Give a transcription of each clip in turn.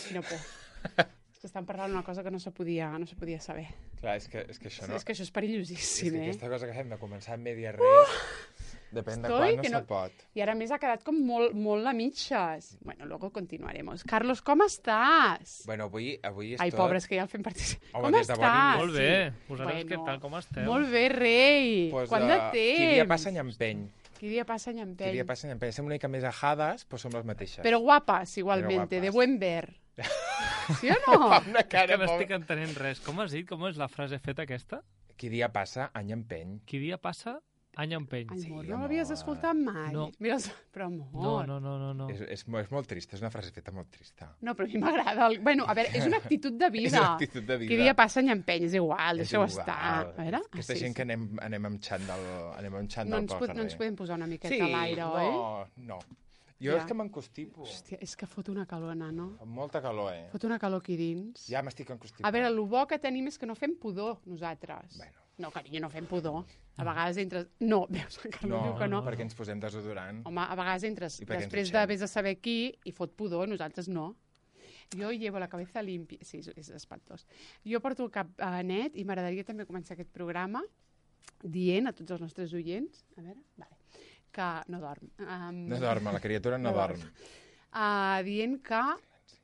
Quina por. És que estan parlant una cosa que no se podia saber. Clar, és que això no... És que això és perillosíssim, És que aquesta cosa que fem de començar amb media depèn de Estoy quan que no se pot. I ara més ha quedat com molt a mitges. Bueno, luego continuaremos. Carlos, com estàs? Bueno, avui és Ai, tot... pobres, que ja el fem participar. Home, Com des de bon estàs? inici. Molt bé. Vosaltres què tal, com esteu? Molt bé, rei. Pues, Quant de temps? Qui dia passa any empeny. Qui dia passa any empeny. Qui dia passa any empeny. Estem una mica més ajades, però som les mateixes. Però guapes, igualmente, Però guapes. de buen ver. ¿Sí o no? Fa una És cara que no estic entenent res. Com has dit? Com és la frase feta aquesta? Qui dia passa, any empeny. Qui dia passa, any empeny. Ai, Sí, amor, amor. no l'havies escoltat mai. No. Mira, però amor. No. És molt trista, és una frase feta molt trista. No, però a mi m'agrada. Bueno, a veure, és una actitud de vida. És una actitud de vida. Qui dia passa any empeny, és igual, És deixeu igual. estar. A veure? Aquesta gent que anem amb xandall no ens podem posar una miqueta sí, a l'aire, oi? No. Jo Ja. és que m'encostipo. Hòstia, és que fot una calona, no? Fa molta calor, Fot una calor aquí dins. Ja m'estic encostipant. A veure, el bo que tenim és que no fem pudor, nosaltres. Bueno. No, carinyo, no fem pudor. A vegades entres... No, veus, el Carlos diu que no. perquè ens posem desodorant. Home, a vegades entres I perquè ens després dutxem. de vés a saber qui i fot pudor, nosaltres no. Jo llevo la cabeza limpia. Sí, és espantós. Jo porto el cap net i m'agradaria també començar aquest programa dient a tots els nostres oients, a veure, vale, que no dorm. No dorm, la criatura no dorm. Dient que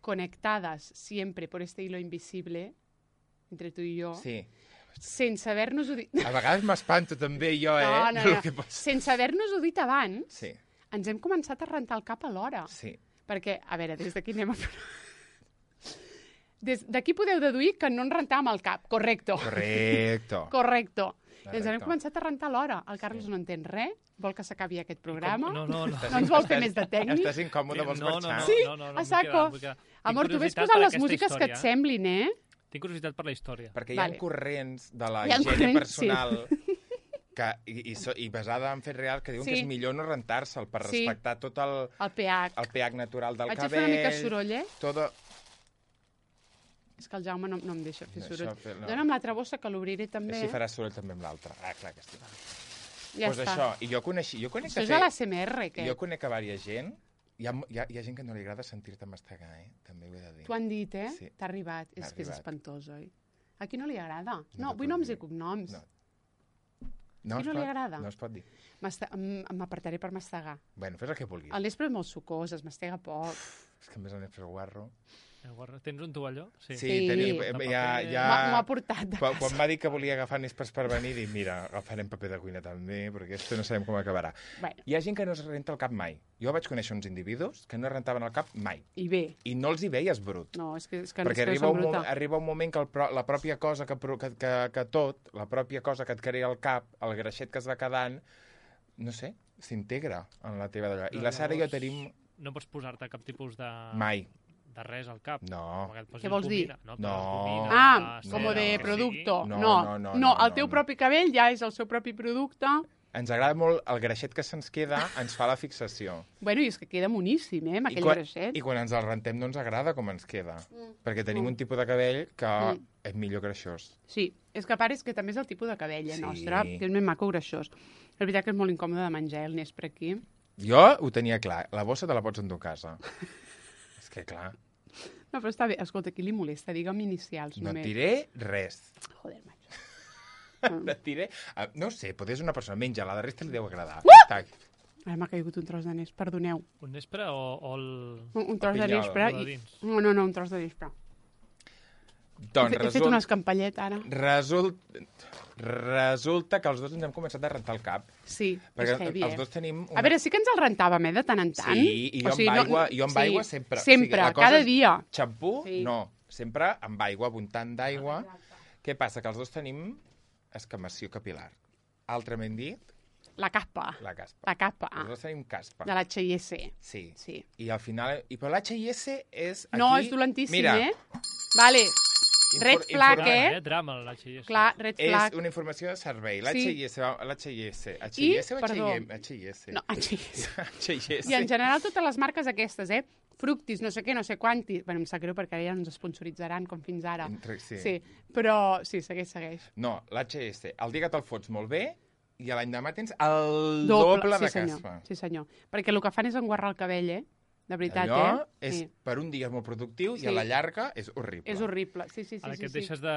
conectades siempre por este hilo invisible entre tu i jo, Sí. sense haver-nos-ho dit... A vegades m'espanto també jo, No. El que passa. Sense haver-nos-ho dit abans, Sí, ens hem començat a rentar el cap a l'hora. sí. Perquè, a veure, des d'aquí anem a... D'aquí podeu deduir que no ens rentàvem el cap. Correcto. Correcto. Correcto. I ens hem Correcte. començat a rentar l'hora. El Carlos no entén res, vol que s'acabi aquest programa. No. No ens vol fer més de tècnic. Estàs incòmode, vols marxar? Sí, no, a saco. vull quedar. Amor, tu Tinc ves curiositat posant per les aquesta músiques que et història. semblin, eh? Tinc curiositat per la història. Perquè hi ha Vale. corrents de la Hi ha higiene corrents, personal que, i basada en fets reals que diuen que Sí. és millor no rentar-se'l per Sí. respectar tot el El pH. pH natural del Vaig a cabell. fer una mica soroll, eh? Todo... És que el Jaume no em deixa fer No, soroll. això no. Dóna'm l'altra bossa, que l'obriré també. Així faràs soroll també amb l'altre. Ah, clar que sí. Ja Pues està. això, i jo conec Això és a l'ASMR, què? Jo conec a diversa gent. Hi ha gent que no li agrada sentir-te mastegar, També ho he de dir. T'ho han dit, eh? Sí. T'ha arribat. M'ha És que és arribat. espantós, oi? A qui no li agrada? No No, t'ho vull puc noms dir. i cognoms. No. A qui no li agrada? No es pot dir. M'apartaré per mastegar. Bueno, fes el que vulguis. El nespre és molt sucós, es mastega poc. És que a més el nespre guarro... Tens un tovalló? Sí. tenim, M'ho ha portat de Quan casa. va dir que volia agafar nespres per venir, dic, mira, agafarem paper de cuina també, perquè esto no sabem com acabarà. Bueno, Hi ha gent que no es renta el cap mai. Jo vaig conèixer uns individus que no es rentaven el cap mai. i bé. I no els hi veies brut. No, és que Perquè arriba arriba un moment que la pròpia cosa que tot, la pròpia cosa que et crea el cap, el greixet que es va quedant, no sé, s'integra en la teva d'allò. I la Sara i jo tenim... No pots posar-te cap tipus de... Mai. De res al cap. No. Què vols dir? No. Ah, com no, de no, producto. No, el teu propi cabell ja és el seu propi producte. Ens agrada molt el greixet que se'ns queda, ens fa la fixació. Bueno, i és que queda moníssim, amb aquell greixet. I quan ens el rentem no ens agrada com ens queda. Perquè tenim un tipus de cabell que és millor greixós. Sí, és que a part és que també és el tipus de cabell, Sí. nostre, que és més maco greixós. La veritat que és molt incòmode de menjar el nespre aquí. Jo ho tenia clar, la bossa te la pots endur a casa. És que clar, No, però està bé. Escolta, qui li molesta? Digue'm inicials, no et només. diré res. Joder, macho. No et diré... No ho sé, potser és una persona menja, la de resta li deu agradar. Tac. Ara m'ha caigut un tros de nespre, perdoneu. Un nespre o el... Un tros de pinyol, nespre. o de dins. No, un tros de nespre. Doncs He fet una escampallet, ara. resulta que els dos ens hem començat a rentar el cap. Sí, Perquè és heavy, els dos tenim... A veure, sí que ens el rentàvem, de tant en tant. Sí, i jo amb aigua sempre. Sempre, la cosa cada és dia. Xampú, Sí. no. Sempre amb aigua, abundant d'aigua. Què passa? Que els dos tenim escamació capilar. Altrament dit, La caspa. la caspa. La caspa. Els dos tenim caspa. De l'HIS. Sí. Sí. I al final... Però l'HIS és... Aquí... No, és dolentíssim, Mira, Vale. Red flag, informa- Drama, l'HIS. Clar, red És flag. una informació de servei. Sí. L'HIS o perdó. HIS? No, HIS. HIS. I en general totes les marques aquestes, Fructis, no sé què, no sé quanti. Bueno, em sap greu perquè ara ja ens esponsoritzaran com fins ara. Sí. Però sí, segueix. No, l'HIS. El dia que te'l fots molt bé i l'any demà tens el doble de sí, senyor. caspa. Sí, senyor. Perquè el que fan és enguarrar el cabell, de veritat, Allò és, Sí. per un dia és molt productiu Sí. i a la llarga és horrible. És horrible, sí. Ara que et deixes de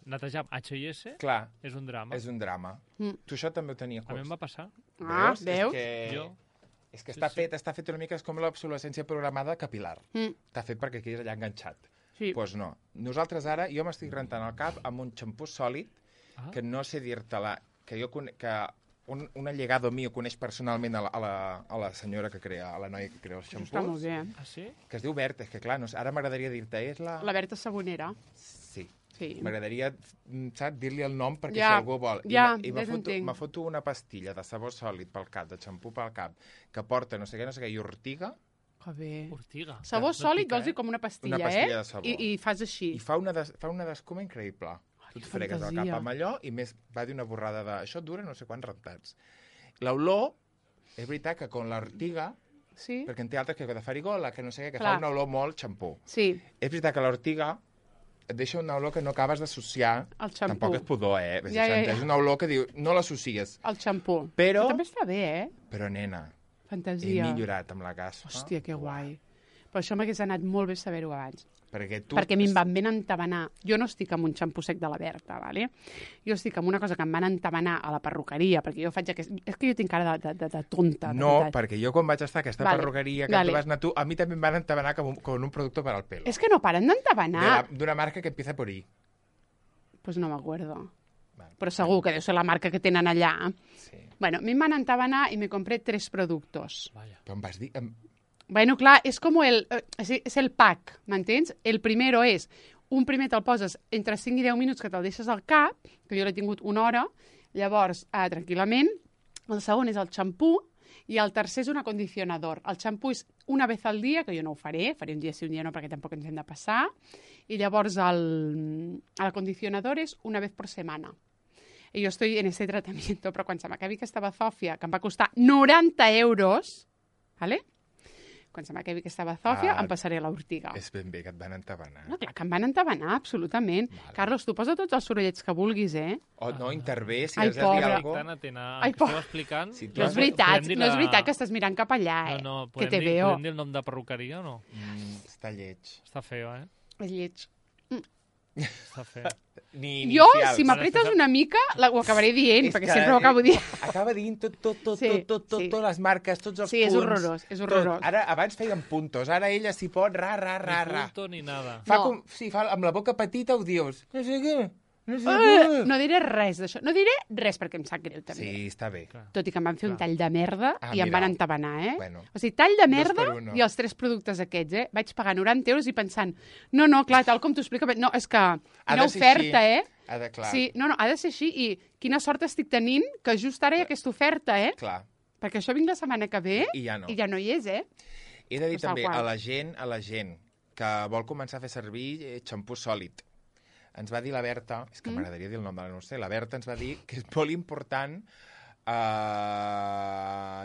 netejar amb H&S, Clar, és un drama. és un drama. Mm. Tu això també ho tenies. A mi em va passar. Ah, veus? És que Sí, està fet una mica com l'obsolescència programada capilar. Està fet perquè quedis allà enganxat. Sí. Doncs pues no. Nosaltres ara, jo m'estic rentant el cap amb un xampú sòlid que no sé dir-te-la, que jo que un allegado mío coneix personalment a la senyora que crea, a la noia que crea els Està molt xampús, bé. Ah, sí? que es diu Berta, és que clar, no sé, ara m'agradaria dir-te, és la... La Berta Sabonera. Sí. Sí. M'agradaria, saps, dir-li el nom perquè Ja, si algú vol. ja, I ja t'entenc. me foto una pastilla de sabó sòlid pel cap, de xampú pel cap, que porta no sé què, i ortiga, Que bé. Ortiga. Sabó No sòlid pica, vols dir com una pastilla, Una pastilla de sabó. I fas així. i fa una d'escuma increïble. Tu et que fregues el fantasia. cap amb allò i més va dir una borrada de... Això dura no sé quants rentats. L'olor, és veritat que con l'ortiga, Sí? perquè en té altres que de farigola, que no sé què, que Clar. fa una olor molt xampú. Sí, És veritat que l'ortiga et deixa una olor que no acabes d'associar. el xampú. Tampoc és pudor, Ja. És una olor que diu, no l'associes. El xampú. Però- També està bé, Però, nena, he Fantasia. millorat amb la caspa. Hòstia, que guai. Però això m'hagués anat molt bé saber-ho abans. Perquè tu... Perquè a mi em van ben entabanar. Jo no estic amb un xampú sec de la Berta, ¿vale? Jo estic amb una cosa que em van entabanar a la perruqueria, perquè jo faig aquest... És que jo tinc cara de tonta, de No, veritat. perquè jo quan vaig estar a aquesta Vale, perruqueria que vale. tu vas anar tu, a mi també em van entabanar com un producte per al pelo. És que no paren d'entabanar. D'una marca que empieza por I. Pues no m'acuerdo. Vale. Però segur que deu ser la marca que tenen allà. Sí. Bueno, a mi em van entabanar y me compré 3 productos. Vaya. Però em vas dir... Bueno, clar, és com és el pack, m'entens? El primero és, un primer te'l poses entre 5 i 10 minuts que te'l deixes al cap, que jo l'he tingut una hora, llavors, tranquil·lament. El segon és el xampú i el tercer és un acondicionador. El xampú és una vez al dia, que jo no ho faré un dia sí, un dia no, perquè tampoc ens hem de passar, i llavors l'acondicionador és una vez por semana. I jo estoy en ese tratamiento, però quan se m'acabi aquesta bazòfia, que em va costar 90 euros, ¿vale? Quan se m'acabi aquesta bazòfia, em passaré l'ortiga. És ben bé que et van entabanar. No, clar, que em van entabanar, absolutament. Vale. Carlos, tu posa tots els sorollets que vulguis, eh? O no, intervé, si Ai, has de dir pobre. alguna Estic cosa. tan atent a Ai, que pobre. esteu explicant. Si tu No has és de- veritat, podem dir no és la- veritat que estàs mirant cap allà, eh? No, que te podem dir, veo. podem dir el nom de perruqueria o no? Està lleig. Està feo, eh? És lleig. Està feo. Ni Jo, inicials. si m'apretes una mica, ho acabaré dient, És perquè que, sempre ho acabo dient. Acaba dient tot, Sí, sí. les marques, tots els Sí, és punts. horrorós, és horrorós. Tot. Ara, abans feien puntos, ara ella s'hi pot ra. Ni punto ni nada. Fa No. com, sí, fa, amb la boca petita ho dius. No sé què, no sé què. No diré res d'això. No diré res perquè em sap greu, també. Sí, està bé. Clar. Tot i que em van fer un Clar. tall de merda Ah, i em mira. van entabanar, eh? Bueno. O sigui, tall de Dos merda per uno. i els 3 productes aquests, eh? Vaig pagar 90 euros i pensant, no, clar, tal com t'ho explico, no, és que Ha quina de ser oferta, així. eh? Ha de, clar, Sí, no, ha de ser així i quina sort estic tenint que just ara hi ha aquesta oferta, eh? clar. Perquè això vinc la setmana que ve I ja no. i ja no hi és, eh? He de dir Pues tal també qual. a la gent que vol començar a fer servir xampú sòlid. Ens va dir la Berta, és que m'agradaria dir el nom de la no sé, la Berta ens va dir que és molt important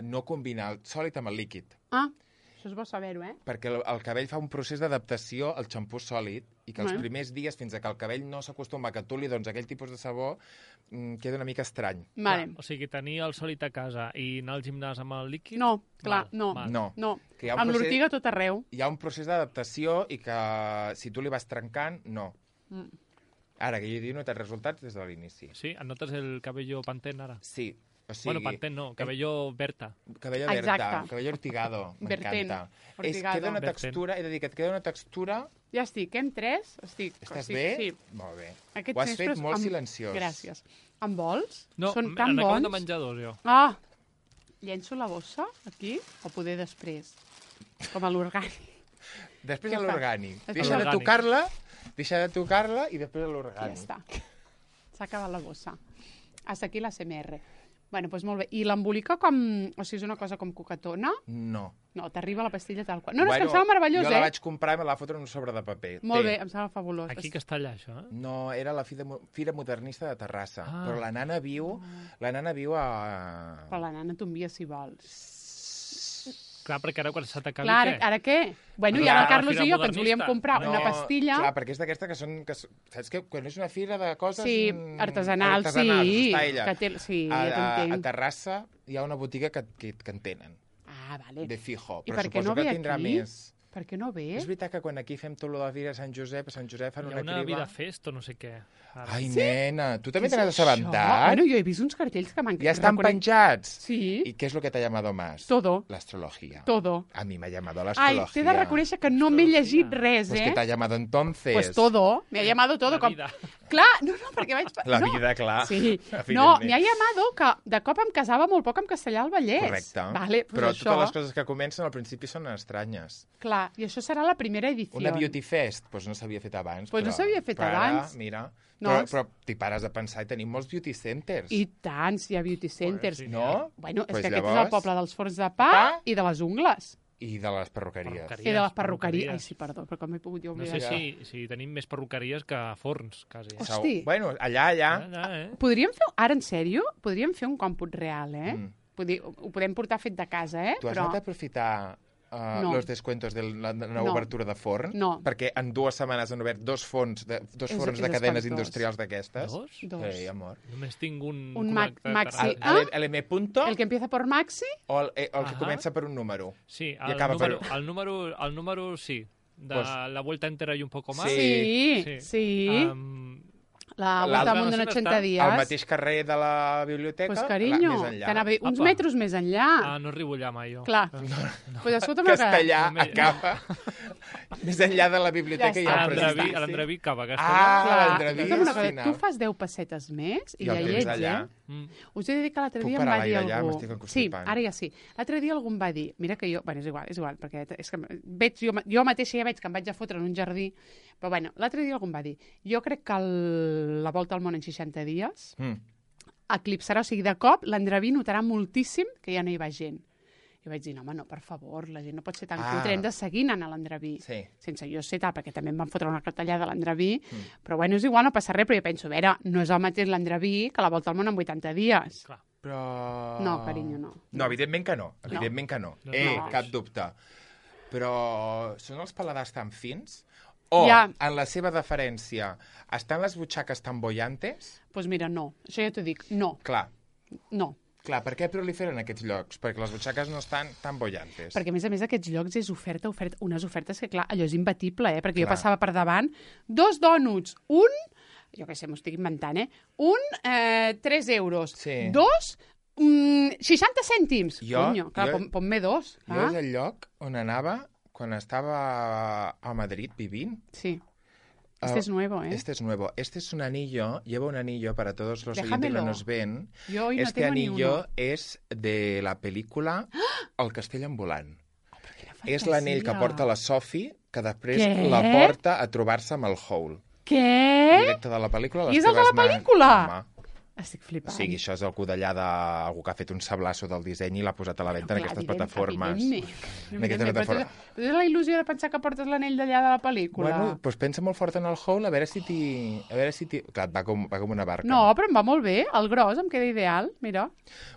no combinar el sòlid amb el líquid, Ah, això és bo saber-ho, eh? perquè el cabell fa un procés d'adaptació al xampú sòlid i que els Bueno. primers dies, fins a que el cabell no s'acostuma que tu li dones aquell tipus de sabó, queda una mica estrany. Vale. O sigui, tenir el sòlid a casa i anar al gimnàs amb el líquid... No, clar, Mal, no. mal. No. No, Que hi ha un amb procés- l'ortiga a tot arreu. Hi ha un procés d'adaptació i que si tu li vas trencant, no. Mm. Ara, que jo he notat resultats des de l'inici. Sí, et notes el cabello Pantene ara? Sí, o sigui... Bueno, Pantene no, cabello Berta. Cabello Exacte. Berta, cabello ortigado, Vertent, m'encanta. ortigado. Queda una Vertent. textura, he de dir que et queda una textura... Ja estic, en 3? Estàs estic, bé? Sí. Molt bé. Aquests Ho has nespres fet molt amb- silenciós. Gràcies. En vols? No, Són tan n'acabo bons. de menjar dos, jo. Ah, llenço la bossa aquí o poder després? Com a l'orgànic. Després Què a fas? l'orgànic. Després Deixa de l'orgànic. tocar-la i després a Ja l'orgànic. està. S'ha acabat la bossa. Hasta aquí la CMR. Bueno, doncs molt bé. I l'embolica com... O sigui, és una cosa com coquetona? No. No, t'arriba la pastilla tal qual. No, és que em sembla meravellós, jo la eh? vaig comprar i me la va fotre en un sobre de paper. Molt Té. bé, em sembla fabulós. Aquí que està allà, això, eh? No, era la Fira Modernista de Terrassa. Ah. Però la nana viu a... Però la nana t'envia si vols. Clar, perquè ara quan se t'acabi, Clar, què? ara què? Bueno, i Clar, ara el la Carlos fira i jo, que ens volíem modernista. comprar No, una pastilla... Clar, perquè és d'aquesta que són... Saps que quan és una fira de coses... Sí, artesanals, artesanals, sí. està ella. Sí, a ja t'entenc. Terrassa hi ha una botiga que en tenen. Ah, vale. de fijo. I Però per què suposo no ve que tindrà aquí? més. Per què no ve? És veritat que quan aquí fem tot lo de Vira a Sant Josep fan Hi una ha una criba... vida fest o no sé què. Ara. Ai, nena, tu també Què te n'has és això? assabentat? Bueno, jo he vist uns cartells que m'han... Ja estan penjats. Sí. ¿Y qué es lo que te ha llamado más? Todo. La astrología. Todo. A mí me ha llamado la Ai, astrología. t'he de reconèixer que no m'he llegit res, Pues que te ha eh? llamado entonces. Pues todo. Me ha llamado todo. La vida. Clar, no, perquè vaig... La no. vida, clar. Sí. Evidentment. No, me ha llamado que de cop em casava molt poc amb Castellà del Vallès. Correcte. Vale, pues Però això, totes les coses que comencen al principi són estranyes. clar, i això serà la primera edició. Una beauty fest, doncs no s'havia fet abans. Pues no però- s'havia fet però ara, abans. Mira, No, però t'hi pares a pensar i tenim molts beauty centers. I tant, si hi ha beauty centers. sí. No? Bueno, és Pues que aquest és llavors- el poble dels forns de pa Pa. i de les ungles. I de les perruqueries. I de les perruqueries. Ai, sí, perdó, però com he pogut jo No oblidar. sé si tenim més perruqueries que forns, quasi. Hosti. Bueno, allà. Podríem fer, ara en sèrio, podríem fer un còmput real, eh? Mm. Ho podem portar fet de casa, eh? Tu has anat a aprofitar No. los descuentos de la nova No. obertura de forn? No. Perquè en 2 setmanes han obert dos forns de és cadenes espantós. industrials d'aquestes. Dos? Dos. Sí, amor. Només tinc un Maxi. connectat. Ah? El M punto El que empieza por Maxi, o el que Ahà. comença per un número? Sí, I acaba el número sí. De Pues- la vuelta entera y un poco más. Sí. sí. L'altre La Volta al Mundo en no sé 80 on està. días. Al mateix carrer de la biblioteca, Pues carinyo, més enllà. que anava uns Apa. metres més enllà. Ah, no arribo allà mai, jo. Clar. Pues escolta'm, Castellà No me- acaba més enllà de la biblioteca Ja i està. el precipici. A l'Andreví cap a Ah, Castellà. l'Andreví escolta'm una al cosa, final. tu fas 10 pessetes més i I ja el hi temps ets, allà. eh? Mm. Us he de dir que l'altre Puc dia em parar va dir l'aire allà? algú... M'estic Sí, encostipant. ara ja sí. L'altre dia algú em va dir... Mira que jo... Bueno, és igual, perquè és que veig, jo mateixa ja veig que em vaig a fotre en un jardí. Però bueno, l'altre dia algú em va dir... Jo crec que la Volta al Món en 60 dies eclipsarà, o sigui, de cop l'Andreví notarà moltíssim que ja no hi va gent. I vaig dir, no, home, no, per favor, la gent no pot ser tan cutre, hem de seguir anant a l'Andreví. Sí. Sense jo ser tal, perquè també em van fotre una cartellada a l'Andreví, però bueno, és igual, no passa res, però jo penso, a veure, no és el mateix l'Andreví que la Volta al Món en 80 dies. Clar. Però... No, carinyo, no. No, evidentment que no. Evidentment que no. No. Cap dubte. Però són els paladars tan fins? O, Ja. en la seva deferència, estan les butxaques tan bollantes? Doncs pues mira, no. Això ja t'ho dic, no. Clar, Clar, per què proliferen aquests llocs? Perquè les butxaques no estan tan bollantes. perquè a més aquests llocs és oferta, unes ofertes que, clar, allò és imbatible, perquè jo Clar. passava per davant, 2 dònuts, un, jo què sé, m'ho estic inventant, un, 3 euros, Sí. 2, 60 cèntims. Conyo, clar, ponme 2. Jo és el lloc on anava quan estava a Madrid vivint. Sí. Este es nuevo, ¿eh? Este es nuevo. Este es un anillo, lleva un anillo para todos los oyentes Déjamelo. que nos ven. Yo hoy no Este tengo ni anillo uno. es de la pel·lícula El castell ambulant. Quina És l'anell que fantasia. porta la Sophie, que després Què? la porta a trobar-se amb el Hole. Què? Directe de la pel·lícula. I és el de la pel·lícula? Home. Estic O flipant. sigui, això és el codellà d'algú que ha fet un sablasso del disseny i l'ha posat a la venda en aquestes plataformes. En aquestes plataformes. Però tens la il·lusió de pensar que portes l'anell d'allà de la pel·lícula. Bueno, doncs pensa molt fort en el Hole, a veure si t'hi... Clar, va com una barca. No, però em va molt bé. El gros em queda ideal, mira.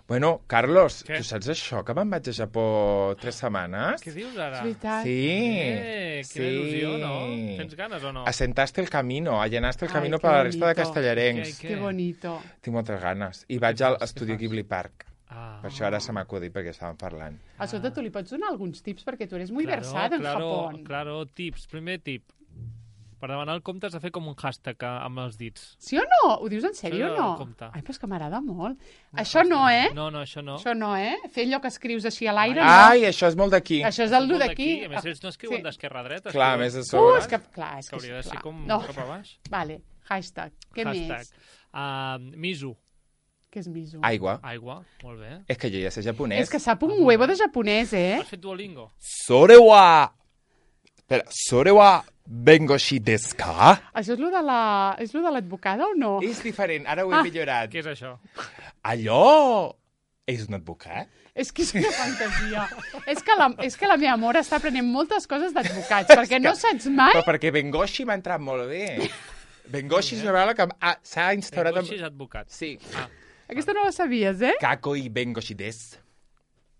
Bueno, Carlos, Què? tu saps això, que me'n vaig a Japó 3 setmanes? Què dius ara? És veritat. Sí. Quina il·lusió, no? Tens ganes o no? Assentaste el camino, allanaste el Ai, camino que per la resta de bonito. castellarencs. Què? Que bonito. Tinc moltes ganes. I vaig al fas? Estudio Què fas? Ghibli Park. Ah. Per això ara se m'ha acudit, perquè estàvem parlant. Escolta, tu li pots donar alguns tips perquè tu eres muy versado en Japón. Claro, tips. Primer tip. Per demanar el compte has de fer com un hashtag amb els dits. Sí o no? Ho dius en sèrio Això o no no? compta. Ai, però és que m'agrada molt. Això no, eh? No, això no. Això no, eh? Fer allò que escrius així a l'aire, Ai, no. això és molt d'aquí. Això és el Molt d'aquí. A més, ells no escriuen Sí. d'esquerra a dreta. Clar, a escriuen més de sobre. És que, clar, és que hauria de ser clar. com No. cap a baix. Vale, hashtag. Què Hashtag. més? Miso. Què és miso? Aigua. Aigua. Molt bé. És que jo ja sé japonès. És que sap un huevo de japonès, eh? Has fet Duolingo? Sorewa... Espera, Sorewa bengoshi desu ka? Això és lo de l'advocada o no? És diferent, ara ho he millorat. Què és això? Allò és un advocat? És que és una fantasia. és que la meva mare està aprenent moltes coses d'advocats, perquè no saps mai... Però perquè bengoshi m'ha entrat molt bé. Bengoshi és una paraula que s'ha instaurat... Bengoshi és advocat. Sí. Ah, Aquesta no la sabies, eh? Kakoi bengoshi desu.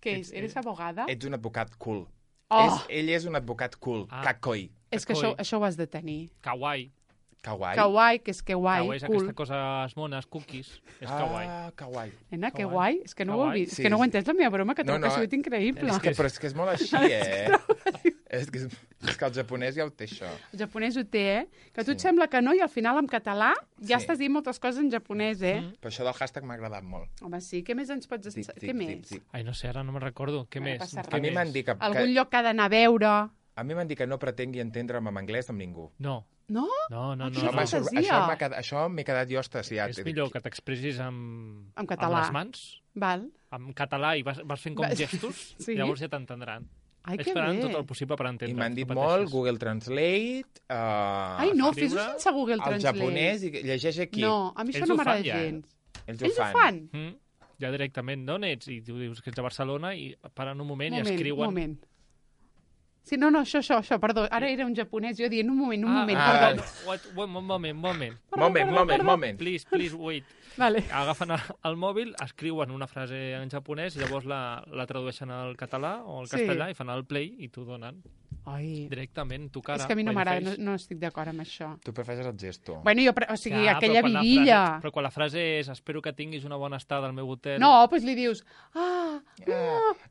Què és? Eres abogada? Ets un advocat cool. Oh. Ell és un advocat cool. Ah. Kakoi. És que això ho has de tenir. kawaii. Kawaii. Kawaii, que és kawaii, Kawaii és cool. aquesta cosa mones, cookies. És kawaii. Kawaii. Nena, que Kawaii. guai. És que no ho heu Kawaii. vist. És que no ho he entès la meva broma, que trobo que ha sigut increïble. Però és que és molt així, és que el japonès ja ho té, això. El japonès ho té, Que tu et sembla que no, i al final en català ja Sí. estàs dient moltes coses en japonès, Però això del hashtag m'ha agradat molt. Home, sí. Què més ens pots... Què més? Ai, no sé, ara no me'n recordo. Què No més? passa res. Què A mi més? m'han dit que... Algun lloc que ha d'anar a veure... A mi m'han dit que no pretengui entendre'm en anglès amb ningú. No, No? no, no. Quina no. fantasia. Això m'he quedat jo estasiat. És millor que t'expressis amb català. amb les mans, Val. en català, i vas fent com Va- gestos, Sí. llavors ja t'entendran. Ai, que Vaig esperant bé. tot el possible per entendre. I m'han dit molt Google Translate, Ai, no, escriure fes-ho sense Google el Translate. japonès, i llegeix aquí. No, a mi Ells això no ho m'agrada fan ja, gens. Ells Ells ho fan? Ja directament, d'on ets? I tu dius que ets de Barcelona i paren un moment, i Un escriuen... moment. Sí, no, això, perdó. Ara era un japonès, jo dient un moment, perdó. Moment. Please, wait. Vale. Agafen el mòbil, escriuen una frase en japonès i llavors la tradueixen al català o al Sí. castellà i fan el play i t'ho donen Ai, directament, tu cara. és que a mi no by the m'agrada, face. no estic d'acord amb això. Tu prefereixes el gesto. Bueno, o sigui, Ja, aquella però quan la vidilla... frase- Però quan la frase és espero que tinguis una bona estada al meu hotel... No, doncs li dius...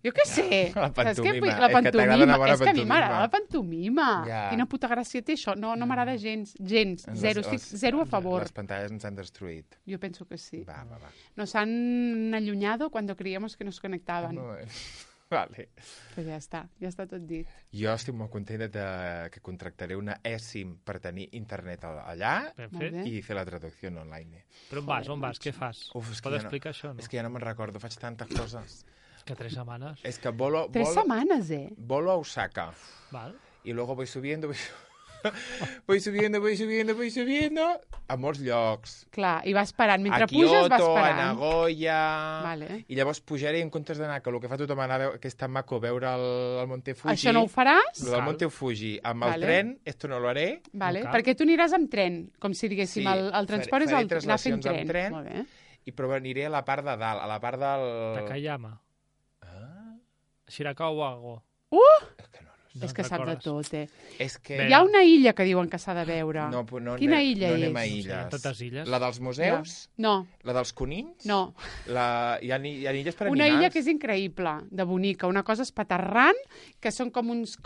Jo què sé. La Saps què vull? pantomima. La És que t'agrada una bona És que a mi m'agrada pantomima. la pantomima. Ja. Quina puta gràcia té això. No m'agrada gens. Zero. Estic zero a favor. Les pantalles ens han destruït. Yo pienso que sí. Va. Nos han allunyado cuando creíamos que nos conectaban. No, vale. Pues ja està tot dit. Jo estic molt contenta que contractaré una eSIM per tenir internet allà Ben Molt fet. bé. i fer la traducció en online. Però on vas? Què fas? Uf, és que Pots ja no- explicar això, no? És que ja no me'n recordo, faig tantes coses. Que 3 setmanes. És que volo 3 setmanes, volo a Osaka Val? y luego voy subiendo a molts llocs. Clar, i vas parant. Mentre A puges, vas Kyoto, a parant. Nagoya... Vale. I llavors pujaré en comptes d'anar, que el que fa tothom anar a veure, que és tan maco veure el Monte Fuji. Això no ho faràs? Lo del Cal. Monte Fuji. Amb el Vale. tren, esto no lo haré. Vale. No cal. Perquè tu aniràs amb tren, com si diguéssim, Sí, el transport és faré anar fent translacions amb tren. tren. Molt bé. Però aniré a la part de dalt, a la part del... Takayama. Ah, Shirakawa Wago. és que no. No És que sap de recordes? tot, És que... Bé. Hi ha una illa que diuen que s'ha de veure. No, però no, Quina anem- illa no anem és? a Sí, illes. totes illes. La dels museus, No, la dels conills, no. hi ha illes per Una animals. illa que és increïble, de bonica, una cosa espaterrant, que són com uns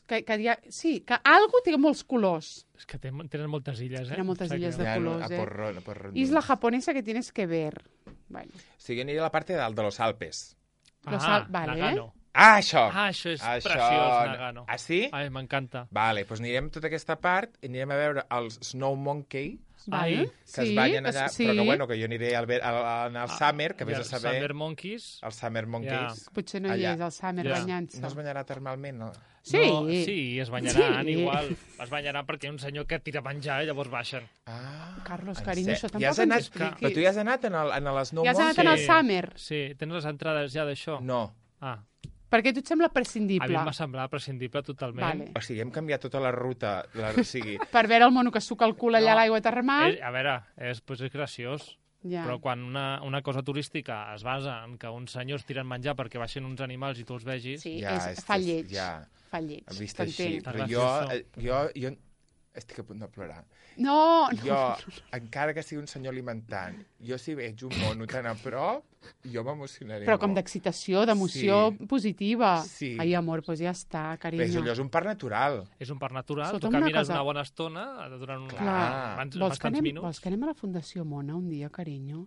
que hi ha... Sí, que algo té molts colors. És que tenen moltes illes, eh? Tenen moltes Em sap illes de greu. colors, a Porron. Isla japonesa que tienes que ver. Bueno, O sigui, aniré a la part de dalt de los Alpes. Vale. Nagano. Això Això és preciós, Nagano. Ah, sí? Ai, m'encanta. Vale, doncs anirem a tota aquesta part i anirem a veure els Snow Monkey, vale. que es ballen allà, sí. però que, bueno, que jo aniré al Summer, que I vés a els saber... Summer Monkeys. Els Summer Monkeys. Potser no hi allà. és el Summer Ja. banyant-se. No es banyarà termalment, no? Sí. No, sí, es banyaran Sí. igual. Es banyaran perquè hi ha un senyor que tira a menjar i llavors baixen. Ah, Carlos, en carinyo, sèrio? això Ja has tampoc ens anat... expliquis. Però tu ja has anat en el Snow Ja has anat Monkey? en el Summer? Sí, tens les entrades ja d'això? No. Ah, Perquè a tu et sembla a mi prescindible. em va semblar prescindible totalment. Vale. O sigui, hem canviat tota la ruta. O sigui, Per veure el mono que suca el cul allà No. a l'aigua termal. A veure, pues és graciós. Ja. Però quan una cosa turística es basa en que uns senyors tiren menjar perquè baixen uns animals i tu els vegis... Sí, Ja, fa lleig. ja. Fa lleig. vist així. T'entenc. Però jo estic a punt de plorar. No, Jo, encara que sigui un senyor alimentant, jo si veig un mono tan a prop, jo m'emocionaré però com molt. d'excitació, d'emoció Sí. positiva. Sí. Ai, amor, doncs ja està, Bé, carinyo. allò és un parc natural. És un parc natural, Escolta'm, tu una camines cosa. una bona estona, durant Clar. bastants minuts. Vols que anem a la Fundació Mona un dia, carinyo?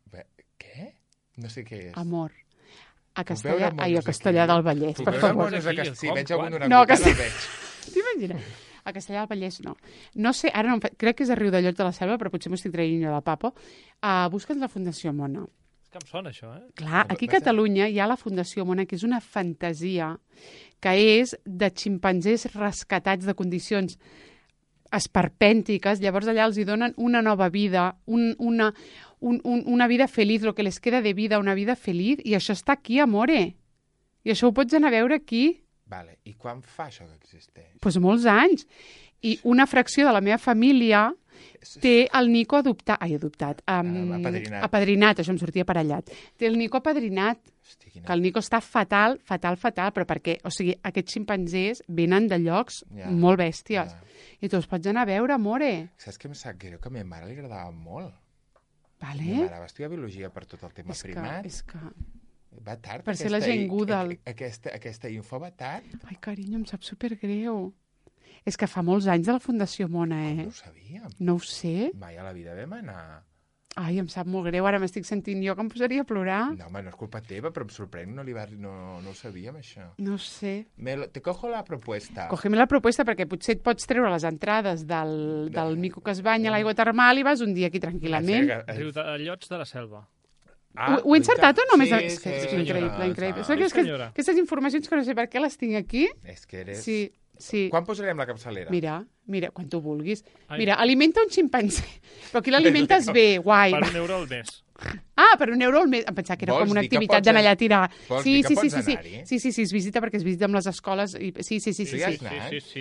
Bé, què? No sé què és. Amor. A Puc Castellà... veure Ai, a monos Castellà aquí? del Vallès, Puc per veure favor. monos a Aquí, Castell? com? Veig algun Quan? orangutan, No, a Castell- el veig. T'imagines? A Castellà del Vallès no. No sé, ara no, crec que és a Riu de Llot de la Selva, però potser m'ho estic traient jo de papo. Busca't la Fundació Mona. És que em sona, això, eh? Clar, aquí a Catalunya hi ha la Fundació Mona, que és una fantasia que és de ximpanzés rescatats de condicions esperpèntiques, llavors allà els hi donen una nova vida, una vida feliç, lo que les queda de vida, una vida feliç, i això està aquí, amore. I això ho pots anar a veure aquí. Vale. I quan fa això que existeix? Doncs molts anys. I una fracció de la meva família té el Nico adoptat. Apadrinat, això em sortia aparellat. Té el Nico apadrinat, que el Nico està fatal, però perquè, o sigui, aquests ximpanzés venen de llocs molt bèsties. I tu els pots anar a veure, amore. Saps què em sap greu? Que a meva mare li agradava molt. Vale. Meva mare va estudiar biologia per tot el tema primat. És que... Va tard. Per ser la gent Goodall. Aquesta info va tard. Ai, carinyo, em sap supergreu. És que fa molts anys de la Fundació Mona, No ho sabíem. No ho sé. Mai a la vida vam anar... Ai, em sap molt greu, ara m'estic sentint jo que em posaria a plorar. No, home, no és culpa teva, però em sorprèn, no ho sabíem, això. No sé. Te cojo la propuesta. Cógeme la propuesta, perquè potser et pots treure les entrades del mico que es banya a l'aigua termal i vas un dia aquí tranquil·lament. Riudellots de la Selva. Ho he encertat o no? Sí, És que és increïble. Aquestes informacions que no sé per què les tinc aquí. És que eres... Sí. Quan posarem la capçalera? Mira, quan tu vulguis. Mira, alimenta un ximpanzé. Però aquí l'alimentes bé, guai. Per €1 al mes. Per €1 al mes. Em pensava que era com una activitat d'anar allà a tirar. Sí, es visita perquè es visita amb les escoles. Sí. Sí,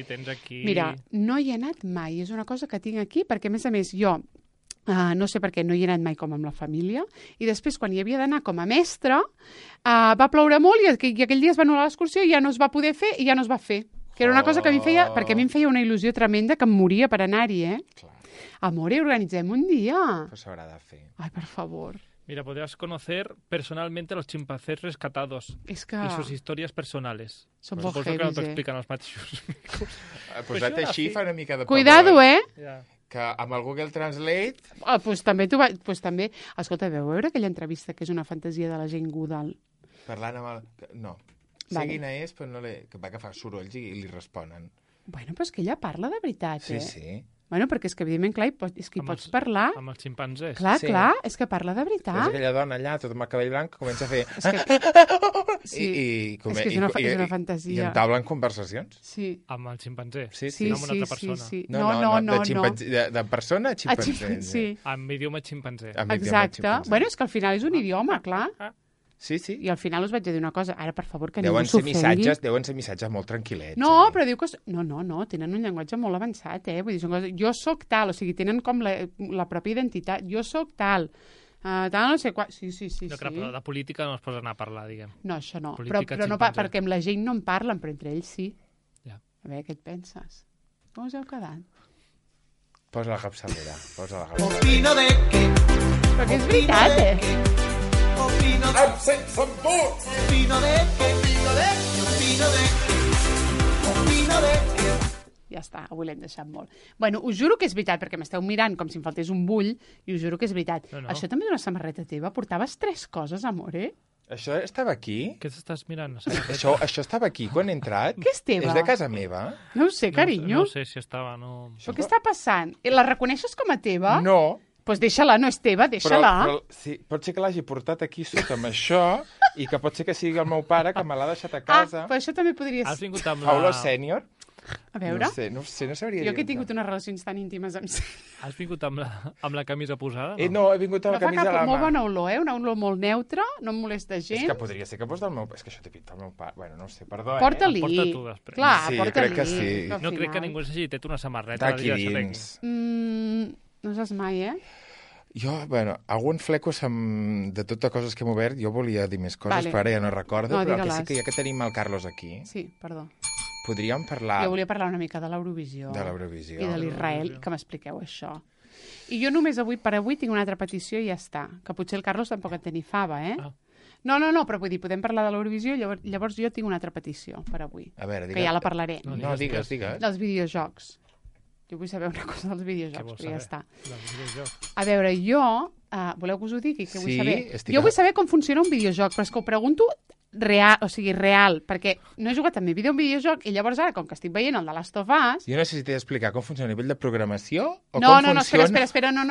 tens aquí... Mira, no hi he anat mai. És una cosa que tinc aquí perquè, a més, jo no sé per què no hi he anat mai com amb la família, i després, quan hi havia d'anar com a mestra, va ploure molt i aquell dia es va anul·lar l'excursió i ja no es va poder fer i ja no es va fer. Que era una cosa que a mi feia, perquè a mi em feia una il·lusió tremenda que em moria per anar-hi, Clar. Amore, organitzem un dia. Però s'haurà de fer. Ai, per favor. Mira, podrás conocer personalmente a los chimpancés rescatados y sus historias personales. Són molt Suposo que no heavies, t'ho expliquen els mateixos. Posat així fa una mica de pavor. Cuidado, Que amb el Google Translate... Doncs també. Escolta, veu veure aquella entrevista que és una fantasia de la gent Goodall? Parlant amb el... No. Sé quina és, però no que va agafar sorolls i li responen. Bueno, però és que ella parla de veritat, Sí. Bueno, perquè és que, evidentment, clar, és que hi pots parlar. Amb els ximpanzés. Clar, és que parla de veritat. És aquella dona allà, tota amb el cabell blanc, que comença a fer... És que és una fantasia. I entablen conversacions. Sí. Amb el ximpanzé. Sí. No amb una altra persona. Sí. No. De persona a ximpanzé. Sí. Amb idioma ximpanzé. Exacte. Bueno, és que al final és un idioma, clar. Sí. I al final us vaig dir una cosa. Ara, per favor, que ningú s'ofengui. Deuen ser missatges molt tranquil·lets. No, però diu que... No, tenen un llenguatge molt avançat, Vull dir, són coses... Jo sóc tal, o sigui, tenen com la pròpia identitat. Jo sóc tal. Tal, no sé quan... Sí. No, però de política no es posa anar a parlar, diguem. No, això no. Però no, perquè amb la gent no en parlen, però entre ells sí. Ja. A veure, què et penses? Com us heu quedat? Posa la capçalera. Opino de que... Però que és veritat, Opino de que... Ja està, avui l'hem deixat molt. Bueno, us juro que és veritat, perquè m'esteu mirant com si em faltés un bull, i us juro que és veritat. No. Això també és una samarreta teva? Portaves 3 coses, amore? Això estava aquí? Què t'estàs mirant? Això estava aquí quan he entrat? Què és teva? És de casa meva? No ho sé, carinyo. No sé si estava, no... Però què està passant? La reconeixes com a teva? No. Doncs deixa-la, no és teva, deixa-la. Però sí, pot ser que l'hagi portat aquí sota amb això i que pot ser que sigui el meu pare que me l'ha deixat a casa. Però això també podria Has ser. vingut amb Paulo Sènior? A veure. No sabria dir. Jo que he tingut unes relacions tan íntimes amb... Has vingut amb la camisa posada? No, he vingut amb la camisa a la mà. Molt bona olor, una olor molt neutra, no em molesta gens. És que podria ser que fos del meu... És que això té pinta del meu pare. Bueno, no sé, perdó, Porta-li. Porta tu després. Clar, sí, porta-li. crec que sí. No crec que ningú s'hagi tret una samarreta. D'aquí dins. No saps mai, Jo, algun flecos de totes coses que hem obert, jo volia dir més coses, però ara ja no recordo, però que sí que ja que tenim el Carlos aquí... Sí, perdó. Podríem parlar... Jo volia parlar una mica de l'Eurovisió. De l'Eurovisió. I de l'Israel, que m'expliqueu això. I jo només per avui tinc una altra petició i ja està. Que potser el Carlos tampoc en té ni fava, No, però vull dir, podem parlar de l'Eurovisió, llavors jo tinc una altra petició per avui. A veure, que ja la parlaré. No, digues. Dels videojocs. Jo vull saber una cosa dels videojocs, però ja està. Dels videojocs. A veure, jo... voleu que us ho digui? Que vull saber? Sí, Jo vull saber com funciona un videojoc, però és que ho pregunto real, perquè no he jugat també a un videojoc i llavors ara, com que estic veient el de Last of Us... Jo no sé si t'he d'explicar com funciona a nivell de programació o no, com funciona... Espera, no,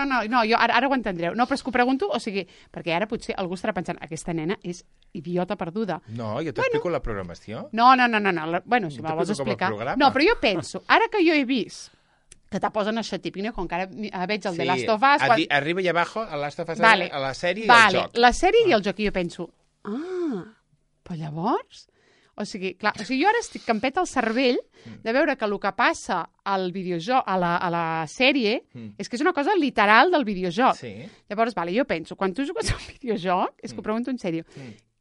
jo ara ho entendreu. No, però és que ho pregunto, o sigui, perquè ara potser algú estarà pensant, aquesta nena és idiota perduda. No, jo t'explico la programació. No. Bueno, si me'l vols explicar... No, però jo penso, ara que jo he vist que te posen això típic, com que ara veig el de Last of Us... Arriba i abajo, a Last of Us, vale. a la sèrie i al joc. La sèrie i el joc, i jo penso, però llavors... O sigui, clar, jo ara estic que em peta el cervell de veure que el que passa al videojoc, a la sèrie, és que és una cosa literal del videojoc. Sí. Llavors, vale, jo penso, quan tu jugues a un videojoc, és que ho pregunto en sèrio,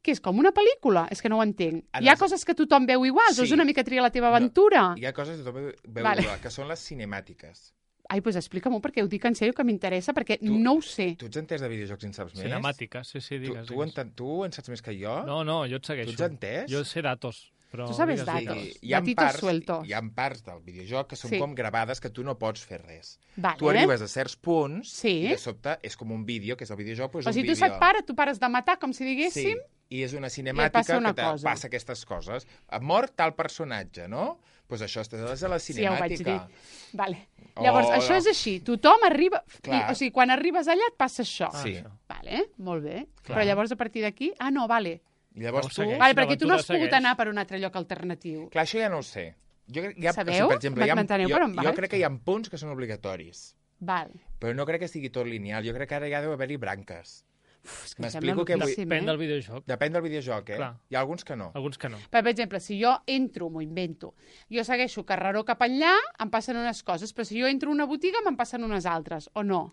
que és com una pel·lícula? És que no ho entenc. Hi ha coses que tothom veu igual, o és una mica triar la teva aventura? Hi ha coses que tothom veu Vale. igual, que són les cinemàtiques. Ai, doncs explica-m'ho, perquè ho dic en sèrio, que m'interessa, perquè no ho sé. Tu ets entès de videojocs i en saps més? Cinemàtica, sí, digues. Tu en saps més que jo? No, jo et segueixo. Tu ets entès? Jo sé datos. Però Tu sabes digues, datos. digues. Datitos sueltos. Hi ha parts del videojoc que són Sí. com gravades que tu no pots fer res. Vale. Tu arribes a certs punts Sí. i de sobte és com un vídeo, que és el videojoc, però és O un sigui, vídeo. tu pares de matar, com si diguéssim, Sí, i és una passa cinemàtica una que cosa. passa aquestes coses. Ha mort tal personatge, no? Doncs això és a la sí, ja ho vaig dir. cinemàtica. Vale. Llavors, Oh, això no. és així. Tothom arriba... Clar. O sigui, quan arribes allà et passa això. Sí. això. Vale, molt bé. Clar. Però llavors, a partir d'aquí... Ah, no, vale. I llavors Llavors tu... segueix. Vale, perquè tu no has l'aventura pogut segueix. anar per un altre lloc alternatiu. Clar, això ja no ho sé. Jo crec, hi ha, Sabeu? per exemple, M'enteneu per on jo vaig? crec que hi ha punts que són obligatoris, Val. però no crec que sigui tot lineal. Jo crec que ara ja deu haver-hi branques. Uf, és que em sembla M'explico què vull... loquíssim, Depèn del videojoc. Depèn del videojoc, eh? Clar. Hi ha alguns que no. Alguns que no. Per exemple, si jo entro, m'ho invento, jo segueixo carreró cap enllà, em passen unes coses, però si jo entro a una botiga me'n passen unes altres, o no?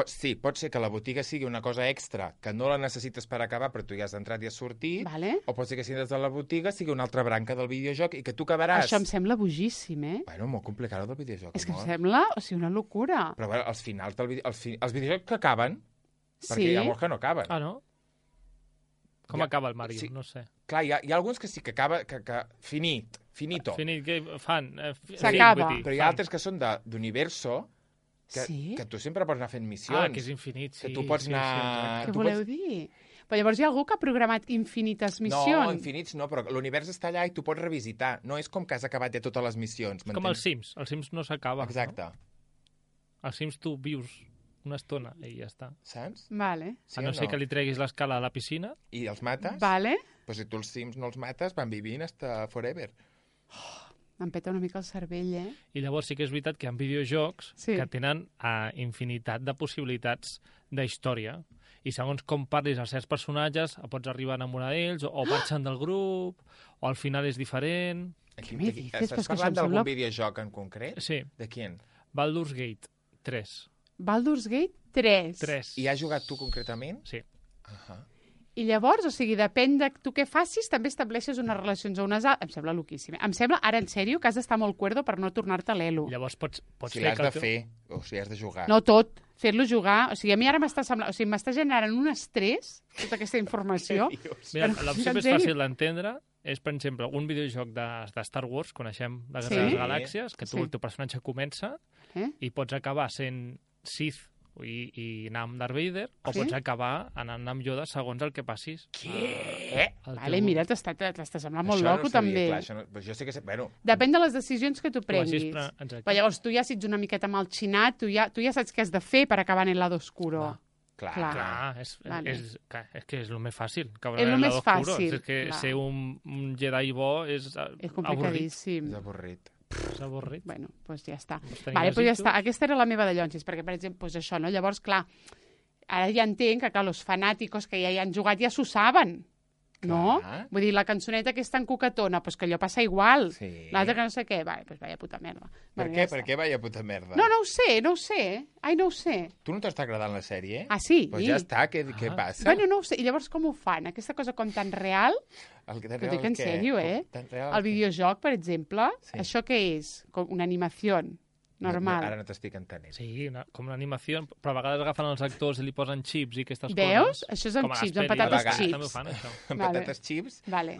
Sí, pot ser que la botiga sigui una cosa extra, que no la necessites per acabar, però tu ja has entrat i has sortit, Vale. o pot ser que si entres a la botiga sigui una altra branca del videojoc i que tu acabaràs... Això em sembla bojíssim, eh? Bueno, molt complicat el del videojoc, És que em amor. sembla, o sigui, una locura. Però a veure, els finals del els videojocs que acaben, perquè Sí? hi ha molts que no acaben. Ah, no? Com Ja, acaba el Mario? sí. No sé. Clar, hi ha alguns que sí que acaba... Que finito. Finit, què fan? S'acaba. Vull dir, Però hi ha altres que són d'universo, Sí? que tu sempre pots anar fent missions. Ah, que és infinit, sí. Que tu pots anar... Què tu voleu dir? Però llavors hi ha algú que ha programat infinites missions. No, infinits no, però l'univers està allà i tu pots revisitar. No és com que has acabat ja totes les missions, Com els Sims. Els Sims no s'acaba. Exacte. No? Els Sims tu vius una estona i ja està. Saps? Vale. Sí A no o ser que li treguis l'escala a la piscina. I els mates? Vale. Però si tu els Sims no els mates, van vivint hasta forever. Em peta una mica el cervell, eh? I llavors sí que és veritat que hi ha videojocs Sí. que tenen infinitat de possibilitats d'història. I segons com parlis a certs personatges, pots arribar a enamorar d'ells, o marxen del grup, o al final és diferent. Aquí, me dices? Però és Estàs que això parlant em d'algun sembla- videojoc en concret? Sí, De quin? Baldur's Gate 3. Baldur's Gate 3. 3. I has jugat tu concretament? Sí. Ahà. I llavors, o sigui, depèn de tu què facis, també estableixes unes relacions a unes altres. Em sembla loquíssim. Em sembla, ara en sèrio, que has d'estar molt cuerdo per no tornar-te l'elo. Llavors pots Si fer l'has que de el teu- fer, o si has de jugar. No tot, fer-lo jugar. O sigui, a mi ara m'està semblant... O sigui, m'està generant un estrès, tota aquesta informació. Mira, Però, l'opció en més sèrio? fàcil d'entendre és, per exemple, un videojoc de Star Wars, coneixem la Guerra Sí. de les Galàxies, que tu, Sí. el teu personatge comença Eh? i pots acabar sent Sith i anar amb Darth Vader, o Sí? pots acabar anant amb Yoda segons el que passis. Què? Vale, mira, t'està semblant molt Això loco, no sabia, també. Clar, això no... Però jo sé que... Bueno, Depèn de les decisions que tu Tu hagis prenguis. Exacte. Però llavors tu ja si ets una miqueta malxinat, tu ja saps què has de fer per acabar en el lado oscuro. clar. Clar, és que és el més fàcil. És el més fàcil, És que clar. ser un Jedi bo és És avorrit. complicadíssim. És avorrit. És avorrit. Bueno, doncs ja està. tenir Vale, doncs ja desitjos. està. Aquesta era la meva de llonsis, perquè, per exemple, doncs això, no? Llavors, clar, ara ja entenc que, clar, els fanàticos que ja hi han jugat ja s'ho saben, no? Clar. Vull dir, la cançoneta que és tan coquetona, doncs que allò passa igual. Sí. L'altra que no sé què, vale, doncs vaya puta merda. Per Bueno, què? ja Per està. què, vaya puta merda? No ho sé. Ai, no ho sé. Tu no t'està agradant la sèrie? Ah, sí? Doncs ja està, què passa? Bueno, no ho sé. I llavors com ho fan? Aquesta cosa com tan real? El que T'ho dic en sèrio, eh? El videojoc, per exemple, Sí. això què és? Com una animació normal. Ara no t'estic entenent. Sí, com una animació, però a vegades agafen els actors i li posen xips i aquestes Veus? coses. Això és amb Com a les xips, amb pel·lis, patates a vegades xips. També ho fan, això. Amb Vale. patates xips Vale.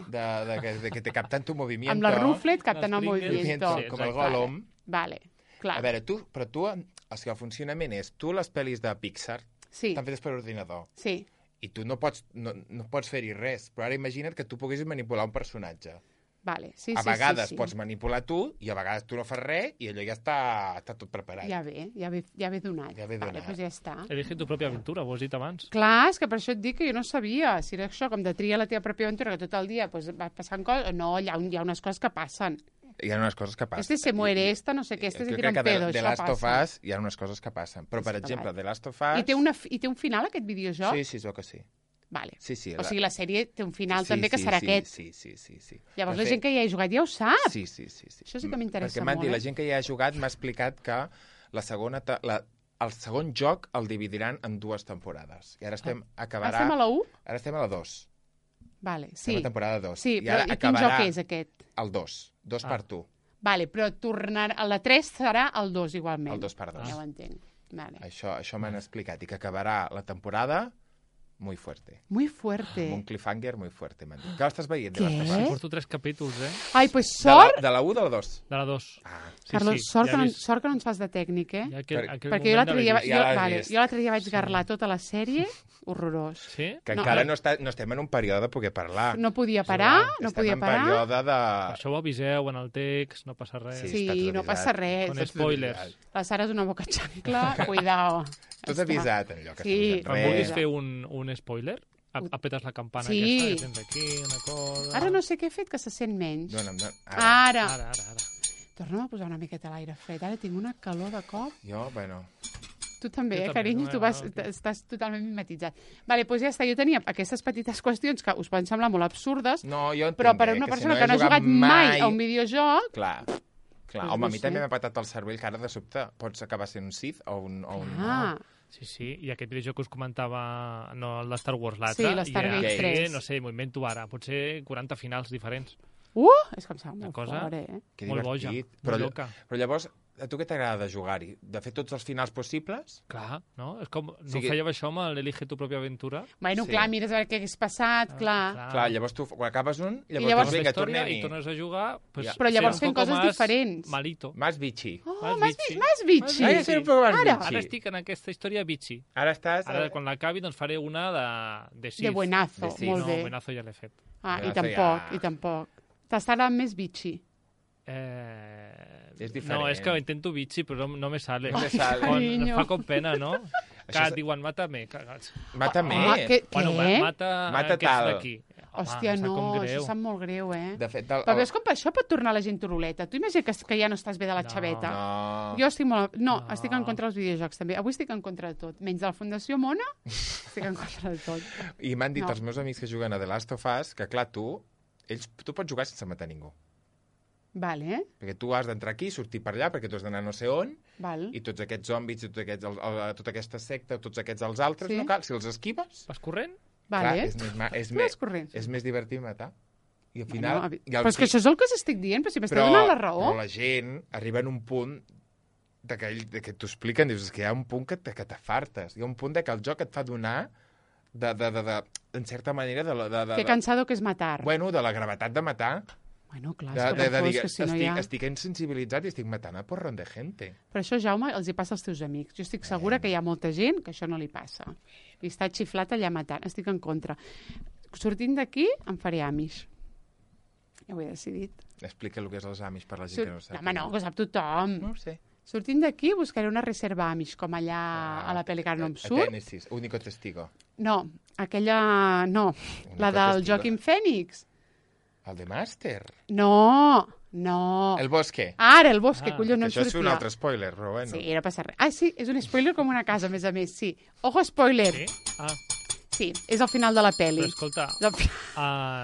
de que te captan tu movimiento. Amb la ruflet capten el Les Pringles. movimiento. Sí, Com el exacte. Gollum. Vale, clar. A veure, però tu, o sigui, el funcionament és, tu les pel·lis de Pixar Sí, estan fetes per ordinador sí. i tu no pots fer-hi res, però ara imagina't que tu poguessis manipular un personatge. Vale, sí, A sí, vegades sí. pots manipular tu i a vegades tu no fas res i allò ja està tot preparat. Ja ve donat. Ja ve Vale, donat. doncs ja està. Elige tu pròpia aventura, ho has dit abans. Clar, és que per això et dic que jo no sabia. Si era això, com de triar la teva pròpia aventura, que tot el dia pues, va passant coses... No, hi ha unes coses que passen. Hi ha unes coses que passen. Este se muere, esta no sé què, este se Jo tira crec un que pedo, The això Last of passa. Us hi ha unes coses que passen. Però, per És que exemple, vale. The Last of Us... I té un final, aquest videojoc? Sí, es veu que sí. Vale. Sí, sí. O sigui, la sèrie té un final Sí, també que sí, serà sí, aquest. Sí. Llavors De la fet, gent que hi ha jugat ja ho sap. Sí. Això sí que m'interessa Perquè m'han molt, dit, eh? la gent que hi ha jugat m'ha explicat que el segon joc el dividiran en 2 temporades. I ara estem acabarà... Estem a la 1? Ara estem a la 2. Vale, Estem sí. a la temporada 2. Sí, I però ara i quin acabarà joc és aquest? el 2. 2 per 1. Vale, però tornar... La 3 serà el 2 igualment. El 2 per 2. Ja ho entenc. Vale. Això m'han explicat. I que acabarà la temporada muy fuerte. Muy fuerte. Amb un cliffhanger muy fuerte, m'han dit. Que l'estàs veient? Què? Sí, porto 3 capítols, Ai, pues sort, De la 1 o de la 2? De la 2. Ah, Carlos, sort que no ens fas de tècnic, eh? Ja Perquè jo l'altre dia, Ja l'has vist. jo l'altre dia vaig garlar tota la sèrie, horrorós. Sí? que No, encara no estem en un període de poder parlar. No podia parar, no Estem podia en parar. període de... Això ho aviseu en el text, no passa res. Sí. Sí, està tot no avisat. passa res. Con spoilers. La Sara és una boca xancla, cuidao. Tot avisat, allò que Sí. estem Em fent vulguis res. fer un spoiler? Apetes la campana Sí. aquesta que tens aquí, una cosa... Ara no sé què he fet, que se sent menys. Dona'm. Ara. Ara. Torna'm a posar una miqueta l'aire fred. Ara tinc una calor de cop. Jo, bueno... Tu també, Jo també, carinyo, tu vas, ok. estàs totalment mimetitzat. Vale, doncs ja està. Jo tenia aquestes petites qüestions que us poden semblar molt absurdes, No, jo entenc, però per a una persona que no ha jugat mai a un videojoc... Clar. Pues Home, no a mi sé. també m'ha patat el cervell que ara de sobte pots acabar sent un Sith o un... Ah, Sí, i aquest videojoc que us comentava, no el de Star Wars, l'altre, Sí, l'Stargate i 3. no sé, m'ho invento ara, potser 40 finals diferents. és que em sembla Una molt cosa- fort, eh? Que Molt boja, divertit. molt loca. Però llavors, a tu què t'agrada de jugar-hi? De fer tots els finals possibles? Clar, no? És com, no sigui- fèieu això amb l'Elige tu pròpia aventura? Bueno, Sí. clar, mires a veure què hagués passat, clar. Clar, llavors tu, quan acabes un, llavors, llavors- dius, vinga, història tornem-hi. i tornes a jugar... Pues, Ja. Però llavors ser un fent poco coses más diferents. Malito. Más bitxi. Oh, Más m'has bitxi. bitxi. Ai, ser un poc més Ara. bitxi. Ara estic en aquesta història bitxi. Ara estàs... Ara, quan l'acabi, doncs faré una de Sith. De buenazo, De Sith. molt No, bé. buenazo ja l'he fet. Ah, i Buenazo tampoc, ja. i tampoc. T'estarà més bitxi. És diferent. No, és que intento bitxi, però no me sale. No me sale. Em fa com pena, no? Que Això és- et diuen, mata-me. Cagats. Mata-me. Home, Bueno, què? mata Mata aquests tal. d'aquí. Hòstia, em sap no, com això greu. sap molt greu, eh? De fet, Però veus com per això pot tornar la gent turuleta. Tu imagina que ja no estàs bé de la No. xaveta. No. Jo estic molt... No, No. estic en contra dels videojocs, també. Avui estic en contra de tot. Menys de la Fundació Mona, estic en contra de tot. I m'han dit No. els meus amics que juguen a The Last of Us que, clar, tu pots jugar sense matar ningú. Vale, eh? Perquè tu has d'entrar aquí, sortir per allà, perquè tu has d'anar no sé on, Val. i tots aquests zombis, i tota aquesta secta, tots aquests els altres, Sí. no cal, si els esquives, Vas corrent? Vale. clar, és Tu vas corrent. més divertit matar. I al final... Bueno, però és que això és el que us estic dient, però si m'esteu però, donant la raó. però la gent arriba en un punt de que t'ho expliquen, dius, és que hi ha un punt que t'afartes. Hi ha un punt de que el joc et fa donar en certa manera, Que cansado que és matar. bueno, de la gravetat de matar. Bueno, clar, és que per que si no hi ha... Estic insensibilitzat i estic matant a porron de gente. Però això, Jaume, els hi passa als teus amics. Jo estic segura que hi ha molta gent que això no li passa. I està xiflat allà matant. Estic en contra. Sortint d'aquí, em faré Amish. Ja ho he decidit. Explica el que és els Amish per la gent que no ho sap. Home, no, que ho sap tothom. No ho sé. Sortint d'aquí, buscaré una reserva Amish, com allà a la pel·li que no em A surt. Tennessee, único testigo. No, aquella... No, la del testigo. Joaquim Phoenix. El de Master. No. El Bosque. Ara, el Bosque, collons, no em Això és sortia. un altre spoiler, però bueno. Sí, no passa res. Ah, sí, és un spoiler com una casa, a més a més, sí. Ojo, spoiler. Sí? Ah, Sí, és el final de la pel·li. però escolta, És el fi-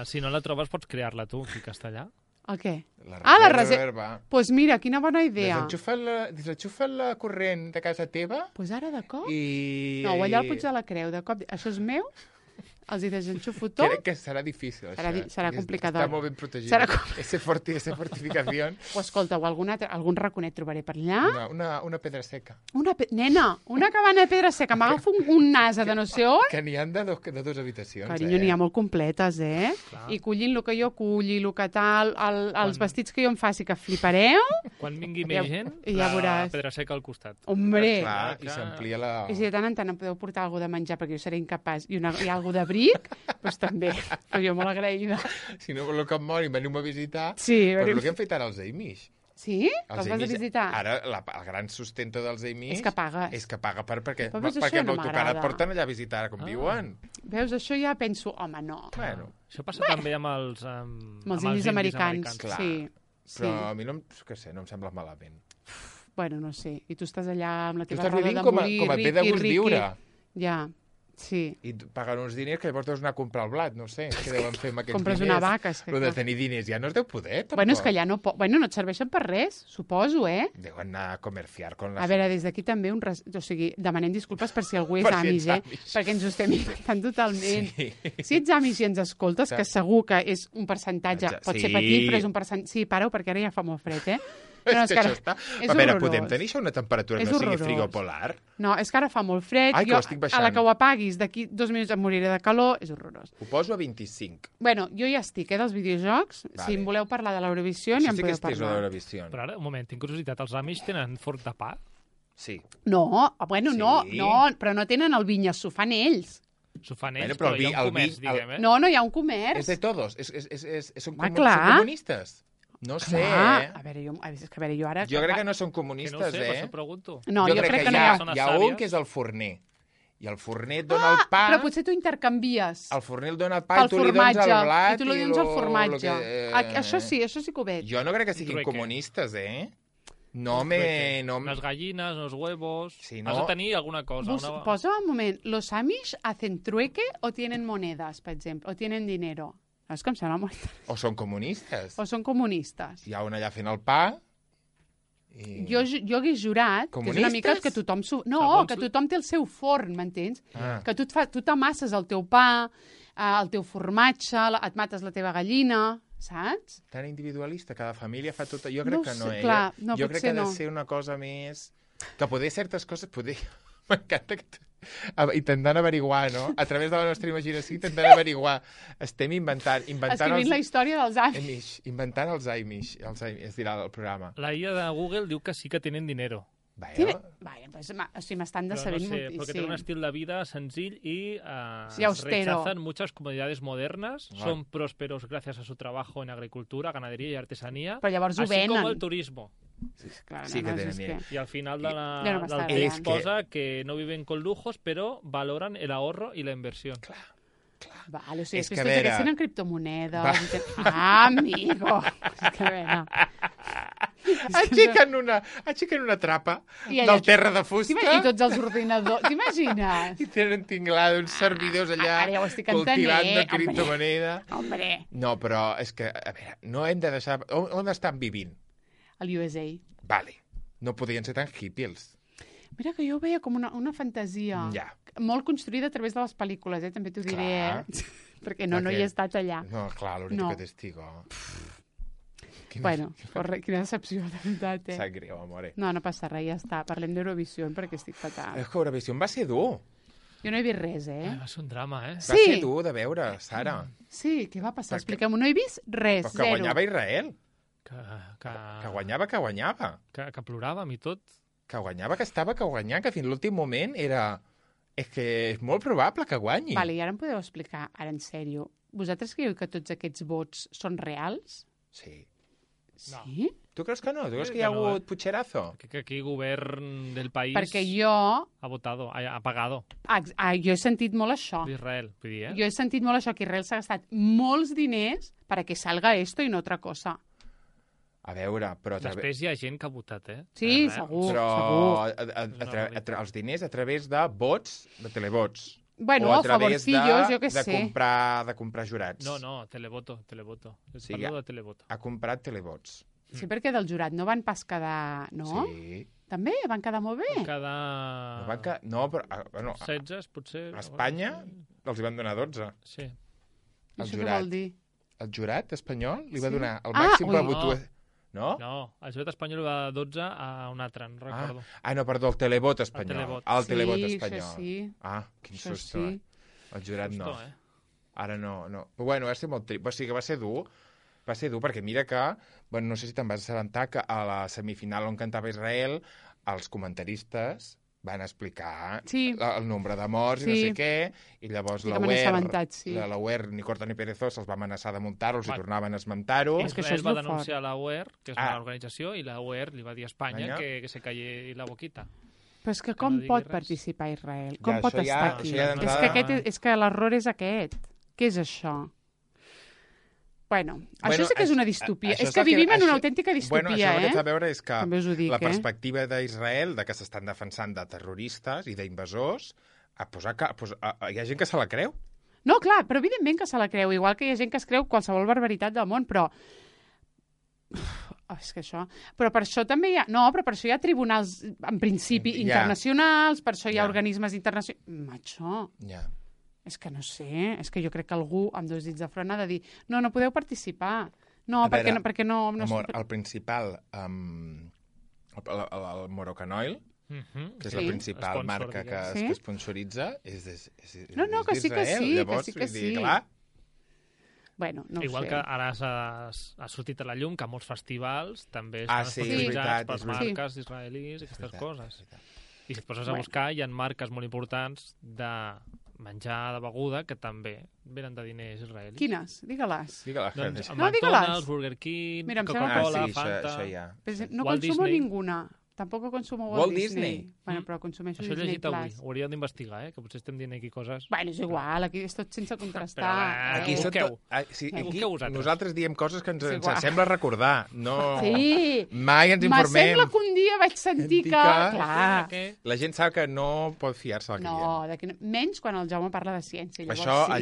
si no la trobes pots crear-la tu, aquí castellà. El què? La la reserva. Doncs pues mira, quina bona idea. Desenxufa la corrent de casa teva Doncs pues ara de cop... i... No, o allà al Puig de la Creu, de cop... Això és meu, els hi desenxufo tot. Crec que serà difícil, això. Serà complicador. Està molt ben protegit. Serà Ese fortificació. O escolta, o algun raconet trobaré per allà. Una pedra seca. Nena, una cabana de pedra seca. M'agafo un nasa de no sé on. Que n'hi ha de dues habitacions. Carinyo, n'hi ha molt completes, eh? Clar. I collint el que jo culli, el que tal, els vestits que jo em faci, que flipareu. Quan vingui Ja- més gent, ja la veuràs. pedra seca al costat. Hombre! Clar, que- i s'amplia la... I si de tant en tant em podeu portar alguna de menjar, perquè jo seré incapaç, i algú d'abric, doncs també. Però jo molt agraïda. Si no voleu que em mori, veniu a visitar. Sí, Però el que han fet ara els Amish. Sí? Els vas a visitar? Ara, el gran sustento dels Amish... És que pagues. És que paga perquè Però veus, perquè això no amb autocar et m'agrada. porten allà a visitar com viuen. Veus, això ja penso, home, no. Bueno, Això passa també amb els... Amb els indis americans, clar. sí. però a mi no, no em sembla malament. Bueno, no sé. I tu estàs allà amb la Tu teva estàs roda vivint de com molí, et ve de gust riqui. viure. Ja. Sí. I paguen uns diners que llavors deus anar a comprar el blat, no sé, què deuen fer amb aquests Compres diners. una vaca, és que Lo de clar. tenir diners ja no es deu poder, tampoc. Bueno, és que allà no... Bueno, no et serveixen per res, suposo, Deuen anar a comerciar con A les... veure, des d'aquí també o sigui, demanem disculpes per si algú és Per si amish, ets amish. perquè ens ho estem inventant totalment. Sí. Si ets amish i ens escoltes, que segur que és un percentatge, pot ser Sí. petit, però és un percentatge... Sí, para-ho, perquè ara ja fa molt fred, eh? És No, que ara- això està... és A veure, horrorós. podem tenir això una temperatura que És no sigui horrorós. frigopolar? No, és que ara fa molt fred, Ai, que jo ho estic a baixant. la que ho apaguis d'aquí 2 minuts em moriré de calor, és horrorós. Ho poso a 25. Bueno, jo ja estic, dels videojocs. Vale. Si em voleu parlar de l'Eurovisió, Això ja en sí que podeu és teso de parlar. l'Eurovisió. Però ara, un moment, tinc curiositat. Els Amish tenen forn de pa? Sí. No, bueno, Sí. no, però no tenen el vinya, s'ho fan ells. S'ho fan Bueno, ells, però però hi ha el un comerç, vi- el- diguem, eh? No, hi ha un comerç. És de todos. Són Ah, clar. són comunistes. No sé, Clar. eh? A veure, jo ara... Jo crec que no són Que comunistes, no ho sé, per eh? això pregunto. No, jo crec que no hi hi ha... Zones ha un sàvies. que és el forner. I el forner et dona el pa... Però potser tu intercanvies El forner el dona el pa pel i tu li dones formatge. el blat... I tu li dones el formatge. que, Això sí que ho veig. Jo no crec que siguin Trueque. comunistes, eh? No Trueque. me... No... Les gallines, els huevos... Sí, no? Has de tenir alguna cosa. Posa un moment. ¿Los Amish hacen trueque o tienen monedas, per exemple? O tienen dinero? És que em sembla molt... O són comunistes. O són comunistes. Hi ha un allà fent el pa... I... Jo hagués jurat que és una mica Comunistes? que tothom... No, Segons que tothom té el seu forn, m'entens? Ah. Que tu t'amasses el teu pa, el teu formatge, et mates la teva gallina, saps? Tan individualista, cada família fa tot... Jo crec No que ho no, sé, eh? clar, no, jo crec potser que ha de no. ser una cosa més... Que poder certes coses... M'encanta que... Intentant averiguar, no? A través de la nostra imaginació, intentant averiguar. Estem inventant Escrivint la història dels Amish. Amish, inventant els Amish, es dirà el programa. La IA de Google diu que sí que tenen dinero. Vale, pues, o sigui, m'estan Pero no decebent sé, porque tienen un moltíssim. estilo de vida sencillo y Sí, austero. rechazan muchas comodidades modernas, Vale. son prósperos gracias a su trabajo en agricultura, ganadería y artesanía, Però llavors ho así como venen. el turismo. Clar, Sí que és tenen dinero. Y al final de la, Ja no m'està del agradant. text posa que no viven con lujos, pero valoran el ahorro y la inversión. Vale, o sigui, És és que que, a tots veure- aquests tenen criptomonedes. Va. Ah, amigo! És que, a veure... Aixequen una trapa I allà- del terra de fusta I tots els ordinadors, t'imagines? i tenen tinglada uns servidors allà Ara ja ho estic cultivant de entenent, criptomoneda. Hombre, No, però és que, a veure, no hem de deixar... On estan vivint? el USA. Vale, no podien ser tan hippies. Mira que jo ho veia com una fantasia. Ja. Molt construïda a través de les pel·lícules, també t'ho diré. Clar. Perquè no hi he estat allà. No, clar, l'únic No. que testigo. Bueno, quina decepció, de veritat, Sap greu, amore. No passa res, ja està. Parlem d'Eurovisió perquè estic fatal. És que Eurovisió va ser dur. Jo no he vist res, Va ser un drama, eh? Va ser dur de veure, Sara. Sí, què va passar? Perquè- Expliquem-ho. No he vist res, Però que zero. guanyava Israel. Que Que guanyava. que ploràvem i tot. Que guanyava, que estava que guanyar, que fins l'últim moment era... És que és molt probable que guanyi. Vale, i ara em podeu explicar, ara en sèrio, vosaltres creieu que tots aquests vots són reals? Sí. No. Sí? Tu creus que no? Tu creus Sí que hi ha que no, hagut pucherazo? Que aquí el govern del país Perquè jo... ha votado, ha pagado Jo he sentit molt això. d'Israel, vull dir, eh? Jo he sentit molt això, que Israel s'ha gastat molts diners para que salga esto i no otra cosa. A veure, però... Després hi ha gent que ha votat, eh? Sí, Res. segur, Però segur. els diners a través de vots, de televots. Bueno, o a a través favorcillos, jo què de sé. comprar jurats. No, televoto. Sí, Parlo ja. de televoto. Ha comprat televots. Sí, perquè del jurat no van pas quedar... No? Sí. També? Van quedar molt bé? Cada... No, però... Bueno, 16, potser... a Espanya els hi van donar 12. Sí. I El això què jurat. vol dir? El jurat espanyol li va Sí? donar el Ah, màxim ui. per votar... No? No, el jurat espanyol va 12 a un altre, no recordo. No, perdó, el televot espanyol. televot. El televot Sí, espanyol. això sí. Ah, quin Això susto, sí. El jurat no. Justo, eh? Ara no. Però bueno, va ser molt trist. O sigui que va ser dur. Va ser dur perquè mira que... Bueno, no sé si te'n vas assabentar que a la semifinal on cantava Israel els comentaristes van explicar Sí. el nombre de morts i no Sí. sé què, i llavors Sí la que me n'he assabentat, sí. la UER, ni corta ni perezosa, els va amenaçar de muntar-los i Bueno. tornaven a esmentar-ho. És que això Israel és va lo denunciar la UER, que és Ah. una organització, i la UER li va dir a Espanya Espanya. que se calli la boquita. Però és que no com digui pot res. participar Israel? Ja, Com pot això ja- estar aquí? això ja És d'entrada- és que l'error és aquest. Què és això? Bueno, això Bueno, sí que és una això distopia. és És que el que- vivim en una això- autèntica Bueno, això distopia, el que té a eh? veure és que També us ho dic, la eh? perspectiva d'Israel, de que s'estan defensant de terroristes i d'invasors, Hi ha gent que se la creu. No, clar, però evidentment que se la creu, igual que hi ha gent que es creu qualsevol barbaritat del món, però... És que això... Però per això també hi ha... No, però per això hi ha tribunals, en principi, internacionals, per això hi ha organismes internacionals... Macho, és que no sé, és que jo crec que algú amb 2 dits de front ha de dir no podeu participar. No, perquè no... Amor, el principal... el Moroccan que és la principal marca que sponsoritza, és No, que sí que sí, llavors, que sí. Clar. Bueno, no Igual sé. que ara ha sortit a la llum que molts festivals també estan sí, sponsoritzats per és marques israelís i aquestes coses. I si et poses a buscar, hi ha marques molt importants de menjar, de beguda, que també venen de diners israelis. Quines? Digue-les. Doncs No, McDonald's, digue-les. Burger King, Mira, em sembla Coca-Cola, sí, Fanta... això ja. Pues no Walt consumo Disney. ninguna. Tampoc consumo Walt Walt Disney. Disney. Bueno, però consumeixo Això he Disney llegit avui, Plus. ho hauríem d'investigar, que potser estem dient aquí coses... Bueno, és igual, aquí és tot sense contrastar. Però, Aquí, busqueu. aquí vosaltres. nosaltres diem coses que ens igual. sembla recordar. No, Sí. mai ens informem. M'assembla que un dia vaig sentir que... Clar. La gent sap que no pot fiar-se del que No, menys quan el Jaume parla de ciència. diem. Llavors, Això, sí.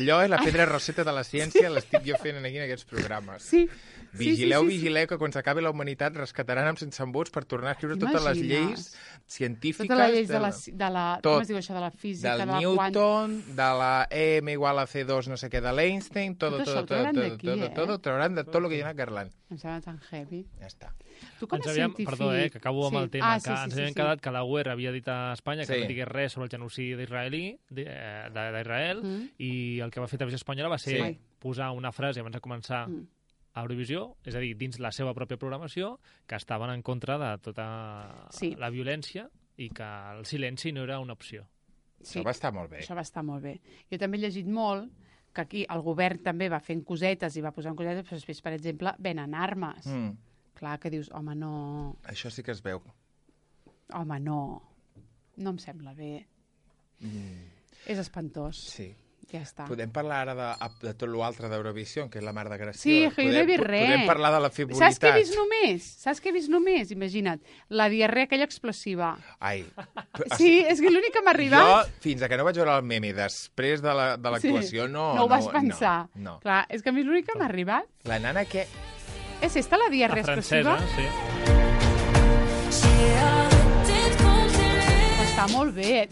allò és la pedra roseta de la ciència, l'estic jo fent aquí en aquests programes. Sí. Vigileu, sí. vigileu, que quan s'acabi la humanitat rescataran amb sense embuts per tornar a escriure totes les lleis científiques... Totes les lleis de la tot. com es diu això, de la física, del de la Newton, de la M igual a C2 no sé què de l'Einstein, Tot això ho trauran d'aquí, trauran de tot el que hi ha a Garland. Em sembla tan heavy. Ja està. Tu com a científic... Perdó, que acabo amb el tema, que ens havíem quedat que la UER havia dit a Espanya que no digués res sobre el genocidi d'Israel i el que va fer Televisió Espanyola va ser posar una frase abans de començar a Eurovisió, és a dir, dins la seva pròpia programació, que estaven en contra de tota la violència i que el silenci no era una opció. Això va estar molt bé. Això va estar molt bé. Jo també he llegit molt que aquí el govern també va fent cosetes i va posant cosetes, però després, per exemple, venen armes. Clar, que dius, home, no... Això sí que es veu. Home, no. No em sembla bé. És espantós. Sí. Ja està. Podem parlar ara de tot l'altre d'Eurovisió, que és la mar de gràcia. Sí, que jo no he vist res. Podem parlar de la frivolitat. Saps què he vist només? Imagina't. La diarrea aquella explosiva. Ai. Sí, és que l'únic que m'ha arribat... Jo, fins que no vaig veure el meme després de l'actuació, no... No ho vas pensar. No. Clar, és que a mi l'únic que m'ha arribat... La nana que... És esta la diarrea explosiva? La francesa, sí. Està molt bé.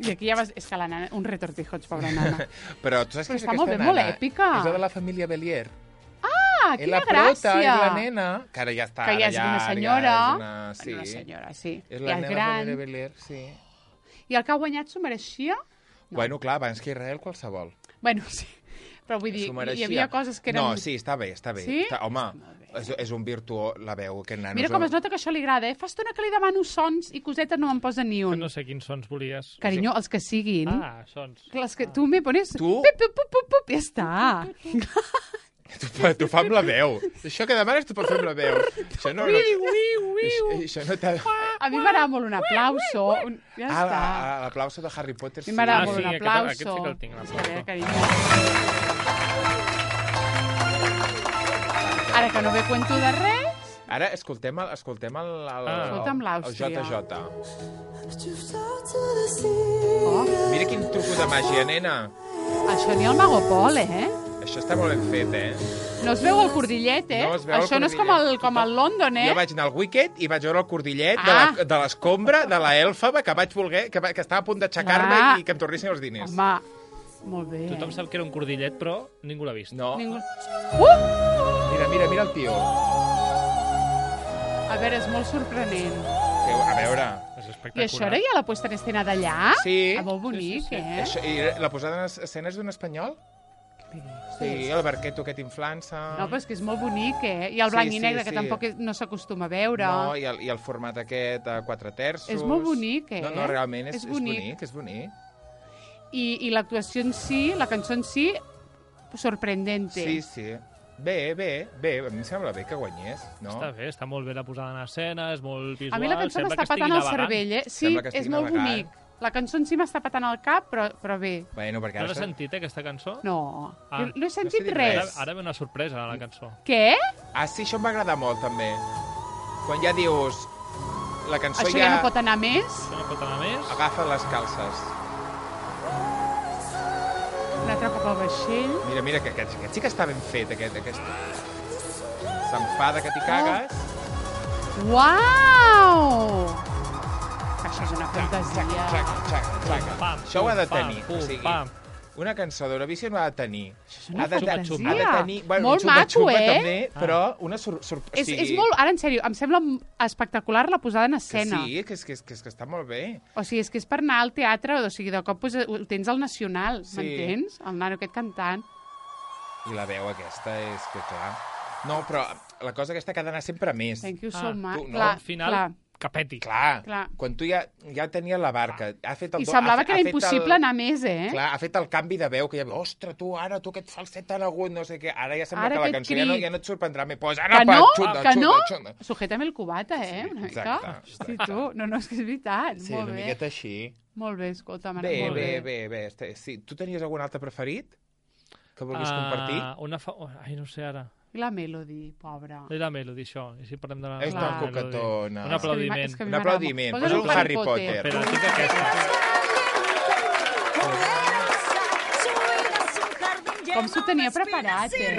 I aquí ja vas... És que la nana... Un retortijots, pobra nana. Però tu saps Però que està molt bé, molt èpica. És la de la família Bélier. Ah, quina prota, gràcia! és la nena, que ara ja està... Que ja és una senyora. Sí. Una senyora, sí. És la ja nena de la gran. família Bélier, sí. I el que ha guanyat s'ho mereixia? No. Bueno, clar, abans que Israel qualsevol. Bueno, sí. Però vull dir, hi havia coses que eren... No, sí, està bé, està bé. Sí? Home, és un virtuó, la veu, aquest nano. Mira com es nota que això li agrada, Fa estona que li demano sons i cosetes no me'n posa ni un. No sé quins sons volies. Carinyo, els que siguin. Ah, sons. Els que tu me pones... Tu? Pup, pup, pup, pup, ja està. Tu fa amb la veu. Això que demanes tu pots fer amb la veu. Això no... Això no t'ha... A mi m'agrada molt un aplauso. Ja està. L'aplauso de Harry Potter, A mi m'agrada molt sí, un aplauso. aquest sí que el tinc, l'aplauso. Està bé, carinyo. Ara que no ve cuento de res... Ara escoltem Escolta'm el l'Àustria. JJ. Oh, Mira quin truco de màgia, nena. això ni el Mago Pol, Això està molt ben fet, No es veu el cordillet, No es veu el Això no és cordillet. com el London, Jo vaig anar al Wicked i vaig veure el cordillet Ah. de l'escombra, de la Elfaba, que vaig voler, que estava a punt d'aixecar-me Clar. i que em tornessin els diners. Home, molt bé. Tothom sap que era un cordillet, però ningú l'ha vist. No. Ningú... Mira el tio. A veure, és molt sorprenent. A veure... És I espectacular. això era ja la puesta en escena d'allà? Sí. Molt bonic, Sí. Això, I la posada en escenes d'un espanyol? Sí, el barqueto aquest inflant-se... No, però és que és molt bonic, I el blanc i negre, que tampoc no s'acostuma a veure. No, i el format aquest a 4 terços... És molt bonic, No, realment és bonic. és bonic. I l'actuació en si, la cançó en si, sorprendente. Sí. Bé, a mi em sembla bé que guanyés, no? Està bé, està molt bé la posada en escena, és molt visual... A mi la cançó sembla m'està que estigui patant el navegant. cervell, Sí, Sembla que és estigui molt navegant. bonic. La cançó en si m'està patant al cap, però bé. Bueno, perquè No ara... l'has sentit, aquesta cançó? No, Ah, no he sentit dit res. Ara ve una sorpresa a la cançó. Què? Ah, sí, això em va agradar molt, també. Quan ja dius... la cançó Això ja no pot anar més. Això no pot anar més. Agafa les calces. Un altre cop al vaixell. Mira, que aquest sí que està ben fet, aquest. S'enfada que t'hi cagues. Uau! Això és una fantasia. Xac. Això ho ha de tenir. Pam, O sigui, pam. una cançó d'Eurovisió no ha de tenir. Això és una Ha de fantasia. tenir... Bueno, Molt un maco, xupa-xupa eh? també, però una És molt... Ara, en sèrio, em sembla espectacular la posada en Que escena. sí, que està molt bé. O sigui, és que és per anar al teatre, o sigui, de cop pues, ho tens al Nacional, Sí. m'entens? El nano aquest cantant. I la veu aquesta és que, clar... No, però la cosa aquesta que ha d'anar sempre a més. Thank you so much. tu, no? Clar, Al final, clar. que peti. Clar, Clar. quan tu ja tenies la barca, ha fet el... I semblava que ha era fet impossible anar més, eh? Clar, ha fet el canvi de veu, que ja... Ostres, tu, ara, tu aquest falset tan agut, no sé què... Ara ja sembla Ara que la aquest cançó crit. ja no et sorprendrà més. Pues ara, Que no? xuta, Que no? xuta. Sujétame el cubata, eh? Sí, Una mica. exacte. Sí, tu. No, és que és veritat. Sí, molt una bé. miqueta així. Molt bé, escolta, Bé, molt bé. Sí. Tu tenies algun altre preferit que vulguis compartir? Ai, no sé ara. I la Melody, pobra. I la Melody, això. I si parlem de la... És Clar. tan coquetona. Un aplaudiment. És que a mi Un m'agrada aplaudiment. molt. Posa un Harry Potter. Espera, tinc aquesta. Com s'ho tenia preparat, eh?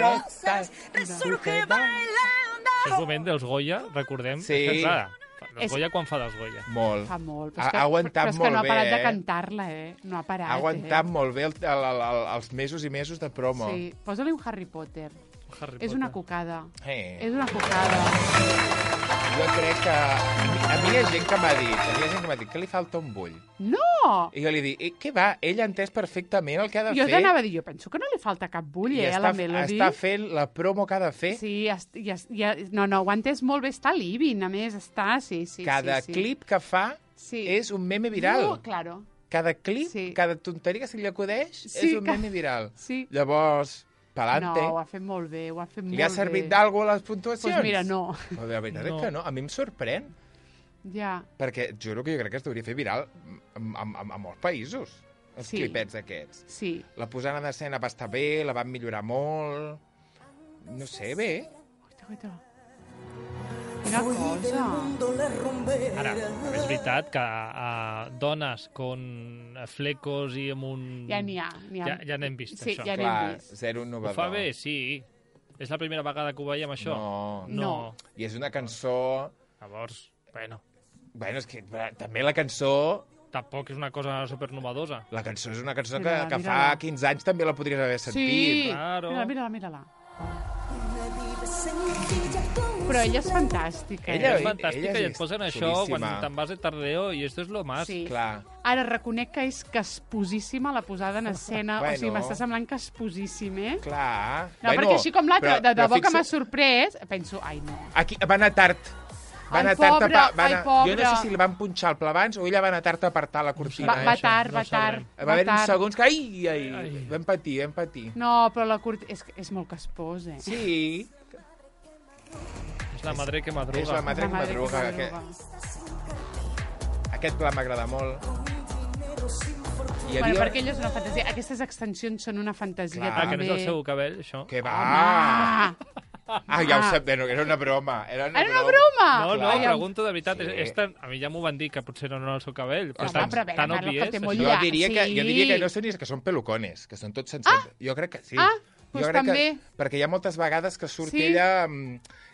És moment dels Goya, recordem. Sí. És que, clar, dels És- Goya quan fa dels Goya. Molt. Fa molt. Ha aguantat però és que molt no ha parat bé, de eh? cantar-la, eh? No ha parat, Ha aguantat molt bé els mesos i mesos de promo. Sí, posa-li un Harry Potter. Harry És Potter. una cocada. És Eh. una cocada. Jo crec que... A mi hi ha gent que m'ha dit, que li falta un bull. No! I jo li dic, què va? Ell ha entès perfectament el que ha de Jo fer. t'anava a dir, jo penso que no li falta cap bull, I a la Melody. està fent la promo que ha de fer. Sí, no, ho ha entès molt bé. Està living, a més, està, sí. Cada sí. clip que fa Sí. és un meme viral. No, claro. Cada clip, Sí. cada tonteria que se li acudeix Sí, és un meme viral. Sí. Llavors, No, pa'lante. ho ha fet molt bé, ho ha fet molt bé. Li ha servit d'alguna a les puntuacions? Doncs mira, no. Però la veritat No. és que no. A mi em sorprèn. Ja. Perquè juro que jo crec que es hauria fer viral a molts països, els Sí. clipets aquests. Sí. La posada d'escena va estar bé, la van millorar molt... No sé, bé. Guaita. Quina cosa. Ara, és veritat que dones con flecos i amb un... Ja n'hi ha. Ja n'hem vist, Sí, això. ja n'hem Clar, vist. zero Ho innovador. fa bé, sí. És la primera vegada que ho veiem, això? No. No. I és una cançó... Llavors, bueno, Bueno, és que també la cançó... tampoc és una cosa supernovadosa. La cançó és una cançó que, Mira-la, que fa mira-la. 15 anys també la podries haver sentit. Sí. Claro. Mira-la. Però ella és fantàstica. Ella- És fantàstica és i et posen això xulíssima. quan te'n vas de tardeo i esto és lo más. Sí. Clar. Ara reconec que és casposíssima la posada en escena. Bueno. O sigui, m'està semblant casposíssim, eh? Clar. No, perquè així com l'altre, però- de però debò que m'ha fixa- sorprès, penso, ai, no. Aquí va anar tard. Va Ai, anar tard pobre, a pa- ai, Jo no pobre. sé si li van punxar el pla abans o ella va anar tard a apartar la cortina. Va això, tard, no va tard. sabrem. Va haver uns tard. segons que... Ai. Ai. Vam patir. No, però la cortina... És molt caspós, eh? Sí, És la madre que madruga. és la madre que madre madruga. madruga. Aquest pla m'agrada molt. Hi Bueno, perquè ella és una fantasia. Aquestes extensions són una fantasia, Clar. Ah, que també. no és el seu cabell, això? Que va! Ah, Ja ho sap, no, era una broma. Era una era una broma! No, clar. pregunto de veritat. Sí. És tan... A mi ja m'ho van dir, que potser no era el seu cabell. Però Home, tan, però a veure, tan Carlos, obvi que és. té això. molt Jo llarg. diria, que, Sí. jo diria que no són ni que són pelucones, que són tots sencers. Jo crec que sí. Ah, Jo doncs crec també. perquè hi ha moltes vegades que surt Sí. ella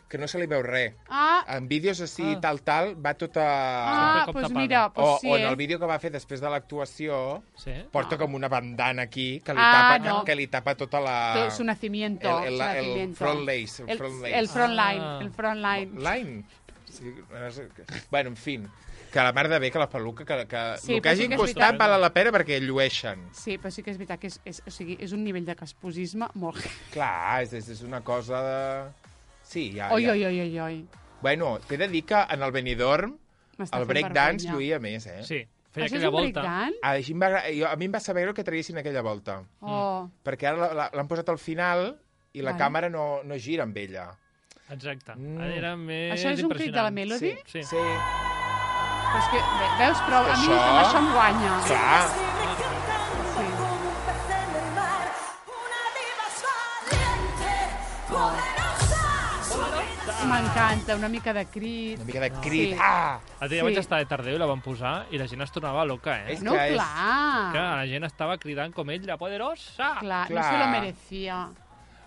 que no se li veu res. Ah, En vídeos així, Ah. tal, va tota... com doncs tapada. mira, doncs sí, o en el eh? vídeo que va fer després de l'actuació, Sí? porta com una bandana aquí que li, Ah, tapa, no. que li tapa tota la... Todo su nacimiento. el su nacimiento. front lace. El front lace. El front line. Ah. El front line. Line? Sí, no sé. Bueno, en fi, que la mar de bé, que la peluca, que Sí, el que però sí hagin que és costat veritat. val la pena perquè llueixen. Sí, però sí que és veritat que o sigui, és un nivell de casposisme molt... Clar, és una cosa de... Sí, ja... Oi, ja. oi. Bueno, t'he de dir que en el Benidorm M'està el fent breakdance vergonya. lluïa més, eh? Sí, feia Això és aquella un volta. breakdance? Així a mi em va saber greu que traguessin aquella volta. Oh. Perquè ara l'han posat al final i la Vale. càmera no gira amb ella. Exacte. Mm. Era més Això és un crit de la impressionant. Melody? Sí. Sí. Però és que, veus, però a mi Això- amb això em guanya. Clar. Sí. Sí, M'encanta, una mica de crit. Una mica de crit. Sí. Ah! El dia vaig estar de Tardeu i la van posar i la gent es tornava loca, És No, que és- clar. Que la gent estava cridant com ell, la poderosa! Clar, no Clar. se lo merecía.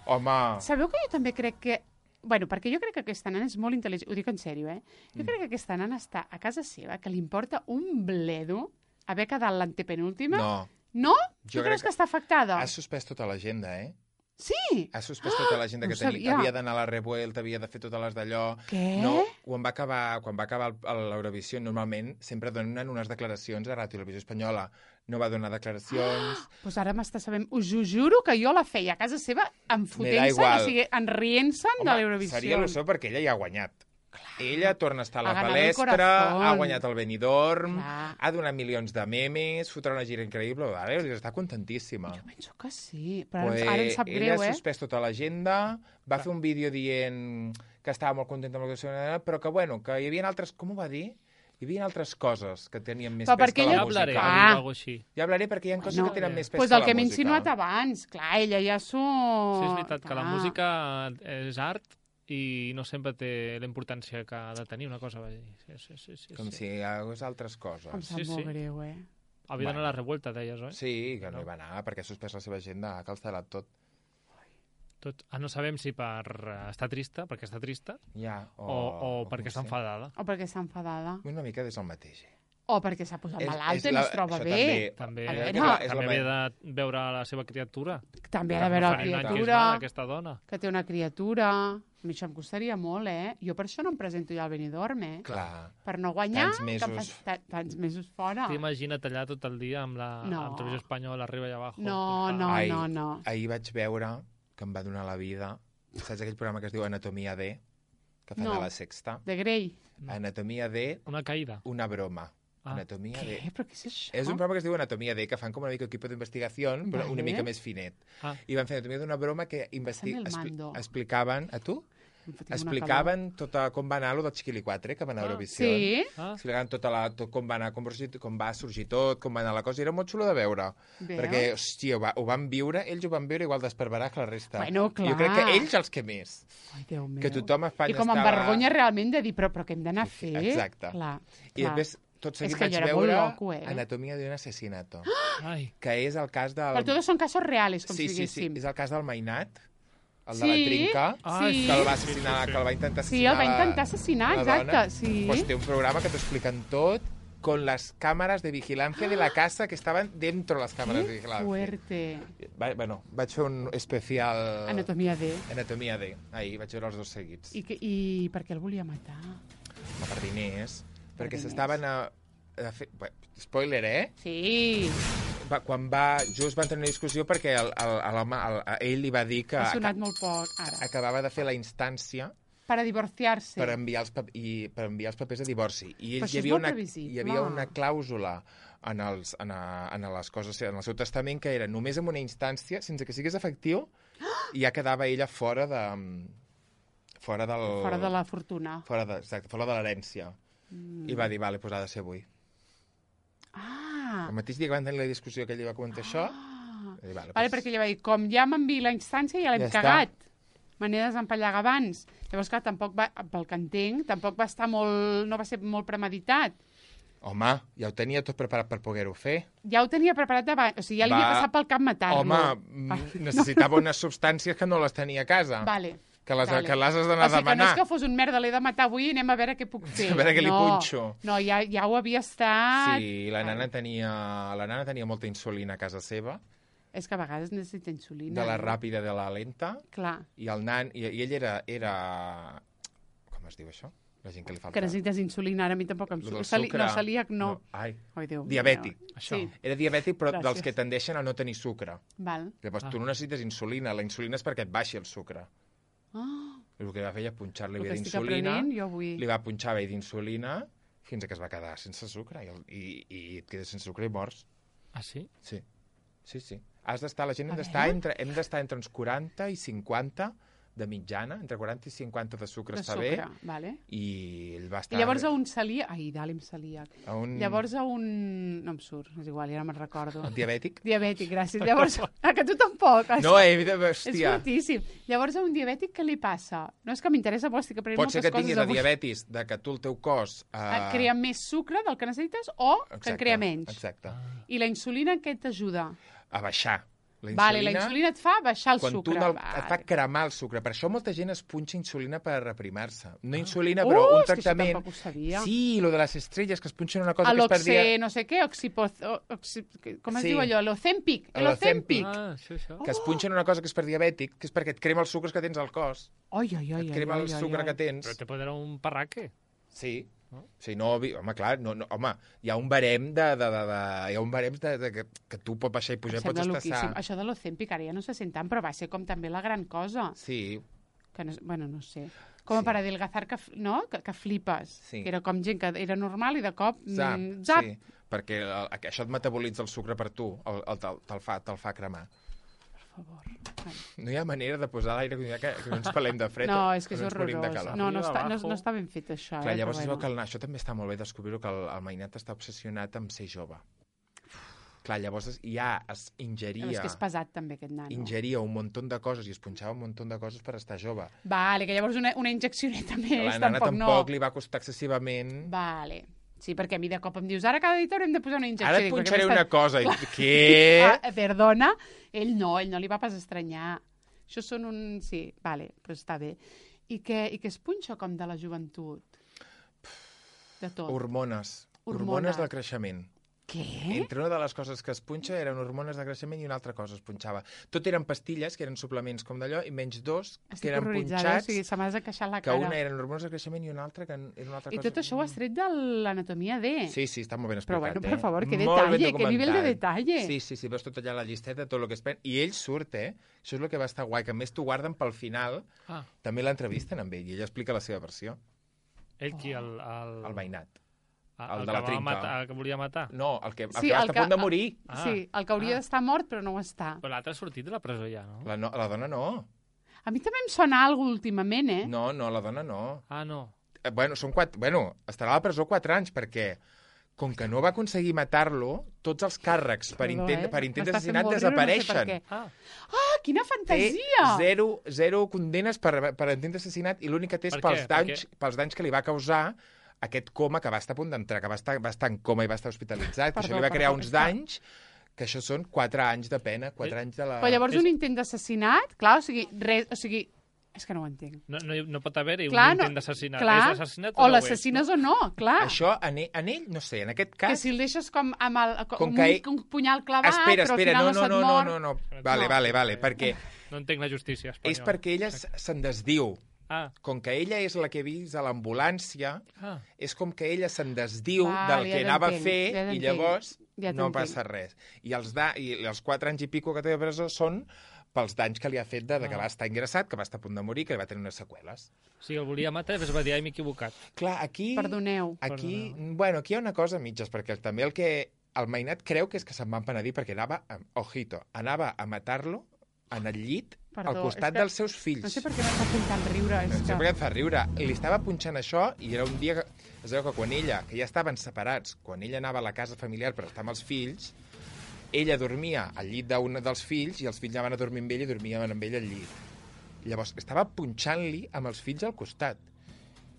Home, Sabeu que jo també crec que... Bueno, perquè jo crec que aquesta nana és molt intel·ligent. Ho dic en sèrio, eh? Jo crec que aquesta nana està a casa seva, que li importa un bledo haver quedat l'antepenúltima. no. No? Jo Tu crec creus que està afectada? Has suspès tota l'agenda, eh? Sí! Has suspès tota l'agenda no que ho sabia. havia d'anar a la Revuelta, havia de fer totes les d'allò. Què? No, quan va acabar l'Eurovisió, normalment sempre donen unes declaracions a Ràdio Televisió Espanyola. No va donar declaracions. Pues ara m'està sabent... Us ho juro que jo la feia a casa seva enfotent-se, igual. o sigui, enrient-se'n de l'Eurovisió. Seria il·lusió perquè ella ja ha guanyat. Ella torna a estar a la Ha ganado el palestra, corazón. ha guanyat el Benidorm, Clar. ha donat milions de memes, fotrà una gira increïble, vale? Està contentíssima. Jo penso que sí, però Pues ara em sap ella greu, ha eh? suspès tota l'agenda, va fer un vídeo dient que estava molt contenta amb la seva nena, però que, bueno, que hi havia altres... Com ho va dir? Hi havia altres coses que tenien més Però pes perquè que Ja la hablaré, música. Ah. o alguna així. Ja hablaré perquè hi ha coses No. que tenen més pes Pues que el la que m'he música. insinuat abans. Clar, ella ja s'ho... Sí, és veritat que la Clar. música és art i no sempre té la importància que ha de tenir una cosa. Va dir. Sí. Com si hi hagués altres coses. Em sap Sí, molt sí. greu, eh? Havia d'anar a la revuelta, deies, oi? Sí, que no hi va anar, perquè ha suspès la seva agenda, ha cancel·lat tot. Tot. No sabem si per estar trista, perquè està trista, Ja, o perquè com està sé. enfadada. O perquè està enfadada. Una mica és el mateix. O perquè s'ha posat malalta i no es troba això bé. També, A veure, també havia de veure la seva criatura. També ha de veure la Farina criatura, Quisman, aquesta dona. que té una criatura. A mi això em costaria molt, eh? Jo per això no em presento ja al Benidorm, eh? Clar. Per no guanyar, Tants mesos. que em fas tants mesos fora. T'imagina't allà tot el dia amb la No. amb Televisió Espanyola, arriba i abajo. No, no, Ai, no. Ahir vaig veure que em va donar la vida. Saps aquell programa que es diu Anatomia D? Que fan No. a la Sexta? De Grey. Anatomia D, Una caïda. una broma. Ah. Anatomia D. Què? Però què és això? És un programa que es diu Anatomia D, que fan com una mica equip d'investigació, però Vale. una mica més finet. Ah. I van fer Anatomia d'una broma que Pásame el mando. explicaven... A tu? Em fotia una Explicaven com va anar allò del Chiquilicuatre, que va anar a calor. Eurovisió. Sí? Ah. Explicaven com va anar, com va sorgir tot, com va anar la cosa, i era molt xulo de veure. Veus? Perquè, hòstia, ho van viure, ells ho van viure igual d'esperverat que la resta. Bueno, clar. Jo crec que ells els que més. Ai, Déu meu. Que tothom a Espanya I com em estava... vergonya realment de dir, però què hem d'anar a fer? Exacte. Clar, I clar. després, tot seguit És que vaig jo era molt veure loco, eh? Anatomia d'un assassinato, Ai. que és el cas del... Però tots són casos reals, com sí, si sí, diguéssim. és el cas del Mainat, el Sí, de la trinca, Ai, que el va sí. assassinar, que el va intentar Sí, assassinar el va intentar assassinar, la exacte, dona. sí. Pues té un programa que t'ho expliquen tot con las cámaras de vigilancia de la casa que estaban dentro de las cámaras de Que vigilancia. fuerte. Bueno, vaig fer un especial... Anatomia D. Anatomia D. Ahir vaig veure els dos seguits. I per què el volia matar? Per diners. Perquè diners. s'estaven a fer... Bé, spoiler, eh? Sí, Quan just van tenir una discussió perquè ell li va dir que ha sonat molt poc, ara. acabava de fer la instància Para divorciarse. per enviar els papers de divorci. I Però això és molt previsible. hi havia una clàusula en les coses, en el seu testament, que era només en una instància, sense que sigués efectiu, ja quedava ella fora de la fortuna. fora de l'herència. I va dir, vale, doncs ha de ser avui. Ah, El mateix dia que van tenir la discussió que ell li va comentar això, va dir, vale, doncs, perquè ella va dir, com ja m'enviï la instància, ja l'hem Ja està. cagat. Me n'he desempallegat abans. Llavors, clar, tampoc va, pel que entenc, tampoc va estar molt... no va ser molt premeditat. home, ja ho tenia tot preparat per poder-ho fer. Ja ho tenia preparat abans, o sigui, ja li havia passat pel cap matar-lo. Home, necessitava unes substàncies que no les tenia a casa. Vale. Que les Vale. has d'anar a O sigui, que no demanar. és que fos un merda, l'he de matar avui i anem a veure què puc fer. A veure què li punxo. No, ja ho havia estat... Sí, la nana tenia molta insulina a casa seva, És que a vegades necessita insulina. de la no? ràpida i de la lenta, Clar, i el nan, i ell era... Com es diu això? La gent que li falta... que necessites insulina, ara a mi tampoc em Lo del surt. sucre. No, celíac no. Ai, Ai, Déu meu. diabètic. Això. Sí, Era diabètic, però Gràcies. dels que tendeixen a no tenir sucre. val. Llavors, tu no necessites insulina. La insulina és perquè et baixi el sucre. Oh, I el que va fer era punxar-li el bé que estic d'insulina, aprenent, jo vull... li va punxar bé d'insulina fins que es va quedar sense sucre. I et quedes sense sucre i mors. Ah, sí? Sí. Has d'estar, la gent A hem d'estar entre uns 40 i 50 de mitjana, entre 40 i 50 de sucre De està sucre, bé, vale. i ell va estar... I llavors a un celíac... Ai, d'àlim celíac. Llavors a un... No em surt, és igual, ja no me'n recordo. Diabètic? Diabètic, gràcies. Llavors, que tu tampoc. No, És hòstia. fortíssim. Llavors a un diabètic què li passa? No és que m'interessa, però estic aprenent Pot moltes ser que coses tingui la avui. diabetis, de que tu el teu cos... Crea més sucre del que necessites o que en crea menys. Exacte. I la insulina què t'ajuda? A baixar. La insulina et fa baixar el quan sucre. et fa cremar el sucre. Per això molta gent es punxa insulina per reprimar-se. No insulina, però un és que això tractament... tampoc ho sabia. Sí, lo de les estrelles, que es punxen una cosa que es L'oxe, perdia... no sé què, com es Sí. diu allò? L'Ozempic. L'Ozempic. Això. Que es punxen una cosa que és per diabètic, que és perquè et crema els sucres que tens al cos. Ai, ai, ai. Et crema el sucre que tens. Però te pot donar un parraque. Sí. Sí, no, home, clar, home, hi ha un barem que tu pots baixar i pujar i pots estar sa. Això de l'Ozempic ara ja no se sent tant, però va ser com també la gran cosa. Sí. Que no, bueno, no sé. Com per adelgazar, no? Que flipes. Sí. Que era com gent que era normal i de cop... Zap. Zap. Sí, perquè això et metabolitza el sucre per tu, te'l fa cremar. Per favor. No hi ha manera de posar l'aire condicionat que no ens pelem de fred. No, és que és ens morim de horrorós. calor. No està ben fet, això. Clar, llavors es veu que això també està molt bé descobrir-ho, que el mainat està obsessionat amb ser jove. Clar, llavors ja es ingeria... Però és que és pesat, també, aquest nano. Ingeria un munt de coses i es punxava un munt de coses per estar jove. Vale, que llavors una injeccioneta més, la nana tampoc no. tampoc li va costar excessivament... Vale. Sí, perquè a mi de cop em dius, ara cada dia haurem de posar una injecció. Ara et punxaré una cosa. Què? Perdona, ell no li va pas estranyar. Això són un... Sí, vale, però està bé. I que es punxa com de la joventut? De tot. Hormones del creixement. Què? Entre una de les coses que es punxa eren hormones de creixement i una altra cosa es punxava. Tot eren pastilles, que eren suplements com d'allò, i menys dos, que eren punxats, o sigui, se m'ha desacaixat la que cara. una eren hormones de creixement i una altra que era una altra cosa. I tot això ho has tret de l'anatomia D. Sí, està molt ben explicat. Però bueno, per favor, que Molt ben detalle, que nivell de documentat. detalle. Sí, veus tot allà la llisteta, tot el que es pren. I ell surt, Això és el que va estar guai, que a més t'ho guarden pel final. També l'entrevisten amb ell, i ell explica la seva versió. Ell qui? El mainat. El de la trinca. que volia matar? No, el que va estar a punt de morir. Sí, el que hauria d'estar mort, però no ho està. Però l'altre ha sortit de la presó ja, no? La dona no. A mi també em sona alguna últimament, No, la dona no. No. Estarà a la presó 4 anys, perquè com que no va aconseguir matar-lo, tots els càrrecs per intent d'assassinat desapareixen. No quina fantasia! Té zero condenes per intent d'assassinat, i l'únic que té és pels danys que li va causar aquest coma que va estar a punt d'entrar, que va estar en coma i va estar hospitalitzat, que això li va crear uns danys, que això són 4 anys de pena, 4 anys de la... Però llavors un intent d'assassinat, clar, o sigui, és que no ho entenc. No pot haver-hi un intent d'assassinat. És l'assassinat o l'assassines o no, clar. Això, en ell, no sé, en aquest cas... Que si el deixes com amb un punyal clavat, espera, però al final no se't mor... No. Vale, perquè... No entenc la justícia espanyola. És perquè ella se'n desdiu. Com que ella és la que he vist a l'ambulància, és com que ella se'n desdiu del que anava a fer i llavors no passa res. I els 4 anys i pico que té de presó són pels danys que li ha fet de que va estar ingressat, que va estar a punt de morir, que va tenir unes seqüeles. O sigui, el volia matar i després va dir, m'he equivocat. Clar, aquí... Perdoneu. Aquí hi ha una cosa a mitges, perquè també el mainat creu que és que se'n va penedir perquè anava a matar-lo en el llit, al costat dels seus fills. No sé per què m'està fent tant riure. No sé per què et fa riure. Li estava punxant això i era un dia que... Es veu que quan ella, que ja estaven separats, quan ella anava a la casa familiar per estar amb els fills, ella dormia al llit d'un dels fills i els fills anaven a dormir amb ell i dormien amb ell al llit. Llavors, estava punxant-li amb els fills al costat.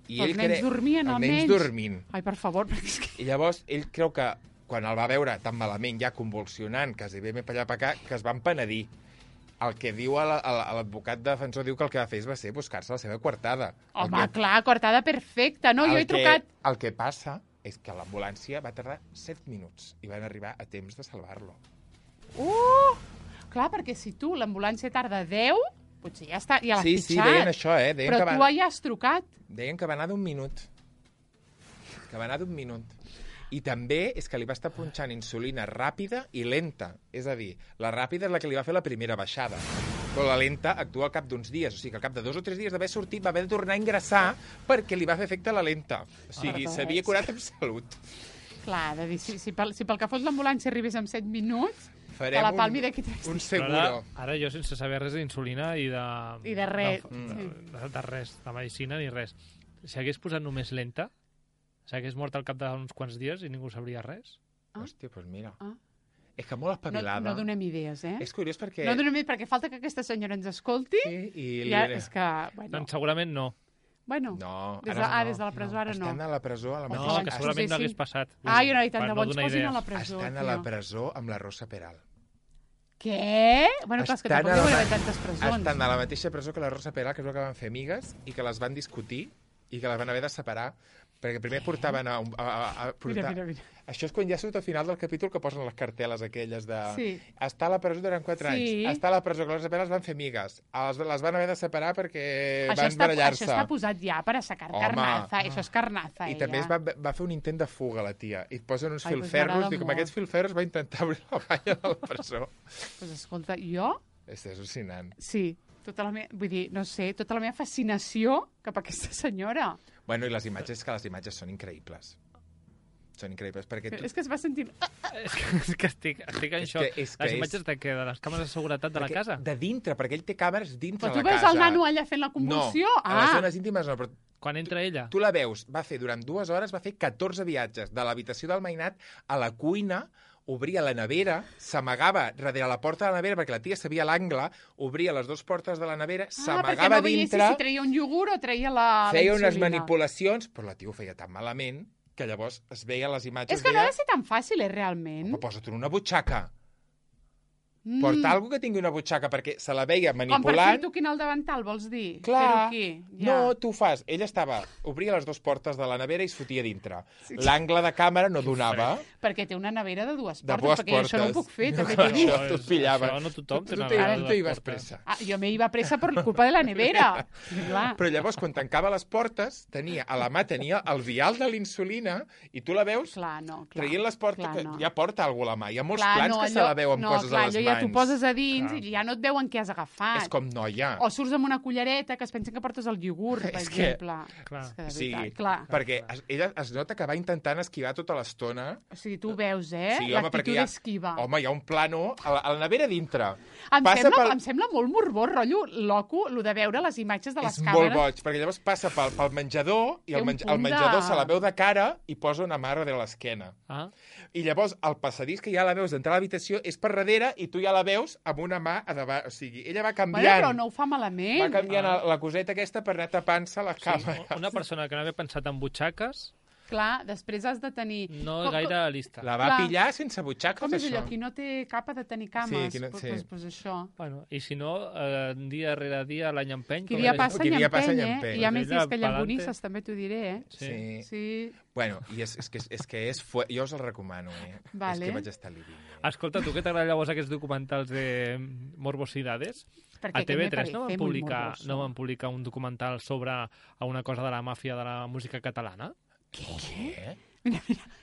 I els nens dormien, els nens dormint. Ai, per favor. I llavors, ell creu que quan el va veure tan malament, ja convulsionant, quasi bé per allà per acá, que es van penedir. El que diu l'advocat defensor diu que el que va fer va ser buscar-se la seva coartada. Home, clar, coartada perfecta. No, jo he trucat... El que passa és que l'ambulància va tardar 7 minuts i van arribar a temps de salvar-lo. Clar, perquè si tu l'ambulància tarda 10, potser ja l'has fitxat. Sí, deien això, Però tu ja has trucat. Deien que va anar d'un minut. I també és que li va estar punxant insulina ràpida i lenta. És a dir, la ràpida és la que li va fer la primera baixada. Però la lenta actua al cap d'uns dies. O sigui que al cap de 2 o 3 dies d'haver sortit va haver de tornar a ingressar perquè li va fer efecte la lenta. O sigui, s'havia curat amb salut. Clar, de dir, si pel que fos l'ambulància arribés en 7 minuts, Farem la palmi d'aquí 3 un dies. seguro. Ara jo sense saber res d'insulina i de... I de res. De res, de medicina ni res. Si hagués posat només lenta, s'hagués mort al cap d'uns quants dies i ningú sabria res. Hòstia, doncs mira. Ah. És que molt espavilada. No donem idees, eh? És curiós perquè... No donem idees perquè falta que aquesta senyora ens escolti. Sí, i Ja, és que... Bueno, Doncs segurament no. bueno No, des ara des de la presó ara no. estan a la presó a la No, mateixa... que segurament no hagués passat. Ai, no, i tant Per de no bo ens donar posin a idees. la presó. Estan a la tio. presó amb la Rosa Peral. Què? Bueno, clar, és que Estan tampoc a la- deu haver tantes presons. Estan a la mateixa presó que la Rosa Peral, que es veu que van fer amigues i que les van discutir i que les van haver de separar, perquè primer portaven a Mira, mira, mira. Això és quan ja surt al final del capítol que posen les cartel·les aquelles de... Sí. Està a la presó durant 4 anys. Sí. Està a la presó, que les separes van fer amigues. Les van haver de separar perquè Això van barallar-se. està posat ja per a sacar Home. carnaza. Això és carnaza, I també ella. va fer un intent de fuga, la tia. I et posen uns Ai, doncs filferros. m'agrada Dic, amb molt. aquests filferros va intentar obrir la banya de la presó. Pues escolta, jo, És al·lucinant. sí, vull dir, no sé, tota la meva fascinació cap a aquesta senyora. Bueno, i les imatges, que les imatges són increïbles. Són increïbles, perquè tu... És que es va sentir... És que estic en És xoc. que- és que Les és- imatges de què? De les càmeres de seguretat de la perquè casa? De dintre, perquè ell té càmeres dintre Però de tu la veus casa. el nano allà fent la convulsió? No, a les zones íntimes no, però Quan entra ella? tu la veus, va fer durant 2 hores, va fer 14 viatges de l'habitació del mainat a la cuina, obria la nevera, s'amagava darrere la porta de la nevera, perquè la tia sabia l'angle, obria les 2 portes de la nevera, perquè s'amagava no veiessis dintre, si treia un iogurt o treia la feia unes insulina. manipulacions, però la tia ho feia tan malament que llavors es veia les imatges... És que no ha deia, de ser tan fàcil, realment. home, posa't en una butxaca. Mm. Porta algú que tingui una butxaca, perquè se la veia Com per manipulant. fer-t'ho aquí en el davantal, vols dir? Clar, Fer-ho aquí. Ja. no, tu fas... Ella obria les 2 portes de la nevera i es fotia dintre. L'angle de càmera no donava. Perquè té una nevera de 2 De portes, 2 perquè jo això no ho portes. puc fer, No, també clar, t'ho dic. això tu et pillaves. Això no tothom té Tu una te nevera de tu dues ibas portes. pressa. Ah, jo me iba pressa per culpa de la nevera. Sí, clar. Però llavors, quan tancava les portes, a la mà tenia el vial de l'insulina i tu la veus Clar, no, clar. traient les portes, clar, que no. ja porta algú a la mà. Hi ha molts Clar, plans no, que se allò- la veu amb no, coses clar, a les allò mans. ja t'ho poses a dins Clar. i ja no et veuen què has agafat. És com noia. O surts amb una cullereta que es pensen que portes el iogurt, per És que- exemple. Clar. És que de Sí, veritat, clar. perquè ella es nota que va intentant esquivar tota l'estona. O sigui, tu veus, eh? Sí, home, perquè L'actitud hi ha... esquiva. Home, hi ha un plano a la nevera dintre. Em sembla molt morbós, rotllo, loco, el de veure les imatges de les És càmeres. molt boig, perquè llavors passa pel menjador i Té el un punt el menjador de- se la veu de cara i posa una mà darrere l'esquena. Ah, I llavors el passadís que ja la veus d'entrar a l'habitació és per darrere i tu ja la veus amb una mà a davant. O sigui, ella va Bueno, canviant, però no ho fa malament. va canviant la coseta aquesta per anar tapant-se la sí, càmera. una persona que no havia pensat en butxaques Clar, després has de tenir... no és gaire lista. La va Clar. pillar sense butxaques, Com és això. allò? Qui no té capa de tenir cames. Sí, qui no- sí. Pues això. Bueno, i si no, dia rere dia l'any empeny... Qui com dia deia. passa Qui i dia passa empeny, i eh? empeny. I hi ha més Ella dies que pa'lante. llambonisses, també t'ho diré, eh? Sí. Sí. Bueno, i jo us el recomano, eh? Vale. És que vaig estar living. Escolta, tu què t'agrada llavors aquests documentals de morbosidades? Perquè A TV3 aquest me parece no van publicar un documental sobre una cosa de la màfia de la música catalana? Què?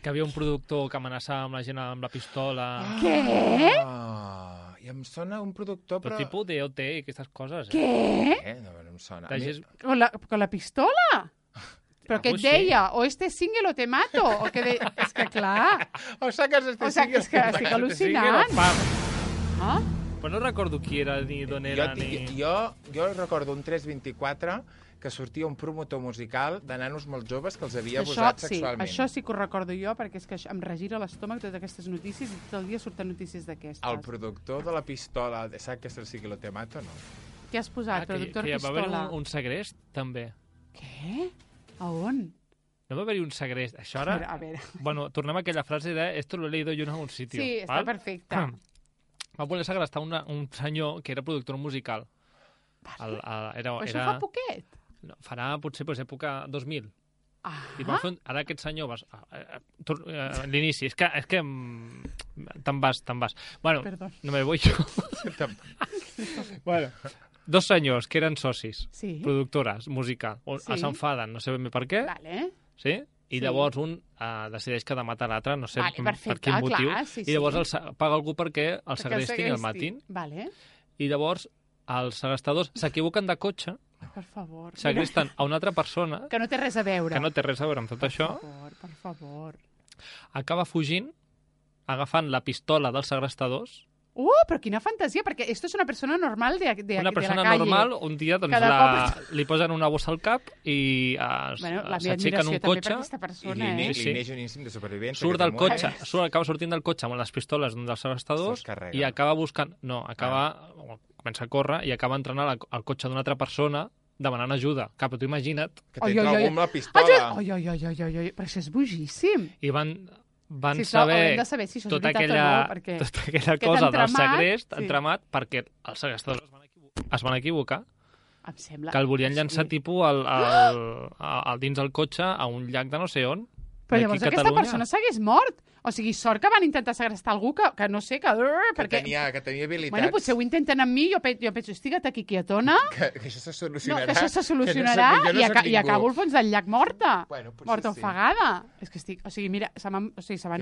Que havia un productor que amenaçava amb la gent amb la pistola... Què? I em sona un productor, Però però... tipus DOT i aquestes coses. Què? No em sona. De gent- Con la pistola? Però què et Algo així. deia? O este single o te mato? O que de... És que clar... O sacas este O sigui, és que estic al·lucinant. Ah? Però no recordo qui era ni d'on era ni... Jo recordo un 324 que sortia un promotor musical de nanos molt joves que els havia abusat sexualment. Això sí que ho recordo jo, perquè és que em regira l'estómac totes aquestes notícies i tot el dia surten notícies d'aquestes. El productor de la pistola, saps que és el Siglo Te Mato, no? Què has posat? Productor que hi va haver pistola. un segrest, també. Què? A on? No va haver-hi un segrest. Això ara... A veure. Bueno, tornem a aquella frase de esto lo he leído yo en algún sitio. Sí, està perfecte. Va voler segrestar un senyor que era productor musical. Però això fa poquet. No, farà potser època 2000. Ah, I van fer ara aquest senyor... L'inici, és que te'n vas. Bueno, Perdó. no me voy yo. Bueno, 2 senyors que eren socis, sí. productores, musical, Sí. s'enfaden, no sé ben bé per què, Vale. sí? I Sí. llavors un decideix que ha de matar l'altre, no sé Vale, per perfecte, quin motiu, clar, sí, i llavors sí. paga algú perquè el Perquè segrestin i el matin, Vale. i llavors els segrestadors s'equivoquen de cotxe, Per favor. segresten a una altra persona Que no té res a veure. que no té res a veure amb tot això, Per favor. acaba fugint, agafant la pistola dels segrestadors Però quina fantasia, perquè esto és una persona normal de Una persona de la calle. normal, un dia doncs, li posen una bossa al cap i s'aixequen un cotxe li neix un instinct de supervivència. surt del cotxe, acaba sortint del cotxe amb les pistoles d'un dels segrestadors i acaba buscant... No, comença a córrer i acaba entrant al cotxe d'una altra persona demanant ajuda. Clar, però tu imagina't... Que t'entra algú amb la pistola. Però això és bojíssim. I van saber si això és tota veritat aquella cosa del segrest entramat perquè els segrestadors es van equivocar. Em sembla... Que el volien llançar tipus dins el cotxe a un llac de no sé on. Però llavors aquesta persona s'hagués mort. O sigui, sort que van intentar segrestar algú que no sé, que tenia habilitats. Bueno, potser ho intenten amb mi, jo penso, estiga't aquí quietona. Que això se solucionarà. No, que això se solucionarà i acabo al fons del llac morta. Morta ofegada. És que estic... O sigui, mira, se m'han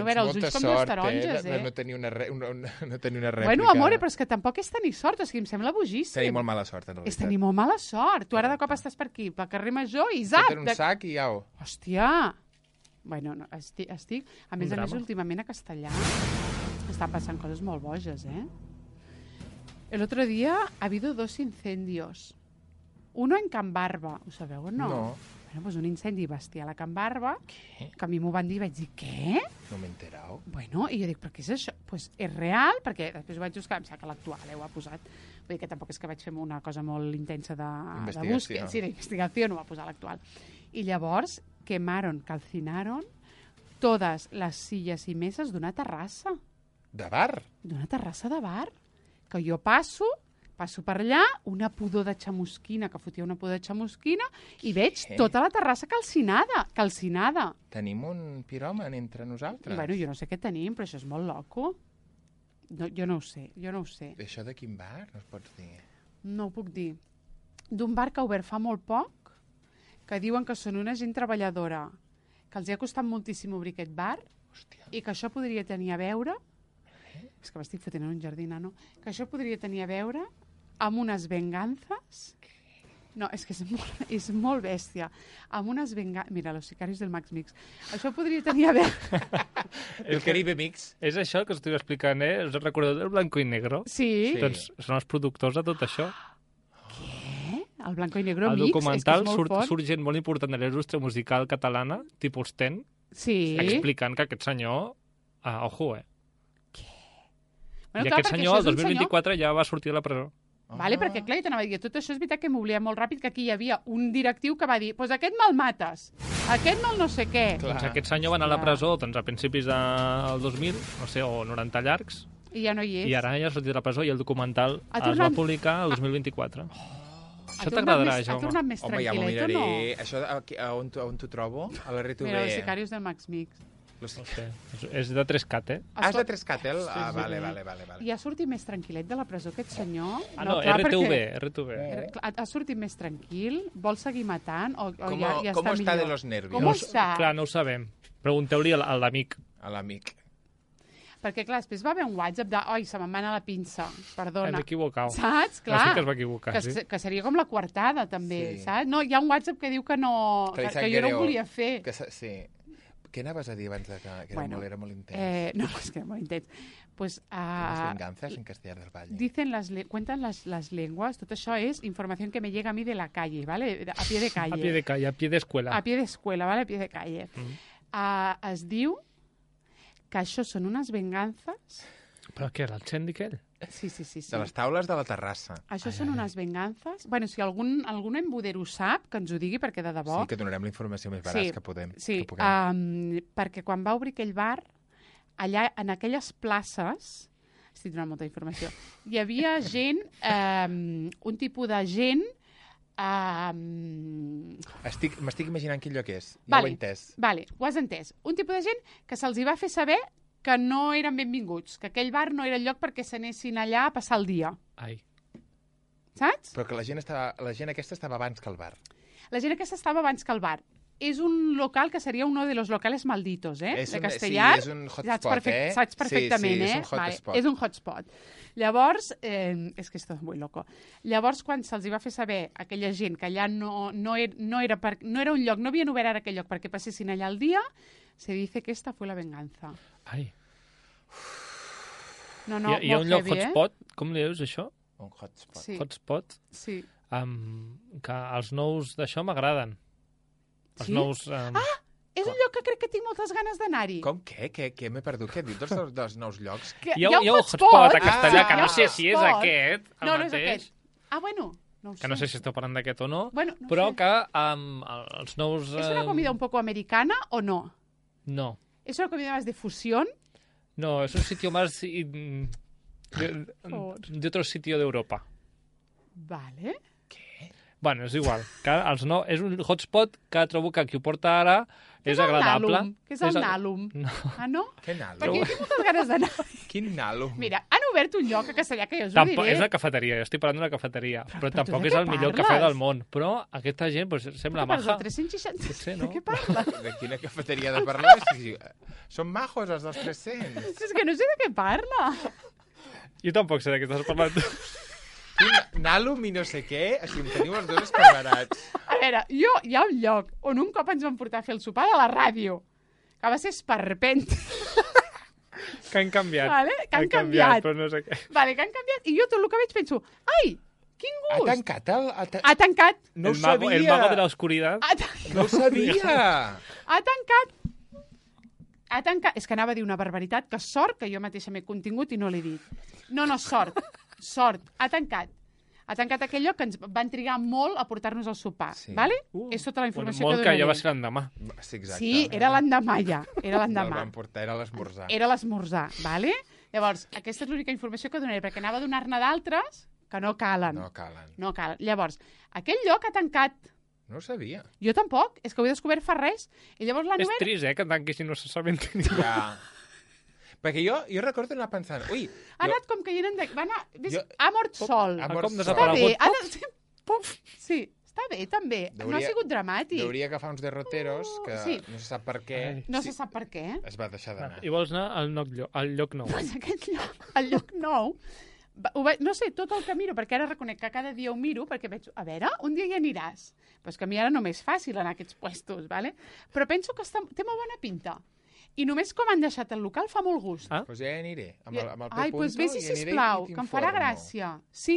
obert els ulls com dues taronges, No tenir una rèplica. Bueno, amore, però és que tampoc és tenir sort. O sigui, em sembla bojíssim. Tenir molt mala sort, en realitat. És tenir molt mala sort. Tu ara de cop estàs per aquí, pel carrer Major i zap! Tenen un sac i au. Hòstia! Bueno, no, estic... A més, últimament a Castellà estan passant coses molt boges, El otro día ha habido 2 incendios. Uno en Can Barba. Ho sabeu o no? No. Bueno, pues un incendi bestial a Can Barba, que a mi m'ho van dir i vaig dir, què? No m'he enterat. Bueno, i jo dic, però què és això? Pues és real, perquè després ho vaig buscar, em sembla que l'actual ho ha posat. Vull dir que tampoc és que vaig fer una cosa molt intensa de búsqueda. Sí, d'investigació, no ho va posar l'actual. I llavors calcinaron todas las sillas y mesas d'una terrassa. De bar? D'una terrassa de bar. Que jo passo per allà, una pudor de xamusquina, que fotia una pudor de xamusquina, i veig tota la terrassa calcinada. Tenim un piròman entre nosaltres? Bueno, jo no sé què tenim, però això és molt loco. No, jo no ho sé. Això de quin bar? No es pots dir? No ho puc dir. D'un bar que ha obert fa molt poc, que diuen que són una gent treballadora, que els ha costat moltíssim obrir aquest bar. Hòstia. I que això podria tenir a veure... És que m'estic fotent en un jardí, no? Que això podria tenir a veure amb unes venganzas... No, és que és molt bèstia. Amb unes venganzas... Mira, los sicarios del Max Mix. Això podria tenir a veure... El Caribe Mix. És això que us estic explicant, Us recordeu del Blanco i Negro? Sí. Doncs són els productors de tot això. El Blanco i Negro Mix, documental surt gent molt important de la indústria musical catalana, tipus Ten, explicant que aquest senyor... ojo, Bueno, I aquest senyor, el 2024, ja va sortir de la presó. Vale, perquè clar, jo t'anava a dir, tot això és veritat que m'oblida molt ràpid, que aquí hi havia un directiu que va dir, pues aquest me'l mates, aquest me'l no sé què. Doncs aquest senyor va anar a la presó a principis del 2000, no sé, o 90 llargs, i ja no hi és. I ara ja ha sortit de la presó i el documental es va publicar el 2024. Això t'agradarà, Jaume. Ha tornat més tranquil·let o no? Això on t'ho trobo? A la RTV. Mira, els sicarios del Max Mix. No sé. És de 3CAT, és de 3CAT, Vale. I ha sortit més tranquil·let de la presó aquest senyor? No, RTV. Ha sortit més tranquil? Vol seguir matant? Com està de los nervios? Com està? Clar, no ho sabem. Pregunteu-li a l'amic. A l'amic. Perquè, clar, després va haver un WhatsApp de oi, se me'n va anar la pinça, perdona. Hem equivocat. Saps? Clar. Sí que es va equivocar, sí. Que seria com la coartada, també, saps? No, hi ha un WhatsApp que diu que no... Que jo no ho volia fer. Sí. Què anaves a dir abans que era molt intens? No, és que era molt intens. Pues, las venganzas en Castellar del Valle. Cuentan las lenguas, tot això és informació que me llega a mi de la calle, ¿vale? A pie de calle. A pie de calle, a pie de escuela. A pie de escuela, ¿vale? A pie de calle. Es diu que això són unes venganzas... Però què, era el Xendi aquell? Sí. De les taules de la terrassa. Això són unes venganzas... Bueno, si algun embudero ho sap, que ens ho digui, perquè de debò... Sí, que donarem la informació més veraç que podem. Sí, perquè quan va obrir aquell bar, allà, en aquelles places... Estic donant molta informació. Hi havia gent, un tipus de gent... M'estic imaginant quin lloc és. Ja ho he entès. Vale, ho has entès. Un tipus de gent que se'ls hi va fer saber que no eren benvinguts, que aquell bar no era el lloc perquè s'anessin allà a passar el dia. Ai. Saps? Però que la gent aquesta estava abans que el bar. La gent aquesta estava abans que el bar. És un local que seria uno de los locales malditos, de Castellar. Sí, és un hotspot, Saps perfectament, sí, és un hotspot. Vale, és un hotspot. Llavors, és que esto és molt loco. Llavors, quan se'ls va fer saber aquella gent que allà no era un lloc, no havien obert ara aquell lloc perquè passessin allà el dia, se dice que esta fue la venganza. Ai. No, Hi ha un lloc heavy, hotspot, com li dius això? Un hotspot. Sí. Hotspot, Sí. que els nous d'això m'agraden. Els Sí? nous... És un lloc que crec que tinc moltes ganes d'anar-hi. Com què? Què m'he perdut? Què dius dels nous llocs? Que Hi ha un hotspot a Castellà, que hi ha no un sé si és hotspot. aquest, el No, no és mateix. aquest. Ah, bueno, no ho sé. Que no sé si esteu parlant d'aquest o no, Bueno, no però sé. que els nous... ¿Es una comida un poco americana o no? No, ¿Es una comida más de fusión? no, es un sitio más favor. de otro sitio de Europa. Vale. Bueno, és igual. És un hotspot que trobo que qui ho porta ara és el agradable. Nalum? Què és el Nalum? No. Ah, no? Què nalo? Perquè jo tinc moltes ganes d'anar. Quin nalo? Mira, han obert un lloc a Castellà que jo us ho Tampoc, diré. és una cafeteria, jo estic parlant d'una cafeteria, però tu tampoc de és què el millor parles? cafè del món. Però aquesta gent pues, sembla Què parles, maja. del 360? Potser, De no? què parles? De quina cafeteria de parlar? Sí, són majos, els dels 300. És que no sé de què parla. Jo tampoc sé de què estàs parlant. Quin nalum i no sé què, o sigui, em teniu els dos esparverats. A veure, hi ha un lloc on un cop ens van portar a fer el sopar de la ràdio, que va ser esperpent. Que han canviat. Vale? Que han canviat. però no sé què. Vale, que han canviat. I jo tot el que veig penso, ai, quin Ha gust. tancat el... Ha tancat. No ho El sabia. mago de la oscuridad. No ho sabia. Ha tancat. Ha tancat. És que anava a dir una barbaritat, que sort que jo mateixa m'he contingut i no l'he dit. No, sort. Sort. Ha tancat. Ha tancat aquell lloc que ens van trigar molt a portar-nos al sopar. Sí. Vale? És tota la informació molt que que donaré. ja va ser l'endemà. Sí, exacte. Sí, era l'endemà ja. Era El l'endemà. van portar, era l'esmorzar. Era l'esmorzar, vale? Llavors, aquesta és l'única informació que donaré, perquè anava a donar-ne d'altres que no calen. No calen. No calen. Llavors, aquell lloc ha tancat. No ho sabia. Jo tampoc, és que ho he descobert fa res. I llavors l'han És obert... trist, que tanquessin no se saben ningú. Ja. Perquè jo recordo anar pensant, ui, Ha anat com caient en... Va anar... Jo- Ha mort sol. Ha Com mort Està sol. bé. desaparegut. Ha anat... Puf. Sí, està bé, també. No ha Deuria- sigut dramàtic. Hauria agafar uns derroteros que Sí. no se sap per què No se sap per què. es va deixar d'anar. I vols anar al lloc nou. Doncs aquest lloc, el lloc nou, no sé, tot el que miro, perquè ara reconec que cada dia ho miro, perquè veig, a veure, un dia hi aniràs. Però és que a mi ara no m'és fàcil anar a aquests puestos, ¿vale? Però penso que té molt bona pinta. I només com han deixat el local fa molt gust. Ah? Doncs ja hi aniré. Amb el Ai, doncs vés-hi, i aniré sisplau, i que em farà t'informo. gràcia. Sí.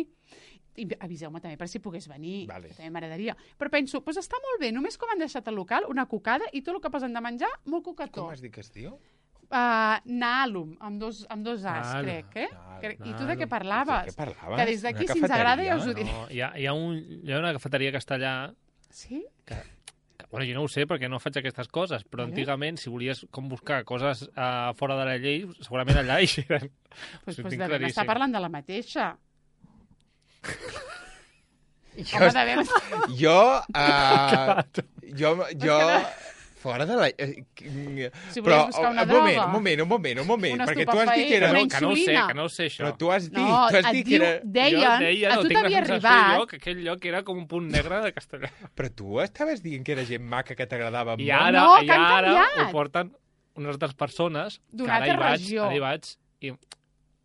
I aviseu-me també per si pogués venir. Vale. També m'agradaria. Però penso, doncs està molt bé, només com han deixat el local, una cocada i tot el que posen de menjar, molt cocató. Com has dit que es diu? Nalum, amb dos As, Nalum. crec, eh? Nalum. I tu de què Nalum. parlaves? De què parlaves? Que des d'aquí, Una si ens agrada, cafeteria? ja us ho diré. No, hi ha una cafeteria que està allà Sí? bueno, jo no ho sé perquè no faig aquestes coses, però Vale. antigament, si volies com buscar coses fora de la llei, segurament allà hi eren. Pues, Ho pues tinc devem claríssim. estar parlant de la mateixa. Jo, Home, devem... jo fora de la... Si volies buscar una droga. Un moment, Un perquè tu has dit que era... estupefaent, Que no ho sé, insulina. que no ho sé, això. Però tu has dit, No, tu has et dit que diu, era... deien, Jo deia, a no, tu tinc la t'havia sensació arribat. jo que aquell lloc era com un punt negre de Castellà. Però tu estaves dient que era gent maca que t'agradava I molt. ara, No, i que han ara canviat. ho porten unes altres persones que D'una ara hi altra vaig, regió. ara hi vaig i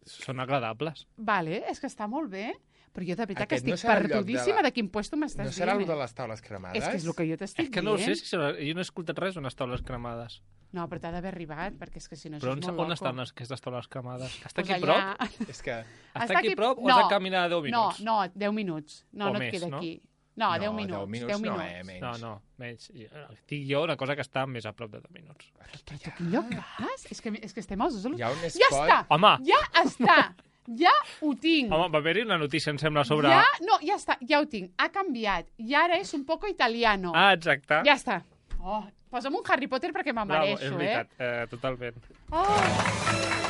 són agradables. Vale, és que està molt bé. Però jo de veritat que Aquest no estic serà el lloc de perdudíssima la- de quin puesto m'estàs No serà dient. el de les taules cremades? És que és el que jo t'estic És que no ho sé, dient. si serà... jo no he escoltat res d'unes taules cremades. No, però t'ha d'haver arribat, perquè és que si no Però això és molt on loco. estan aquestes taules cremades? Està Pues aquí allà- prop? És que... Està aquí prop o has de caminar 10 minuts? No, 10 minuts. No, O no et més, queda no? aquí. No, 10 10 minuts. minuts 10 no, minuts. menys. No, menys. Dic jo una cosa que està més a prop de 10 minuts. Però tu a quin lloc vas? És que estem els dos... Hi ha un Ja spot... està! Home! Ja està! Ja ho tinc! Home, va haver-hi una notícia, em sembla, sobre... Ja, no, ja està, ja ho tinc. Ha canviat. I ara és un poco italiano. Ah, exacte. Ja està. Oh, posa'm un Harry Potter perquè me'n Bravo, mereixo, és veritat, totalment. Oh.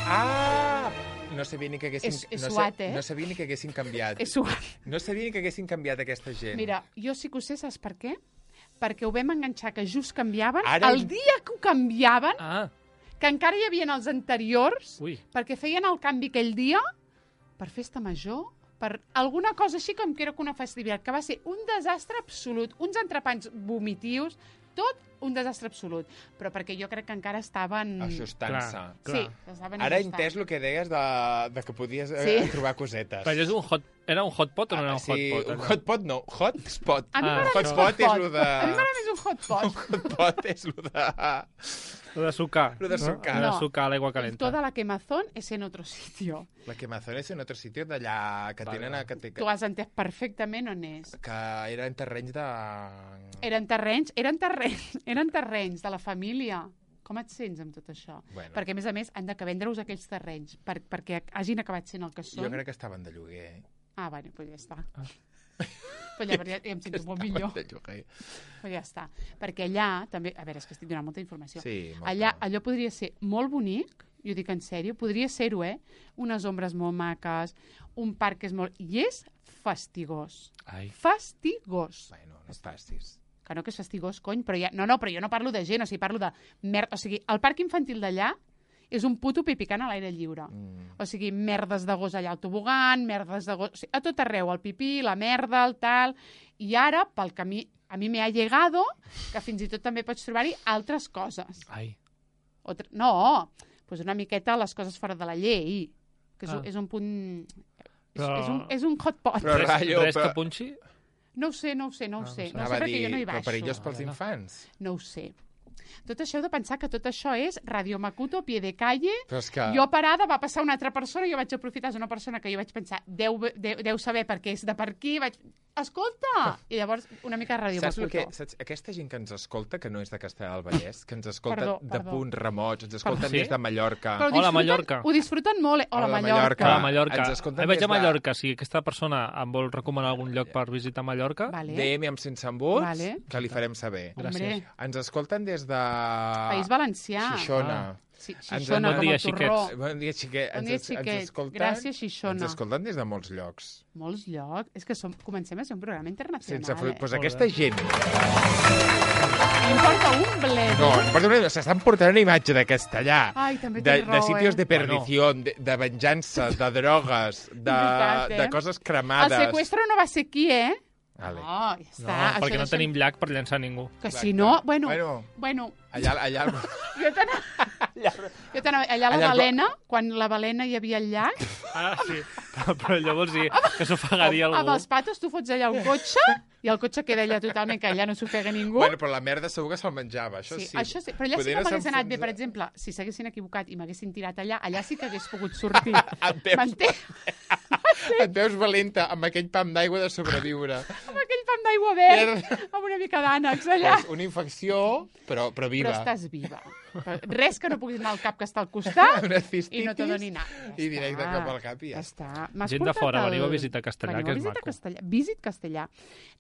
Ah! No sabia ni que haguessin... És no, suat, eh? no sabia ni que haguessin canviat. És suat. No sabia ni que haguessin canviat aquesta gent. Mira, jo sí que ho sé, saps per què? Perquè ho vam enganxar que just canviaven. Ara- El dia que ho canviaven, Ah, que encara hi havia els anteriors, ui. perquè feien el canvi aquell dia per festa major, per alguna cosa així com que era una festivitat, que va ser un desastre absolut, uns entrepans vomitius, tot un desastre absolut. Però perquè jo crec que encara estaven... Ajustant-se. Clar. Sí, estaven Ara he ajustant. entès el que deies de que podies Sí. trobar cosetes. Però era un hotpot o no era un sí, hotpot? un allò? hotpot no, hotspot. A mi Ah, m'agrada més hotspot és hotpot. lo de... A mi m'agrada més és un hot pot? Un hot pot és el de... Lo de sucar. Lo de sucar. Lo de sucar a l'aigua calenta. Toda la quemazón es en otro sitio. La quemazón és en altre sitio d'allà que tenen... Tu has entès perfectament on és. Que era en terrenys de... Eren terrenys de la família. Com et sents amb tot això? Bueno. Perquè, a més, han de vendre-us aquells terrenys perquè hagin acabat sent el que són. Jo crec que estaven de lloguer. Bueno, doncs ja està. Però ja em sento molt millor. Però ja està. Perquè allà, també... A veure, és que estic donant molta informació. Sí, allò podria ser molt bonic, jo dic en sèrio, podria ser-ho, unes ombres molt maques, un parc que és molt... I és fastigós. Ai. Fastigós. Bueno, no és fastis. Que no, que és fastigós, cony, però ja... No, però jo no parlo de gent, o sigui, parlo de merda. O sigui, el parc infantil d'allà és un puto pipicant a l'aire lliure. O sigui, merdes de gos allà al tobogan, merdes de gos... O sigui, a tot arreu, el pipí, la merda, el tal... I ara, pel camí, a mi me ha llegado que fins i tot també pots trobar-hi altres coses. Ai. No, doncs una miqueta les coses fora de la llei, que és un punt... Però... És un hot pot. Però res que punxi? No ho sé. No ho sé perquè jo no hi baixo. Però perillós pels infants? No ho sé. Tot això heu de pensar que tot això és Radio Macuto, pie de calle. Però és que... Jo parada, va passar una altra persona, jo vaig aprofitar, és una persona que jo vaig pensar, deu saber per què és de per aquí, vaig... Escolta! I llavors, una mica de Radio Macuto. Saps? Aquesta gent que ens escolta, que no és de Castellar del Vallès, que ens escolta de punts remots, ens escolten des de Mallorca. Hola, Mallorca. Ho disfruten molt, Hola, Mallorca. Hola, Mallorca. Vaig a Mallorca. Si aquesta persona em vol recomanar algun lloc per visitar Mallorca, DM amb sense embuts, que li farem saber. Gràcies. Ens escolten des de... País Valencià. Xixona. Sí, Xixona, com el torró. Bon dia, xiquets. Bon dia, xiquets. Gràcies, Xixona. Ens escolten des de molts llocs. Molts llocs? És que comencem a ser un programa internacional. Doncs aquesta gent... Importa un bledo. No, importa un bledo. S'estan portant una imatge de Castellà. Ai, també tens raó, de sitios de perdició, de venjança, de drogues, de coses cremades. El secuestro no va ser aquí, Vale. No, ja està. No, perquè no tenim llac per llançar ningú. Que si no... Bueno. Allà... Allà a la Balena, quan la Balena hi havia el llac... Sí, però allò vols dir que s'ofegaria algú. Amb els patos tu fots allà un cotxe i el cotxe queda allà totalment, que allà no s'ofega ningú. Bueno, però la merda segur que se'l menjava, això sí. Això sí, però allà sí que m'hagués anat bé, per exemple, si s'haguessin equivocat i m'haguessin tirat allà sí que hagués pogut sortir. Et veus valenta amb aquell pam d'aigua de sobreviure. Amb aquell pam d'aigua verd, amb una mica d'ànecs allà. Una infecció, però viva. Però estàs viva. Res que no puguis anar al cap que està al costat i no te doni anar. I directe cap al cap i ja està. Gent de fora, veniu a visitar Castellà, que és maco. Visit Castellà.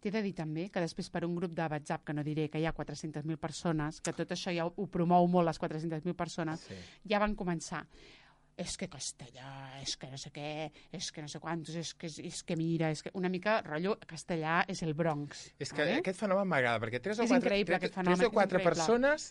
T'he de dir també que després per un grup de WhatsApp, que no diré que hi ha 400.000 persones, que tot això ja ho promou molt les 400.000 persones, ja van començar. És que Castellà, és que no sé què, és que no sé quantos, és que mira, és que una mica rotllo Castellà és el Bronx. És que aquest fenomen m'agrada, perquè 3 o 4 persones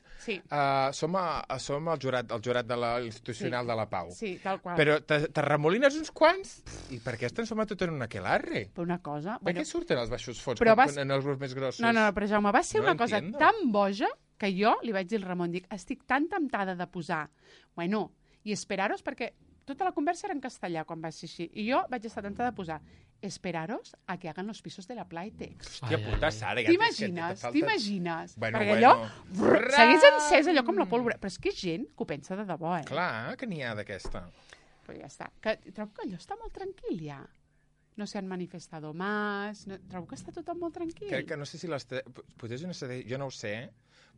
som el jurat de l'institucional de la Pau. Sí, tal qual. Però t'arremolines uns quants i per què es transforma tot en un aquelarre? Per una cosa... Per què surten els baixos fots en els grups més grossos? No, però Jaume, va ser una cosa tan boja que jo li vaig dir al Ramon, dic, estic tan temptada de posar, bueno... I esperaros, perquè tota la conversa era en castellà quan va ser així. I jo vaig estar tentada de posar esperaros a que hagan los pisos de la Playtex. Hòstia puta, Sara. T'imagines? Perquè allò segueix encès allò com la pólvora. Però és que és gent que ho pensa de debò, Clar, que n'hi ha d'aquesta. Però ja està. Trobo que allò està molt tranquil, ja. No s'han manifestado más. Trobo que està tot molt tranquil. Crec que no sé si potser és una estratègia, jo no ho sé,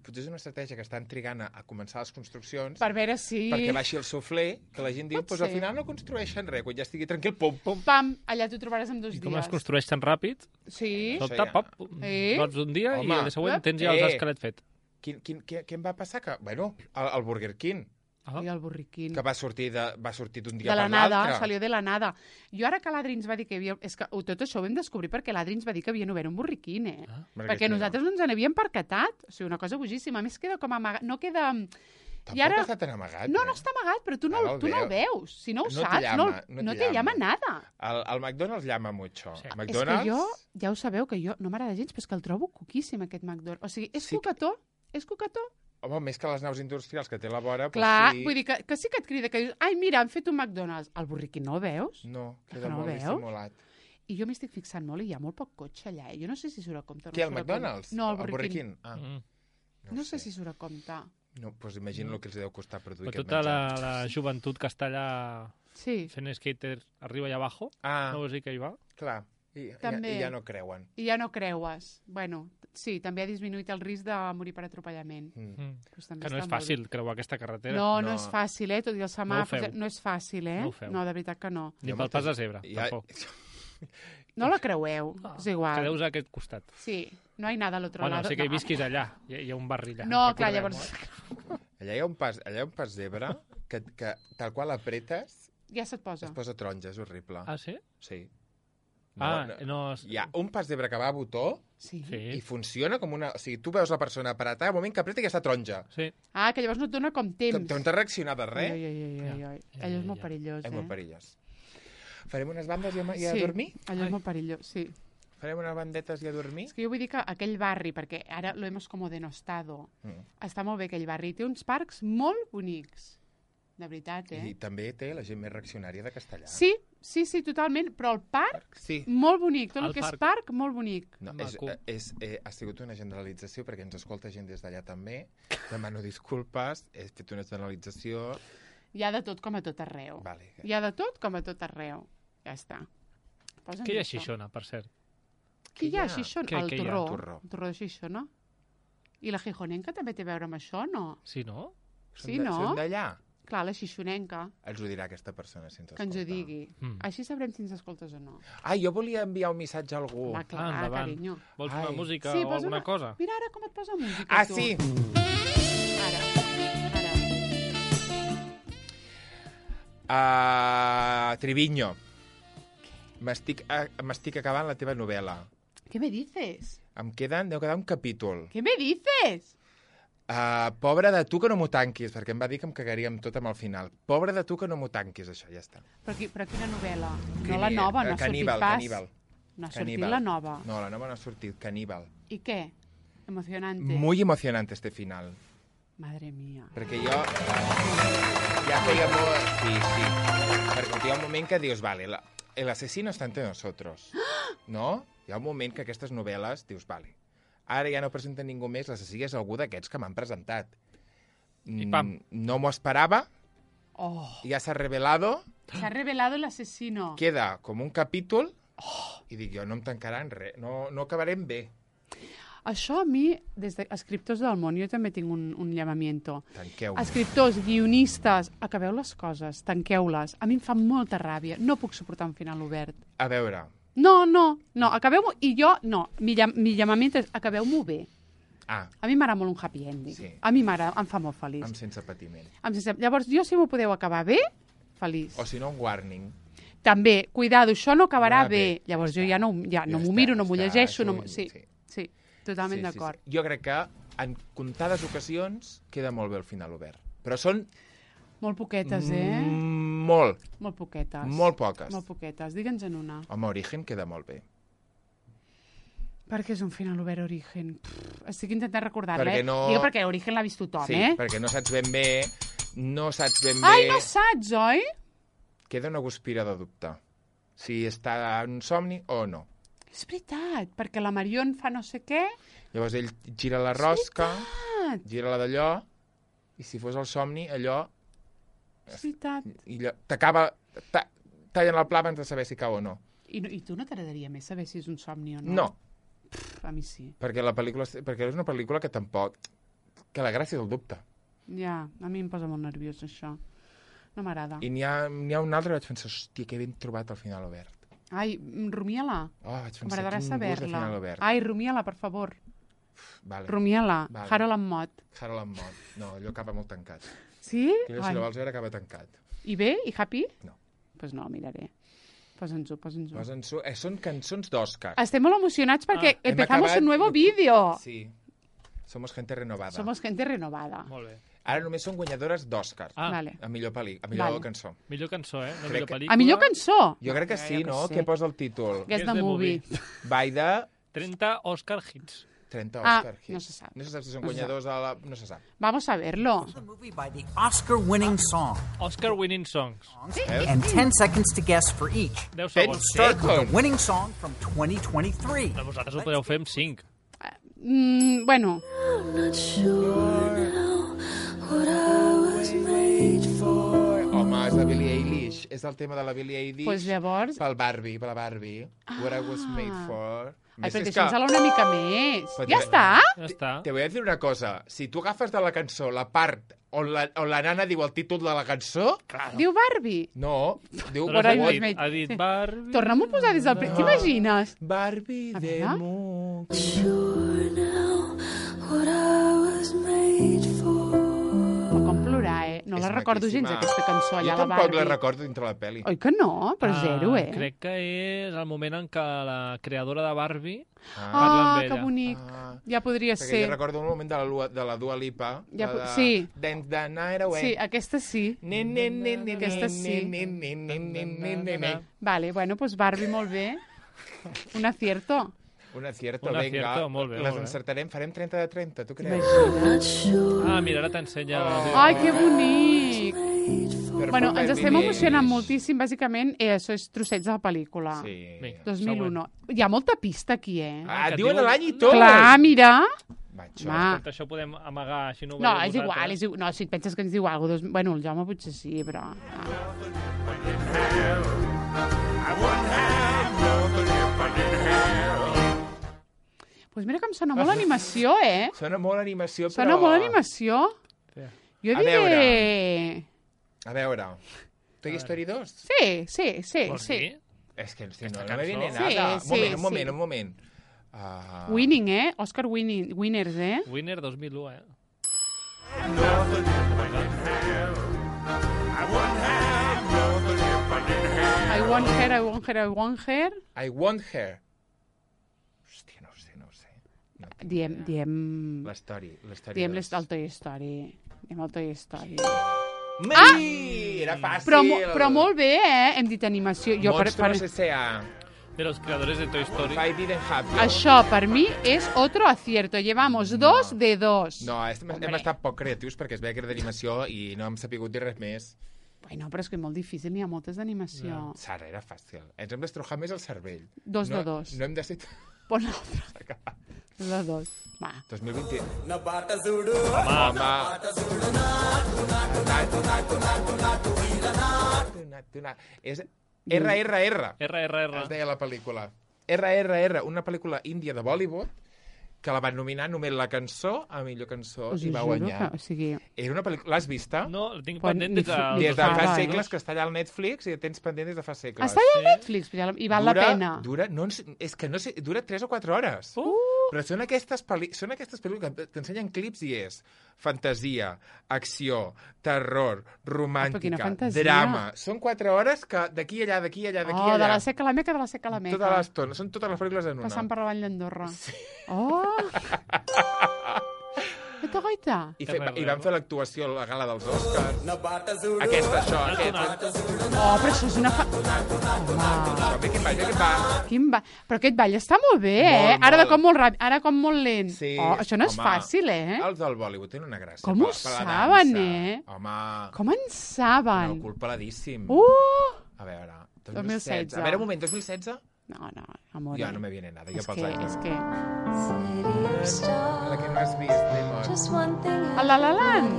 potser és una estratègia que estan trigant a començar les construccions per veure si... perquè baixi el sofler, que la gent diu, doncs al final no construeixen res, quan ja estigui tranquil, pum, pum. Pam, allà t'ho trobaràs en 2 dies. I com es construeix tan ràpid? Sí. Sobte, pop, vols un dia i el següent tens ja els esquelets fet. Què em va passar? Bueno, el Burger King. I el burriquín. Que va sortir d'un dia per l'altre. De la nada, salió de la nada. Jo ara que l'Adri ens va dir que hi havia... És que tot això ho vam descobrir perquè l'Adri ens va dir que havien obert un burriquín, perquè nosaltres no ens n'havíem percatat. O sigui, una cosa bojíssima. A més, queda com amagat. No queda... Tampoc està tan amagat. No està amagat, però tu no el veus. Si no ho saps, no te llama nada. El McDonald's llama mucho. És que jo, ja ho sabeu, que jo no m'agrada gens, però és que el trobo coquíssim, aquest McDonald's. O sigui, és coquetó. Home, més que les naus industrials que té la vora... Clar, vull dir que sí que et crida, que dius, ai, mira, han fet un McDonald's. El burriquín no el veus? No, queda molt dissimulat. I jo m'estic fixant molt i hi ha molt poc cotxe allà. Jo no sé si surt a compte. Què, el McDonald's? No, el Burger King. Ah. No sé si surt a compte. No, doncs imagina el que els deu costar produir Però aquest tota menjar. la joventut que està allà fent skater arriba i abajo, no vols dir que hi va? Clar, i ja no creuen. I ja no creues. Bueno, sí, també ha disminuït el risc de morir per atropellament. Que no és fàcil creuar aquesta carretera. No és fàcil, tot i el semàfor. No és fàcil, No, de veritat que no. Ni pel pas de zebra, tampoc. No la creueu, és igual. Quedeu-vos a aquest costat. Sí, no hi ha nada a l'altre lado. Bueno, sé que hi visquis allà, hi ha un barri allà. No, clar, llavors... Allà hi ha un pas zebra que tal qual apretes... Ja se't posa. Es posa taronja, és horrible. Ah, sí? Sí. No... Hi ha un pas zebra que va a botó i funciona com una... O sigui, tu veus la persona apretar, al moment que apreta ja està taronja. Sí. Ah, que llavors no et dona com temps. Que no t'ha reaccionat de res. Allò és molt perillós, És molt perillós. Farem unes bandes i a dormir? Sí, allò és molt perillós, sí. Farem unes bandetes i a dormir? És que jo vull dir que aquell barri, perquè ara lo hemos como denostado, està molt bé aquell barri. Té uns parcs molt bonics. De veritat, I també té la gent més reaccionària de Castellà. Sí, totalment, però el parc, molt bonic. Tot el que és parc, molt bonic. No, ha sigut una generalització, perquè ens escolta gent des d'allà també. Demano disculpes, he fet una generalització... Hi ha de tot com a tot arreu. Hi ha de tot com a tot arreu. Ja està. Què hi ha a Xixona, per cert? Què hi ha a Xixona? El torró. El torró de Xixona. I la Gijonenca també té a veure amb això, no? Sí, no? Sí, no? Són d'allà? Clar, la Xixonenca. Ens ho dirà aquesta persona si ens escolta. Que ens ho digui. Així sabrem si ens escoltes o no. Jo volia enviar un missatge a algú. Va, clar, carinyo. Vols una música o alguna cosa? Mira ara com et posa música, tu. Sí! Triviño. M'estic acabant la teva novel·la. ¿Qué me dices? Deu quedar un capítol. ¿Qué me dices? Pobre de tu que no m'ho tanquis, perquè em va dir que em cagaria amb tot amb el final. Pobre de tu que no m'ho tanquis, això, ja està. Però quina novel·la? No la nova, no ha sortit pas. Caníbal. No ha sortit la nova. No, la nova no ha sortit, Caníbal. ¿Y qué? Emocionante. Muy emocionante este final. Madre mía. Perquè jo ja feia molt... Sí. Perquè hi ha un moment que dius, vale, el asesino está entre nosotros. No? Hi ha un moment que aquestes novel·les dius, vale, ara ja no presenta ningú més, l'assassí és algú d'aquests que m'han presentat. I pam. No m'ho esperava. Ja s'ha revelado. S'ha revelado el asesino. Queda com un capítol i dic jo, no em tancaran res, no acabarem bé. Això a mi, des d'escriptors del món, jo també tinc un llamamiento. Tanqueu. Escriptors, guionistes, acabeu les coses, tanqueu-les. A mi em fa molta ràbia. No puc suportar un final obert. A veure... No, acabeu-m'ho... I jo, no, mi llamament és acabeu-m'ho bé. A mi m'agrada molt un happy ending. Sí. A mi m'agrada, em fa molt feliç. Sense patiment. Llavors, jo, si m'ho podeu acabar bé, feliç. O si no, un warning. També, cuidado, això no acabarà bé. Llavors, jo ja no m'ho miro, no m'ho llegeixo. Sí, totalment d'acord. Sí. Jo crec que en comptades ocasions queda molt bé el final obert. Però són... Molt poquetes, Molt. Molt poquetes. Molt poques. Molt poquetes. Digue'ns en una. Home, Origen queda molt bé. Per què és un final obert, Origen? Estic intentant recordar-la, perquè no... Digue perquè Origen l'ha vist tothom, Sí, perquè no saps ben bé... No saps ben bé... Ai, no saps, oi? Queda una guspira de dubte. Si està en somni o no. És veritat, perquè la Marion fa no sé què... Llavors ell gira la rosca, gira la d'allò, i si fos el somni, allò... És veritat. I t'acaba... Tallen el pla abans de saber si cau o no. I tu no t'agradaria més saber si és un somni o no? No. A mi sí. Perquè és una pel·lícula que tampoc... Que la gràcia és el dubte. Ja, a mi em posa molt nerviós, això. No m'agrada. I n'hi ha un altre que vaig pensar, hòstia, que ben trobat el final obert. Ai, rumia-la. Vaig pensar, m'agradarà quin gust de saber-la. final obert. Ai, rumia-la, per favor. Vale. Rumia-la. Vale. Harold en Mott. Harold en Mott. No, allò acaba molt tancat. Sí? Aquella, si la vols veure, acaba tancat. I bé? I happy? No. Pues no, miraré. Posa'ns-ho. Són cançons d'Òscar. Estem molt emocionats perquè empezamos un nuevo vídeo. Sí. Somos gente renovada. Somos gente renovada. Molt bé. Ara només són guanyadores d'Òscar. Vale. A millor cançó. Millor cançó, No millor pel·lícula. A millor cançó? Jo crec que sí, no? Què posa el títol? Guess the movie. By the... 30 Oscar hits. 30 Oscar hits. No se sap. No se sap si són guanyadors a la... No se sap. Vamos a verlo. The movie by the Oscar-winning song. Oscar-winning songs. And 10 seconds to guess for each. 10 10 segons. Start with the seconds. winning song from 2023. Però vosaltres ho podeu fer amb 5. Bueno, Home, és la Billie Eilish. És el tema de la Billie Eilish. Pues llavors... Per la Barbie. What I was made for. Ai, però deixa'ns-la una mica més. Però Ja està? Ja està. Te voy a decir una cosa. Si tu agafes de la cançó la part on la nana diu el títol de la cançó... Diu Barbie. No, diu... Però What I ha was dit, made- ha dit sí. Barbie... Torna'm-ho a posar des del... T'imagines? Barbie A de veure. Moog. Però com plorar, No la És recordo gens, maquíssima. aquesta cançó allà Jo a la tampoc Barbie. la recordo dintre la pel·li. Oi que no? Però zero, Crec que és el moment en què la creadora de Barbie parla Ah, amb que ella. bonic. Ah. Ja podria Perquè ser. jo recordo un moment de la Dua Lipa. Ja la de sí. Dance the night away. Sí, aquesta sí. Aquesta sí. Vale, bueno, pues Barbie, molt bé. Un acierto. Un acierto, Un vinga. acierto, molt bé, Les molt bé. encertarem, farem 30 de 30, tu creus? Imagina't. Ah, mira, ara t'ensenya... Ai, que bonic. Per Bueno, favor, ens estem Billie emocionant Eilish. moltíssim, bàsicament, això és trossets de la pel·lícula. Sí. Vinga. 2001. Hi ha molta pista aquí, Ah, Que diuen diuen- l'any i tot! Clar, mira. Macho. Va. Escolta, això podem amagar, així no ho No, veieu és igual, vosaltres. és igual. No, si et penses que ens diu alguna cosa... Bueno, el Jaume potser sí, però... Pues mira que em sona molt animació, Sona molt animació, però... Sona molt animació. Sí. Jo A diré... A veure, Toy Story 2? Sí. Vols dir? És que si Aquesta no me viene cançó? nada. Sí, Un moment. Winning, Oscar Winners, Winner 2001, I want her. I want her. Hòstia, no ho sé. No tinc Diem l'història. el Toy Story. Diem el Toy Story. Era fàcil! Però molt bé, Hem dit animació. Monstruos S.A. de los creadores de Toy Story. I didn't have you. Això, per mi, és otro acierto. Llevamos 2 de 2. No, hem estat poc creatius perquè es veia que era d'animació i no hem sapigut dir res més. Bueno, però és que és molt difícil, n'hi ha moltes d'animació. Sara, era fàcil. Ens hem d'estrujar més el cervell. 2 de 2. No hem de ser... Pon l'altre. 2 de 2. Va. 2020. Home. És RRR. RRR. Es deia la pel·lícula. RRR, una pel·lícula índia de Bollywood que la van nominar només la cançó a millor cançó Us i ho va juro guanyar. que... O sigui, Era una pel·lícula... L'has vista? No, la tinc Quan pendent ni des de... fi- ni Des de fa fa res. segles que està allà al Netflix i la tens pendent des de fa segles. està allà al Netflix i val la pena. És que no sé, dura 3 o 4 hores. Però són aquestes pel·lícules que t'ensenyen clips i és fantasia, acció, terror, quina romàntica, fantasia. drama. Són 4 hores que d'aquí a allà, d'aquí a allà, d'aquí a Oh, de allà. la seca a la meca, de la seca a la meca. Tota l'estona. Són totes les pel·lícules en una. Passant per la Vall d'Andorra. Sí. Oh! Gaita. I van fer l'actuació a la gala dels Oscars. Aquesta, aquest. Oh, però això és una... Home, Quin ball. quin ba... Però aquest ball està molt bé, Molt, Ara molt. com molt ràpid, ara com molt lent. Sí, Oh, això no és home, fàcil, Els del Bollywood tenen una gràcia. Com ho per la saben, dansa. Home, Com en saben? no, culpadíssim. A veure, 2016. A veure, un moment, 2016? No, amor. Jo no me viene nada, jo És pels que, anys. és que... La que no has vist, Lemon. El La La Land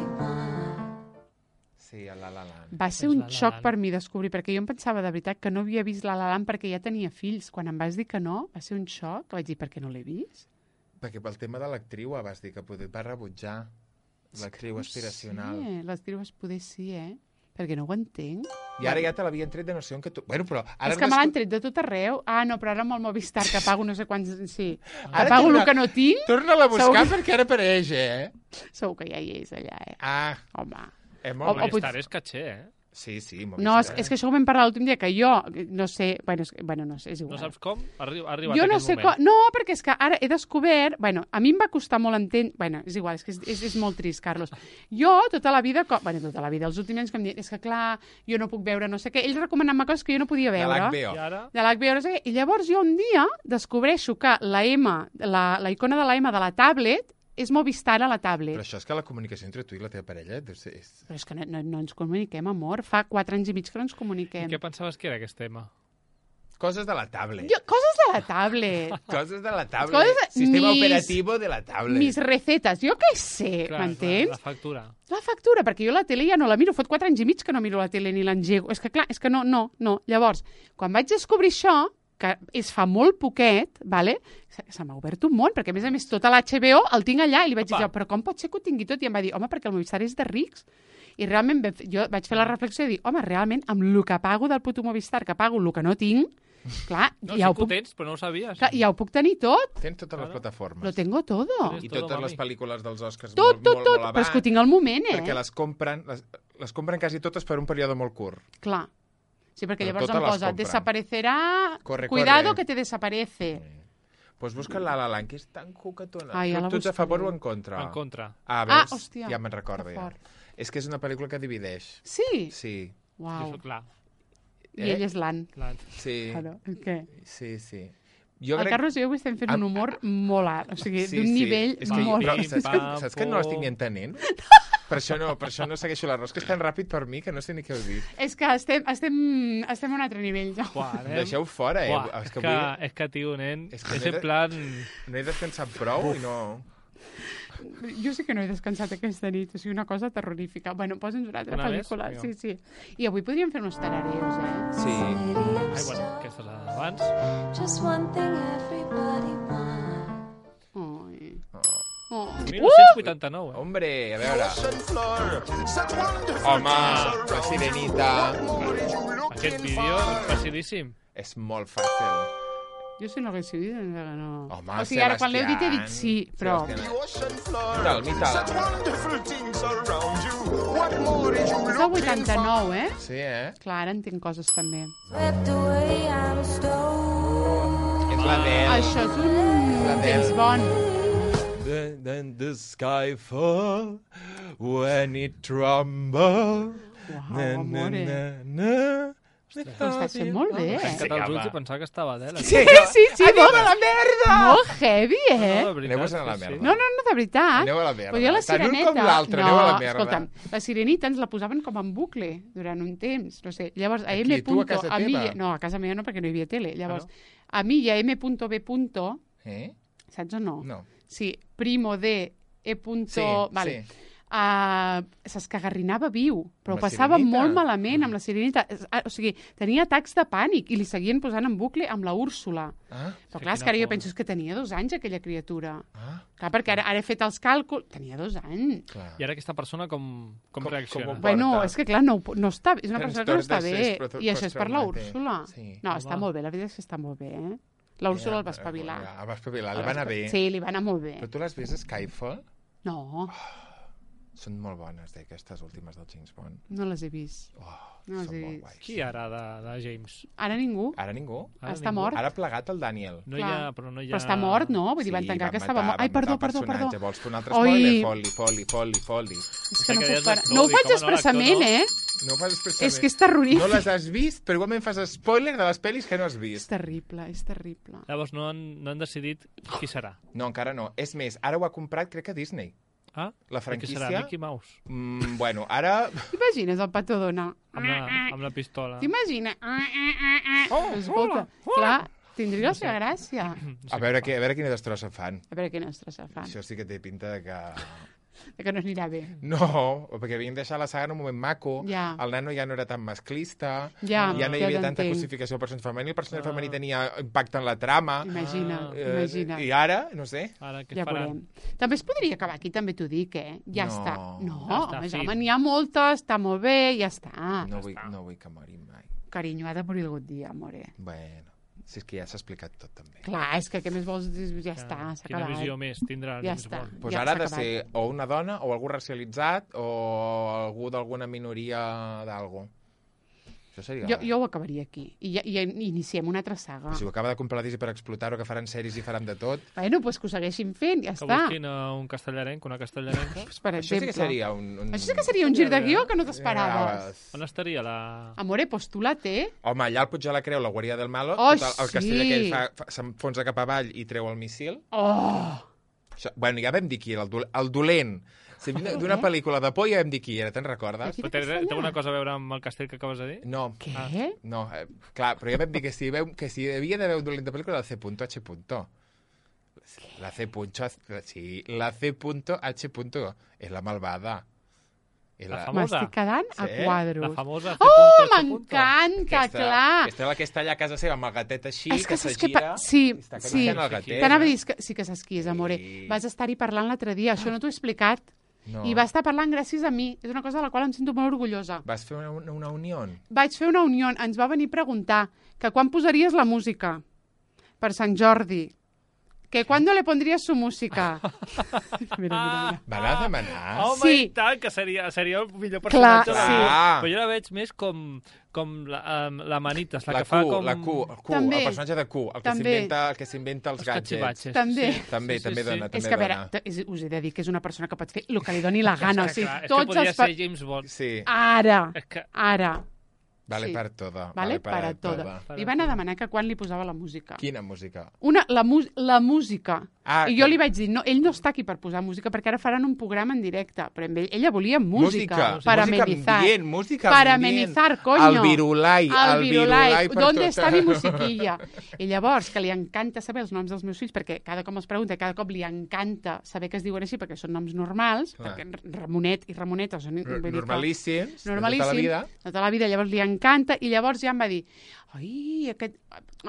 Sí, el La La Land. va ser És un La La xoc Land. per mi descobrir, perquè jo em pensava de veritat que no havia vist La La Land perquè ja tenia fills. Quan em vas dir que no, va ser un xoc. Vaig dir, per què no l'he vist? Perquè pel tema de l'actriu vas dir que va rebutjar l'actriu aspiracional. Sí, l'estiu es poder sí, Perquè no ho entenc. I ara ja te l'havien tret de no sé on que tu... Bueno, però... Ara És que me l'han tret de tot arreu. Ah, no, però ara amb el Movistar, que pago no sé quants... Sí, que Ara pago torna- el que no tinc, Torna-la a buscar Segur- perquè ara apareix, segur que ja hi és allà, Ah, Home. molt O Movistar potser- és caché, Sí, molt No, és que això ho vam parlar l'últim dia, que jo no sé... Bueno, no sé, és igual. No saps com? Ha arribat jo no aquest sé moment. No, perquè és que ara he descobert... Bueno, a mi em va costar molt entendre... Bueno, és igual, és que és molt trist, Carlos. Jo, tota la vida... tota la vida, els últims anys que em diuen, és que clar, jo no puc veure no sé què. Ells recomanant-me coses que jo no podia veure. De l'HBO. I ara? De l'HBO, no sé què. I llavors jo un dia descobreixo que la icona de la M de la tablet és Movistar a la tablet. Però això és que la comunicació entre tu i la teva parella... Però és que no ens comuniquem, amor. Fa 4 anys i mig que no ens comuniquem. I què pensaves que era aquest tema? Coses de la tablet. Coses de la tablet. Coses de la tablet. Sistema operativo de la tablet. Mis recetes, jo què sé, m'entens? La factura. La factura, perquè jo la tele ja no la miro. Fot 4 anys i mig que no miro la tele ni l'engego. És que clar, és que no. Llavors, quan vaig descobrir això, que és fa molt poquet, vale? Se m'ha obert un món, perquè a més tota l'HBO el tinc allà, i li vaig dir, però com pot ser que ho tingui tot? I em va dir, home, perquè el Movistar és de rics. I realment jo vaig fer la reflexió de dir, home, realment, amb el que pago del puto Movistar, que pago el que no tinc, clar, no, ja sí ho puc... tens, però no ho sabies. Clar, ja ho puc tenir tot. Tens totes les plataformes. Lo tengo todo. I totes les pel·lícules dels Oscars Tot, molt abans. però és que ho tinc al moment, Perquè les compren quasi totes per un període molt curt. Clar. Sí, perquè Però llavors totes em les posa, compren. desaparecerà... Corre. Cuidado que te desaparece. Pues busca La La Land, que és tan cucatona. Ai, ja la Tu ets a favor o buscaré. en contra? En contra. Veus? hòstia. Ja me'n recordo, Que ja. fort. És que és una pel·lícula que divideix. Sí? Sí. Uau. Jo soc clar. I ell és l'Ann. Sí. Claro. Què? Sí. El Carlos i jo avui estem fent un humor molt alt, o sigui, d'un nivell És que molt però, alt. saps que no l'estic ni entenent? Per això no segueixo l'arròs, que és tan ràpid per mi que no sé ni què heu dit. És que estem a un altre nivell, ja. Deixeu fora, eh? Uah, és que, tio, nen, és en plan... No he descansat prou i no... Jo sí que no he descansat aquesta nit, o sigui, una cosa terrorífica. Bueno, posa'ns una altra pel·lícula. Sí. I avui podríem fer uns tarareos, Sí. Ai, bueno, aquestes abans. Just one thing everybody wants. Ai. 1989, Hombre, a veure... Home, la Sirenita... Aquest vídeo és facilíssim. És molt fàcil. Jo si no hagués dit, no... Home, o sigui, ara quan l'heu dit he dit sí, però... Mital. És del 89, eh? Sí, Clar, ara entenc coses també. Swept away, I'm stone. És la Del. Això és un temps bon. Then the sky fall when it tremble. Uau, amore. Ho estàs fent molt bé, He tancat els ulls i pensava que estava Adele. Sí, molt, a la merda! molt heavy, eh? No, de veritat, Aneu-vos a la sí, merda. sí. No, de veritat. Aneu a la merda. Però jo la Tant un Sireneta... com l'altre, aneu a la merda. Escolta'm, la Sirenita ens la posaven com en bucle durant un temps, no sé. Llavors, a Aquí, M. tu a casa mi... teva? No, a casa meva no, perquè no hi havia tele. Llavors, a mi i a M.B. Saps o no? No. Sí, primo de E. Sí, Vale. sí. S'escagarrinava viu, però Amb la passava Sirenita? molt malament amb la Sirenita. O sigui, tenia atacs de pànic i li seguien posant en bucle amb la Úrsula. Però clar, és que ara jo penso que tenia 2 anys aquella criatura. Clar, perquè ara he fet els càlculs... Tenia 2 anys. Clar. I ara aquesta persona com reacciona? com- Bueno, porta. és que clar, no està, és una persona que no està Trastorn bé. de I això és per la postraumàtic. Úrsula. Sí. No, està molt bé, la veritat és que està molt bé, eh? La Úrsula el va espavilar. El va espavilar, li va anar bé. Sí, li va anar molt bé. Però tu l'has vist, Skyfall? No, Són molt bones, aquestes últimes del James Bond. no les he vist. No les Són he molt vist. guais. Qui ara de James? Ara ningú. Ara ningú? Ara Està ningú. mort. Ara ha plegat el Daniel. No hi ha, però no hi ha... Però està mort, no? Vull dir, van tancar que estava mort. Ai, perdó. Vols fer un altre Oi. spoiler? Foli. És que no que puc deies parar. l'actor, No ho dic, faig home, no, expressament, l'actor no. No ho fas expressament. És que és terrorífic. No les has vist, però igualment fas spoiler de les pel·lis que no has És vist. terrible, és terrible. Llavors no han decidit qui serà. No, encara no. És més, ara ho ha comprat, crec que Disney. Ah? La I qui franquícia... serà? Mickey Mouse. Bueno, ara... T'imagines el Pato Donald? Amb la pistola. T'imagines? Escolta, clar, tindria la seva gràcia. A veure quina destrossa fan. A veure quina estrossa fan. Això sí que té pinta de que... Que no anirà bé. No, perquè havien deixat la saga en un moment maco, Ja. el nano ja no era tan masclista, Ja no hi havia tanta t'entenc. cosificació del personatge femení, el personatge femení tenia impacte en la trama, Imagina. i ara, no sé, Ara què Ja faran? veurem. També es podria acabar aquí, també t'ho dic, eh? Ja No. està. No, Ja està, home, fi. home, n'hi ha moltes, està molt bé, ja està. no vull que mori mai. Carinyo, ha de morir algun dia, amore. Bueno, si és que ja s'ha explicat tot també. Clar, és que què més vols dir? Ja està, s'ha Quina acabat. visió més tindrà Ja James està. Bond? Pues Ja ara ha s'ha de ser o una dona, o algú racialitzat, o algú d'alguna minoria d'algo. Això seria... Jo ho acabaria aquí. I iniciem una altra saga. Si ho acaba de comprar la Disney per explotar-ho, que faran sèries i faran de tot... Bueno, doncs que ho segueixin fent, ja Que està. busquin un castellarenc, una castellarenca. Per Això sí exemple. que seria un... Això sí que seria un gir de guió que no t'esperaves. On estaria la... Amore, pues tu la té. Home, allà al Puig de la Creu, la guàrdia del Malo, Oh, tot el castell aquell s'enfonsa cap avall i treu el míssil. Oh! Això, bueno, ja vam dir qui era, el dolent. Si d'una pel·lícula de por ja vam dir qui era, te'n recordes? Aquí. Té alguna cosa a veure amb el castell que acabes de dir? No. Què? No, clar, però ja vam dir que si havia d'haver un dolent de pel·lícula, la C.H. La C.H. és la malvada. La famosa. M'estic quedant a Sí? quadros. La famosa Oh, m'encanta, clar. Aquesta és la que està allà a casa seva amb el gatet així, És que saps s'agira... Sí, i està sí. acariciant el gatet. T'anava a dir que sí que saps qui és, amore. Sí. Vas estar-hi parlant l'altre dia, això no t'ho he explicat. No. I va estar parlant gràcies a mi. És una cosa de la qual em sento molt orgullosa. Vas fer una unió? Vaig fer una unió. Ens va venir a preguntar que quan posaries la música per Sant Jordi. Que ¿cuándo le pondries su música? Mira. Va anar a demanar? Home, Sí. i tant, que seria el millor personatge. Clar, de la sí. vida. Però jo la veig més com la Manitas, la que fa com... La Q, També. el personatge de Q, el També. que s'inventa els gadgets. cachivaches. També. Sí. També dona, És també que, a veure, dona. us he de dir que és una persona que pot fer el que li doni la gana. O sigui, Clar, és que tots podria els... ser James Bond. Sí, Ara, És que... ara. vale Sí. per toda. Vale, para todo. Li van a demanar que quan li posava la música. Quina música? La música. Ah, I jo li vaig dir, no, ell no està aquí per posar música, perquè ara faran un programa en directe. Però ella volia música. Para amenizar. Música Para ambient. amenizar, coño. El virulai. El virulai. per ¿Dónde tot. està mi musiquilla? I llavors, que li encanta saber els noms dels meus fills, perquè cada cop els pregunta, cada cop li encanta saber que es diuen així, perquè són noms normals, Clar. perquè Ramonet i Ramoneta són... vull dir que- Normalíssims, de normalíssim, tota la vida. de tota la vida, llavors li encanta, i llavors ja em va dir,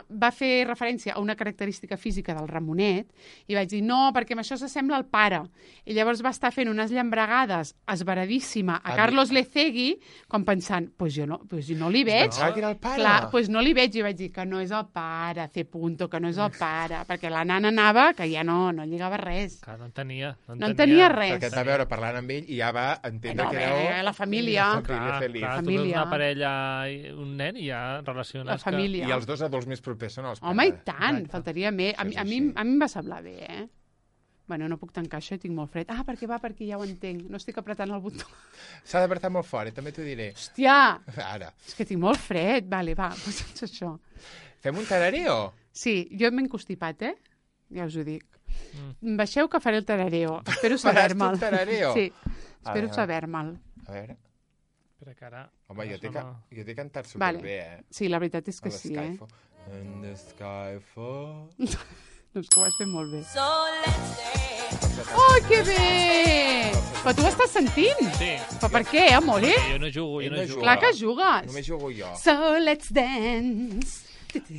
va fer referència a una característica física del Ramonet, i vaig dir, no, perquè amb això s'assembla al pare. I llavors va estar fent unes llambregades esveradíssima a Carlos Lecegui, com pensant, pues jo no li veig. Pensava que era el pare. Clar, pues no li veig, i vaig dir que no és el pare, que no és el pare, perquè la nana anava que ja no lligava res. Clar, no entenia res. Perquè et va veure parlant amb ell i ja va entendre que era... La família. Família feliç. Clar, tu Família. veus una parella i un nen i ja relaciones La família. I els dos adults més propers són els pares. Home, i tant, Exacte. faltaria més. A Això és mi així. em va semblar bé, eh? Bueno, no puc tancar això i tinc molt fred. Ah, perquè ja ho entenc. No estic apretant el botó. S'ha d'apretar molt fort, també t'ho diré. Hòstia! Ara. És que tinc molt fred. Vale, va, doncs això. Fem un tarareo? Sí, jo m'he encostipat, eh? Ja us ho dic. Baixeu que faré el tarareo. Espero Faràs tu saber-me'l. el tarareo? Sí, espero veure. saber-me'l. A veure. Espera que ara... Home, jo t'he cantat Vale. superbé, eh? Sí, la veritat és que A la sí, eh? Skyfall. In the Skyfall. Doncs que ho has fet molt bé. So let's dance. Oh, que bé! Però tu ho estàs sentint? Sí. Però per què, amore? Jo no jugo. Ell no juga. Clar que jugues. Només jugo jo. So let's dance.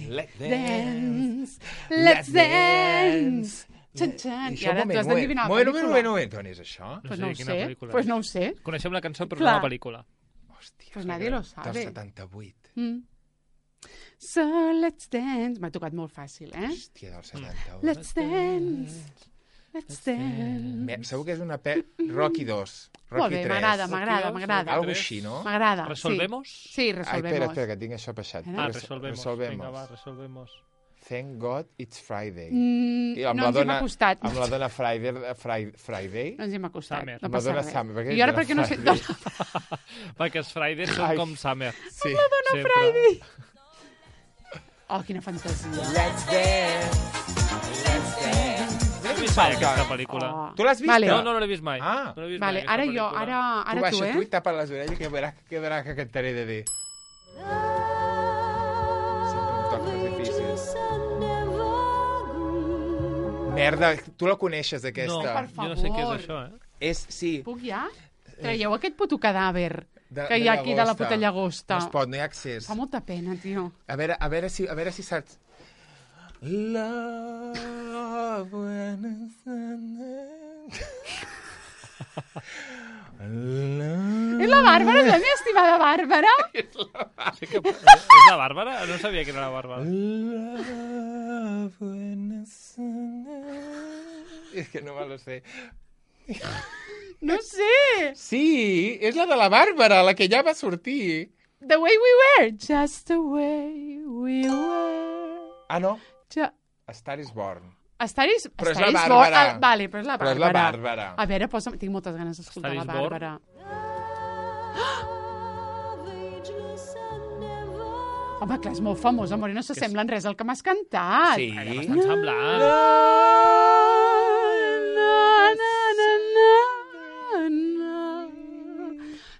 Let's Dance. Let's dance. Xan, xan. I ara tu has d'endevinar la pel·lícula. Moment. On és això? Pues No no ho sé quina sé. pel·lícula Pues és. no ho sé. Coneixem la cançó, però Clar. no la pel·lícula. Hòstia. Pues nadie lo Del sabe. 78. So let's dance. M'ha tocat molt fàcil, eh? Hòstia, del 78. Let's dance. Let's dance. Segur que és una Rocky 2. Molt Rocky bé, 3. m'agrada. Algo així, no? M'agrada. Resolvemos? Sí, Ai, resolvemos. espera, que tinc això passat. Resolvemos. Vinga, va, resolvemos. Thank God it's Friday. I No ens hem acostat. Amb la dona Friday. No ens hem acostat. Summer. No Amb la passa dona res. Summer. Per què I ara dona perquè no sé... Friday? Perquè els Fridays són Ai. com Summer. Sí. Sempre. Friday. Oh, quina fantasia. Let's dance. No l'he vist mai, aquesta pel·lícula. Oh. Tu l'has vist? Vale. No l'he vist mai. Ah. No l'he vist Vale, mai, aquesta ara jo, pel·lícula. ara Tu tu, baixa tu i eh? tapa les orelles que veuràs que cantaré de dir. Sempre em toca les difícils. Merda, tu la coneixes, No, aquesta. per jo no sé què és favor. això, eh? Sí. Puc ja? Traieu aquest puto cadàver De- que hi de ha aquí de la llagosta. puta llagosta. No es pot, no hi ha accés. Fa molta pena, tio. A veure si saps. Love when És la Bàrbara, és la meva estimada Bàrbara. Sí que... És la Bàrbara? No sabia que era la Bàrbara. Love when És que no me lo sé. No sé. Sí, és la de la Bàrbara, la que ja va sortir. The way we were. Just the way we were. Ah, no? Ja... A Star is Born. Però és la Bàrbara. Vale, però és la Bàrbara. Però és la Bàrbara. A veure, tinc moltes ganes d'escoltar la Bàrbara. Home, clar, és molt famós, amor, i no s'assembla en res al que m'has cantat. Sí. Bastant semblant.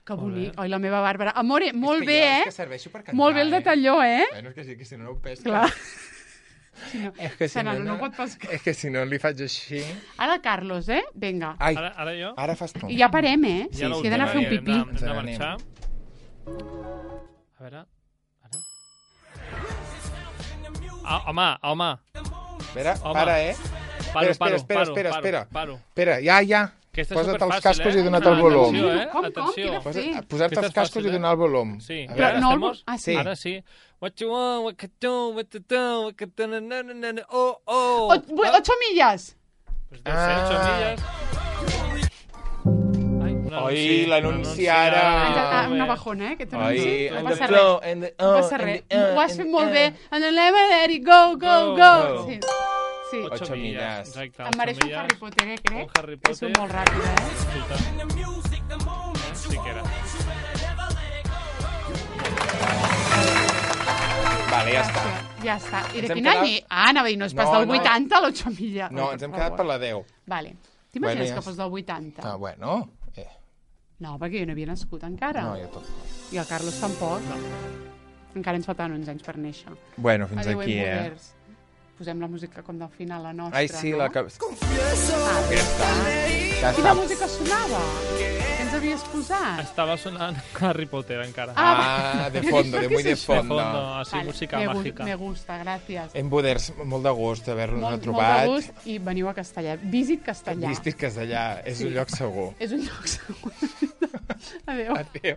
Que bonic. Oi, la meva Bàrbara. Amore, molt bé, És que serveixo per cantar, Molt bé el detalló, Bueno, és que si no ho pesca. Clar. És que si no pot pescar. És que si no li faig així... Ara, Carlos, Vinga. Ai, Ara jo? ara fas tu. I ja parem, Ja Sí, he d'anar a fer un pipí. Hem de marxar. A veure... Home. Espera, para, Espera. Paro. Espera, ja. Aquesta és Posa't els superfàcil, cascos i dona't el volum. Com? Atenció. Quina fe? Posar-te els cascos i donar el volum. Sí. A Però veure, no el... ¿estamos? Ah, sí. Ara sí. What you want, what you do, what you do, what you do, oh. 8 milles. Pues deu ser 8 milles. Ai, un anunci. Oi, l'anunci ara. Una bajona, aquest Oi, anunci. No and passa the res. flow, and the... No passa res. Ho has fet molt bé. And the let it go. Go. Sí. 8 milles. Exacte, Em 8 mereix un milles. Harry Potter, crec. Un Harry Potter. És un molt ràpid, Escolta. Sí que era. Vale, ja està. Ja està. I de Ens hem quin quedat- any? Ah, anava a dir, no és pas No, del no. 80 a l'8 milles. No, ens hem quedat per la 10. Vale. T'imagines Bueno, ja que fos del 80? Ah, bueno. No, perquè jo no havia nascut encara. No, ja tot. I el Carlos tampoc. No. Encara ens faltaven uns anys per néixer. Bueno, fins Adéu, aquí, Moders. Posem la música com del final, la nostra, Ai, sí, no? la que... Ja Quina està. música sonava? Què ens havies posat? Estava sonant Harry Potter encara. Ah, de fondo, de muy de De fondo. fondo, así, música mágica. Me gusta, gràcies. En Buders, molt de gust d'haver-nos Molt trobat. de gust i veniu a Castellà. Visit Castellà. Vistis Castellà, és un lloc segur. És un lloc segur. Adéu. Adéu.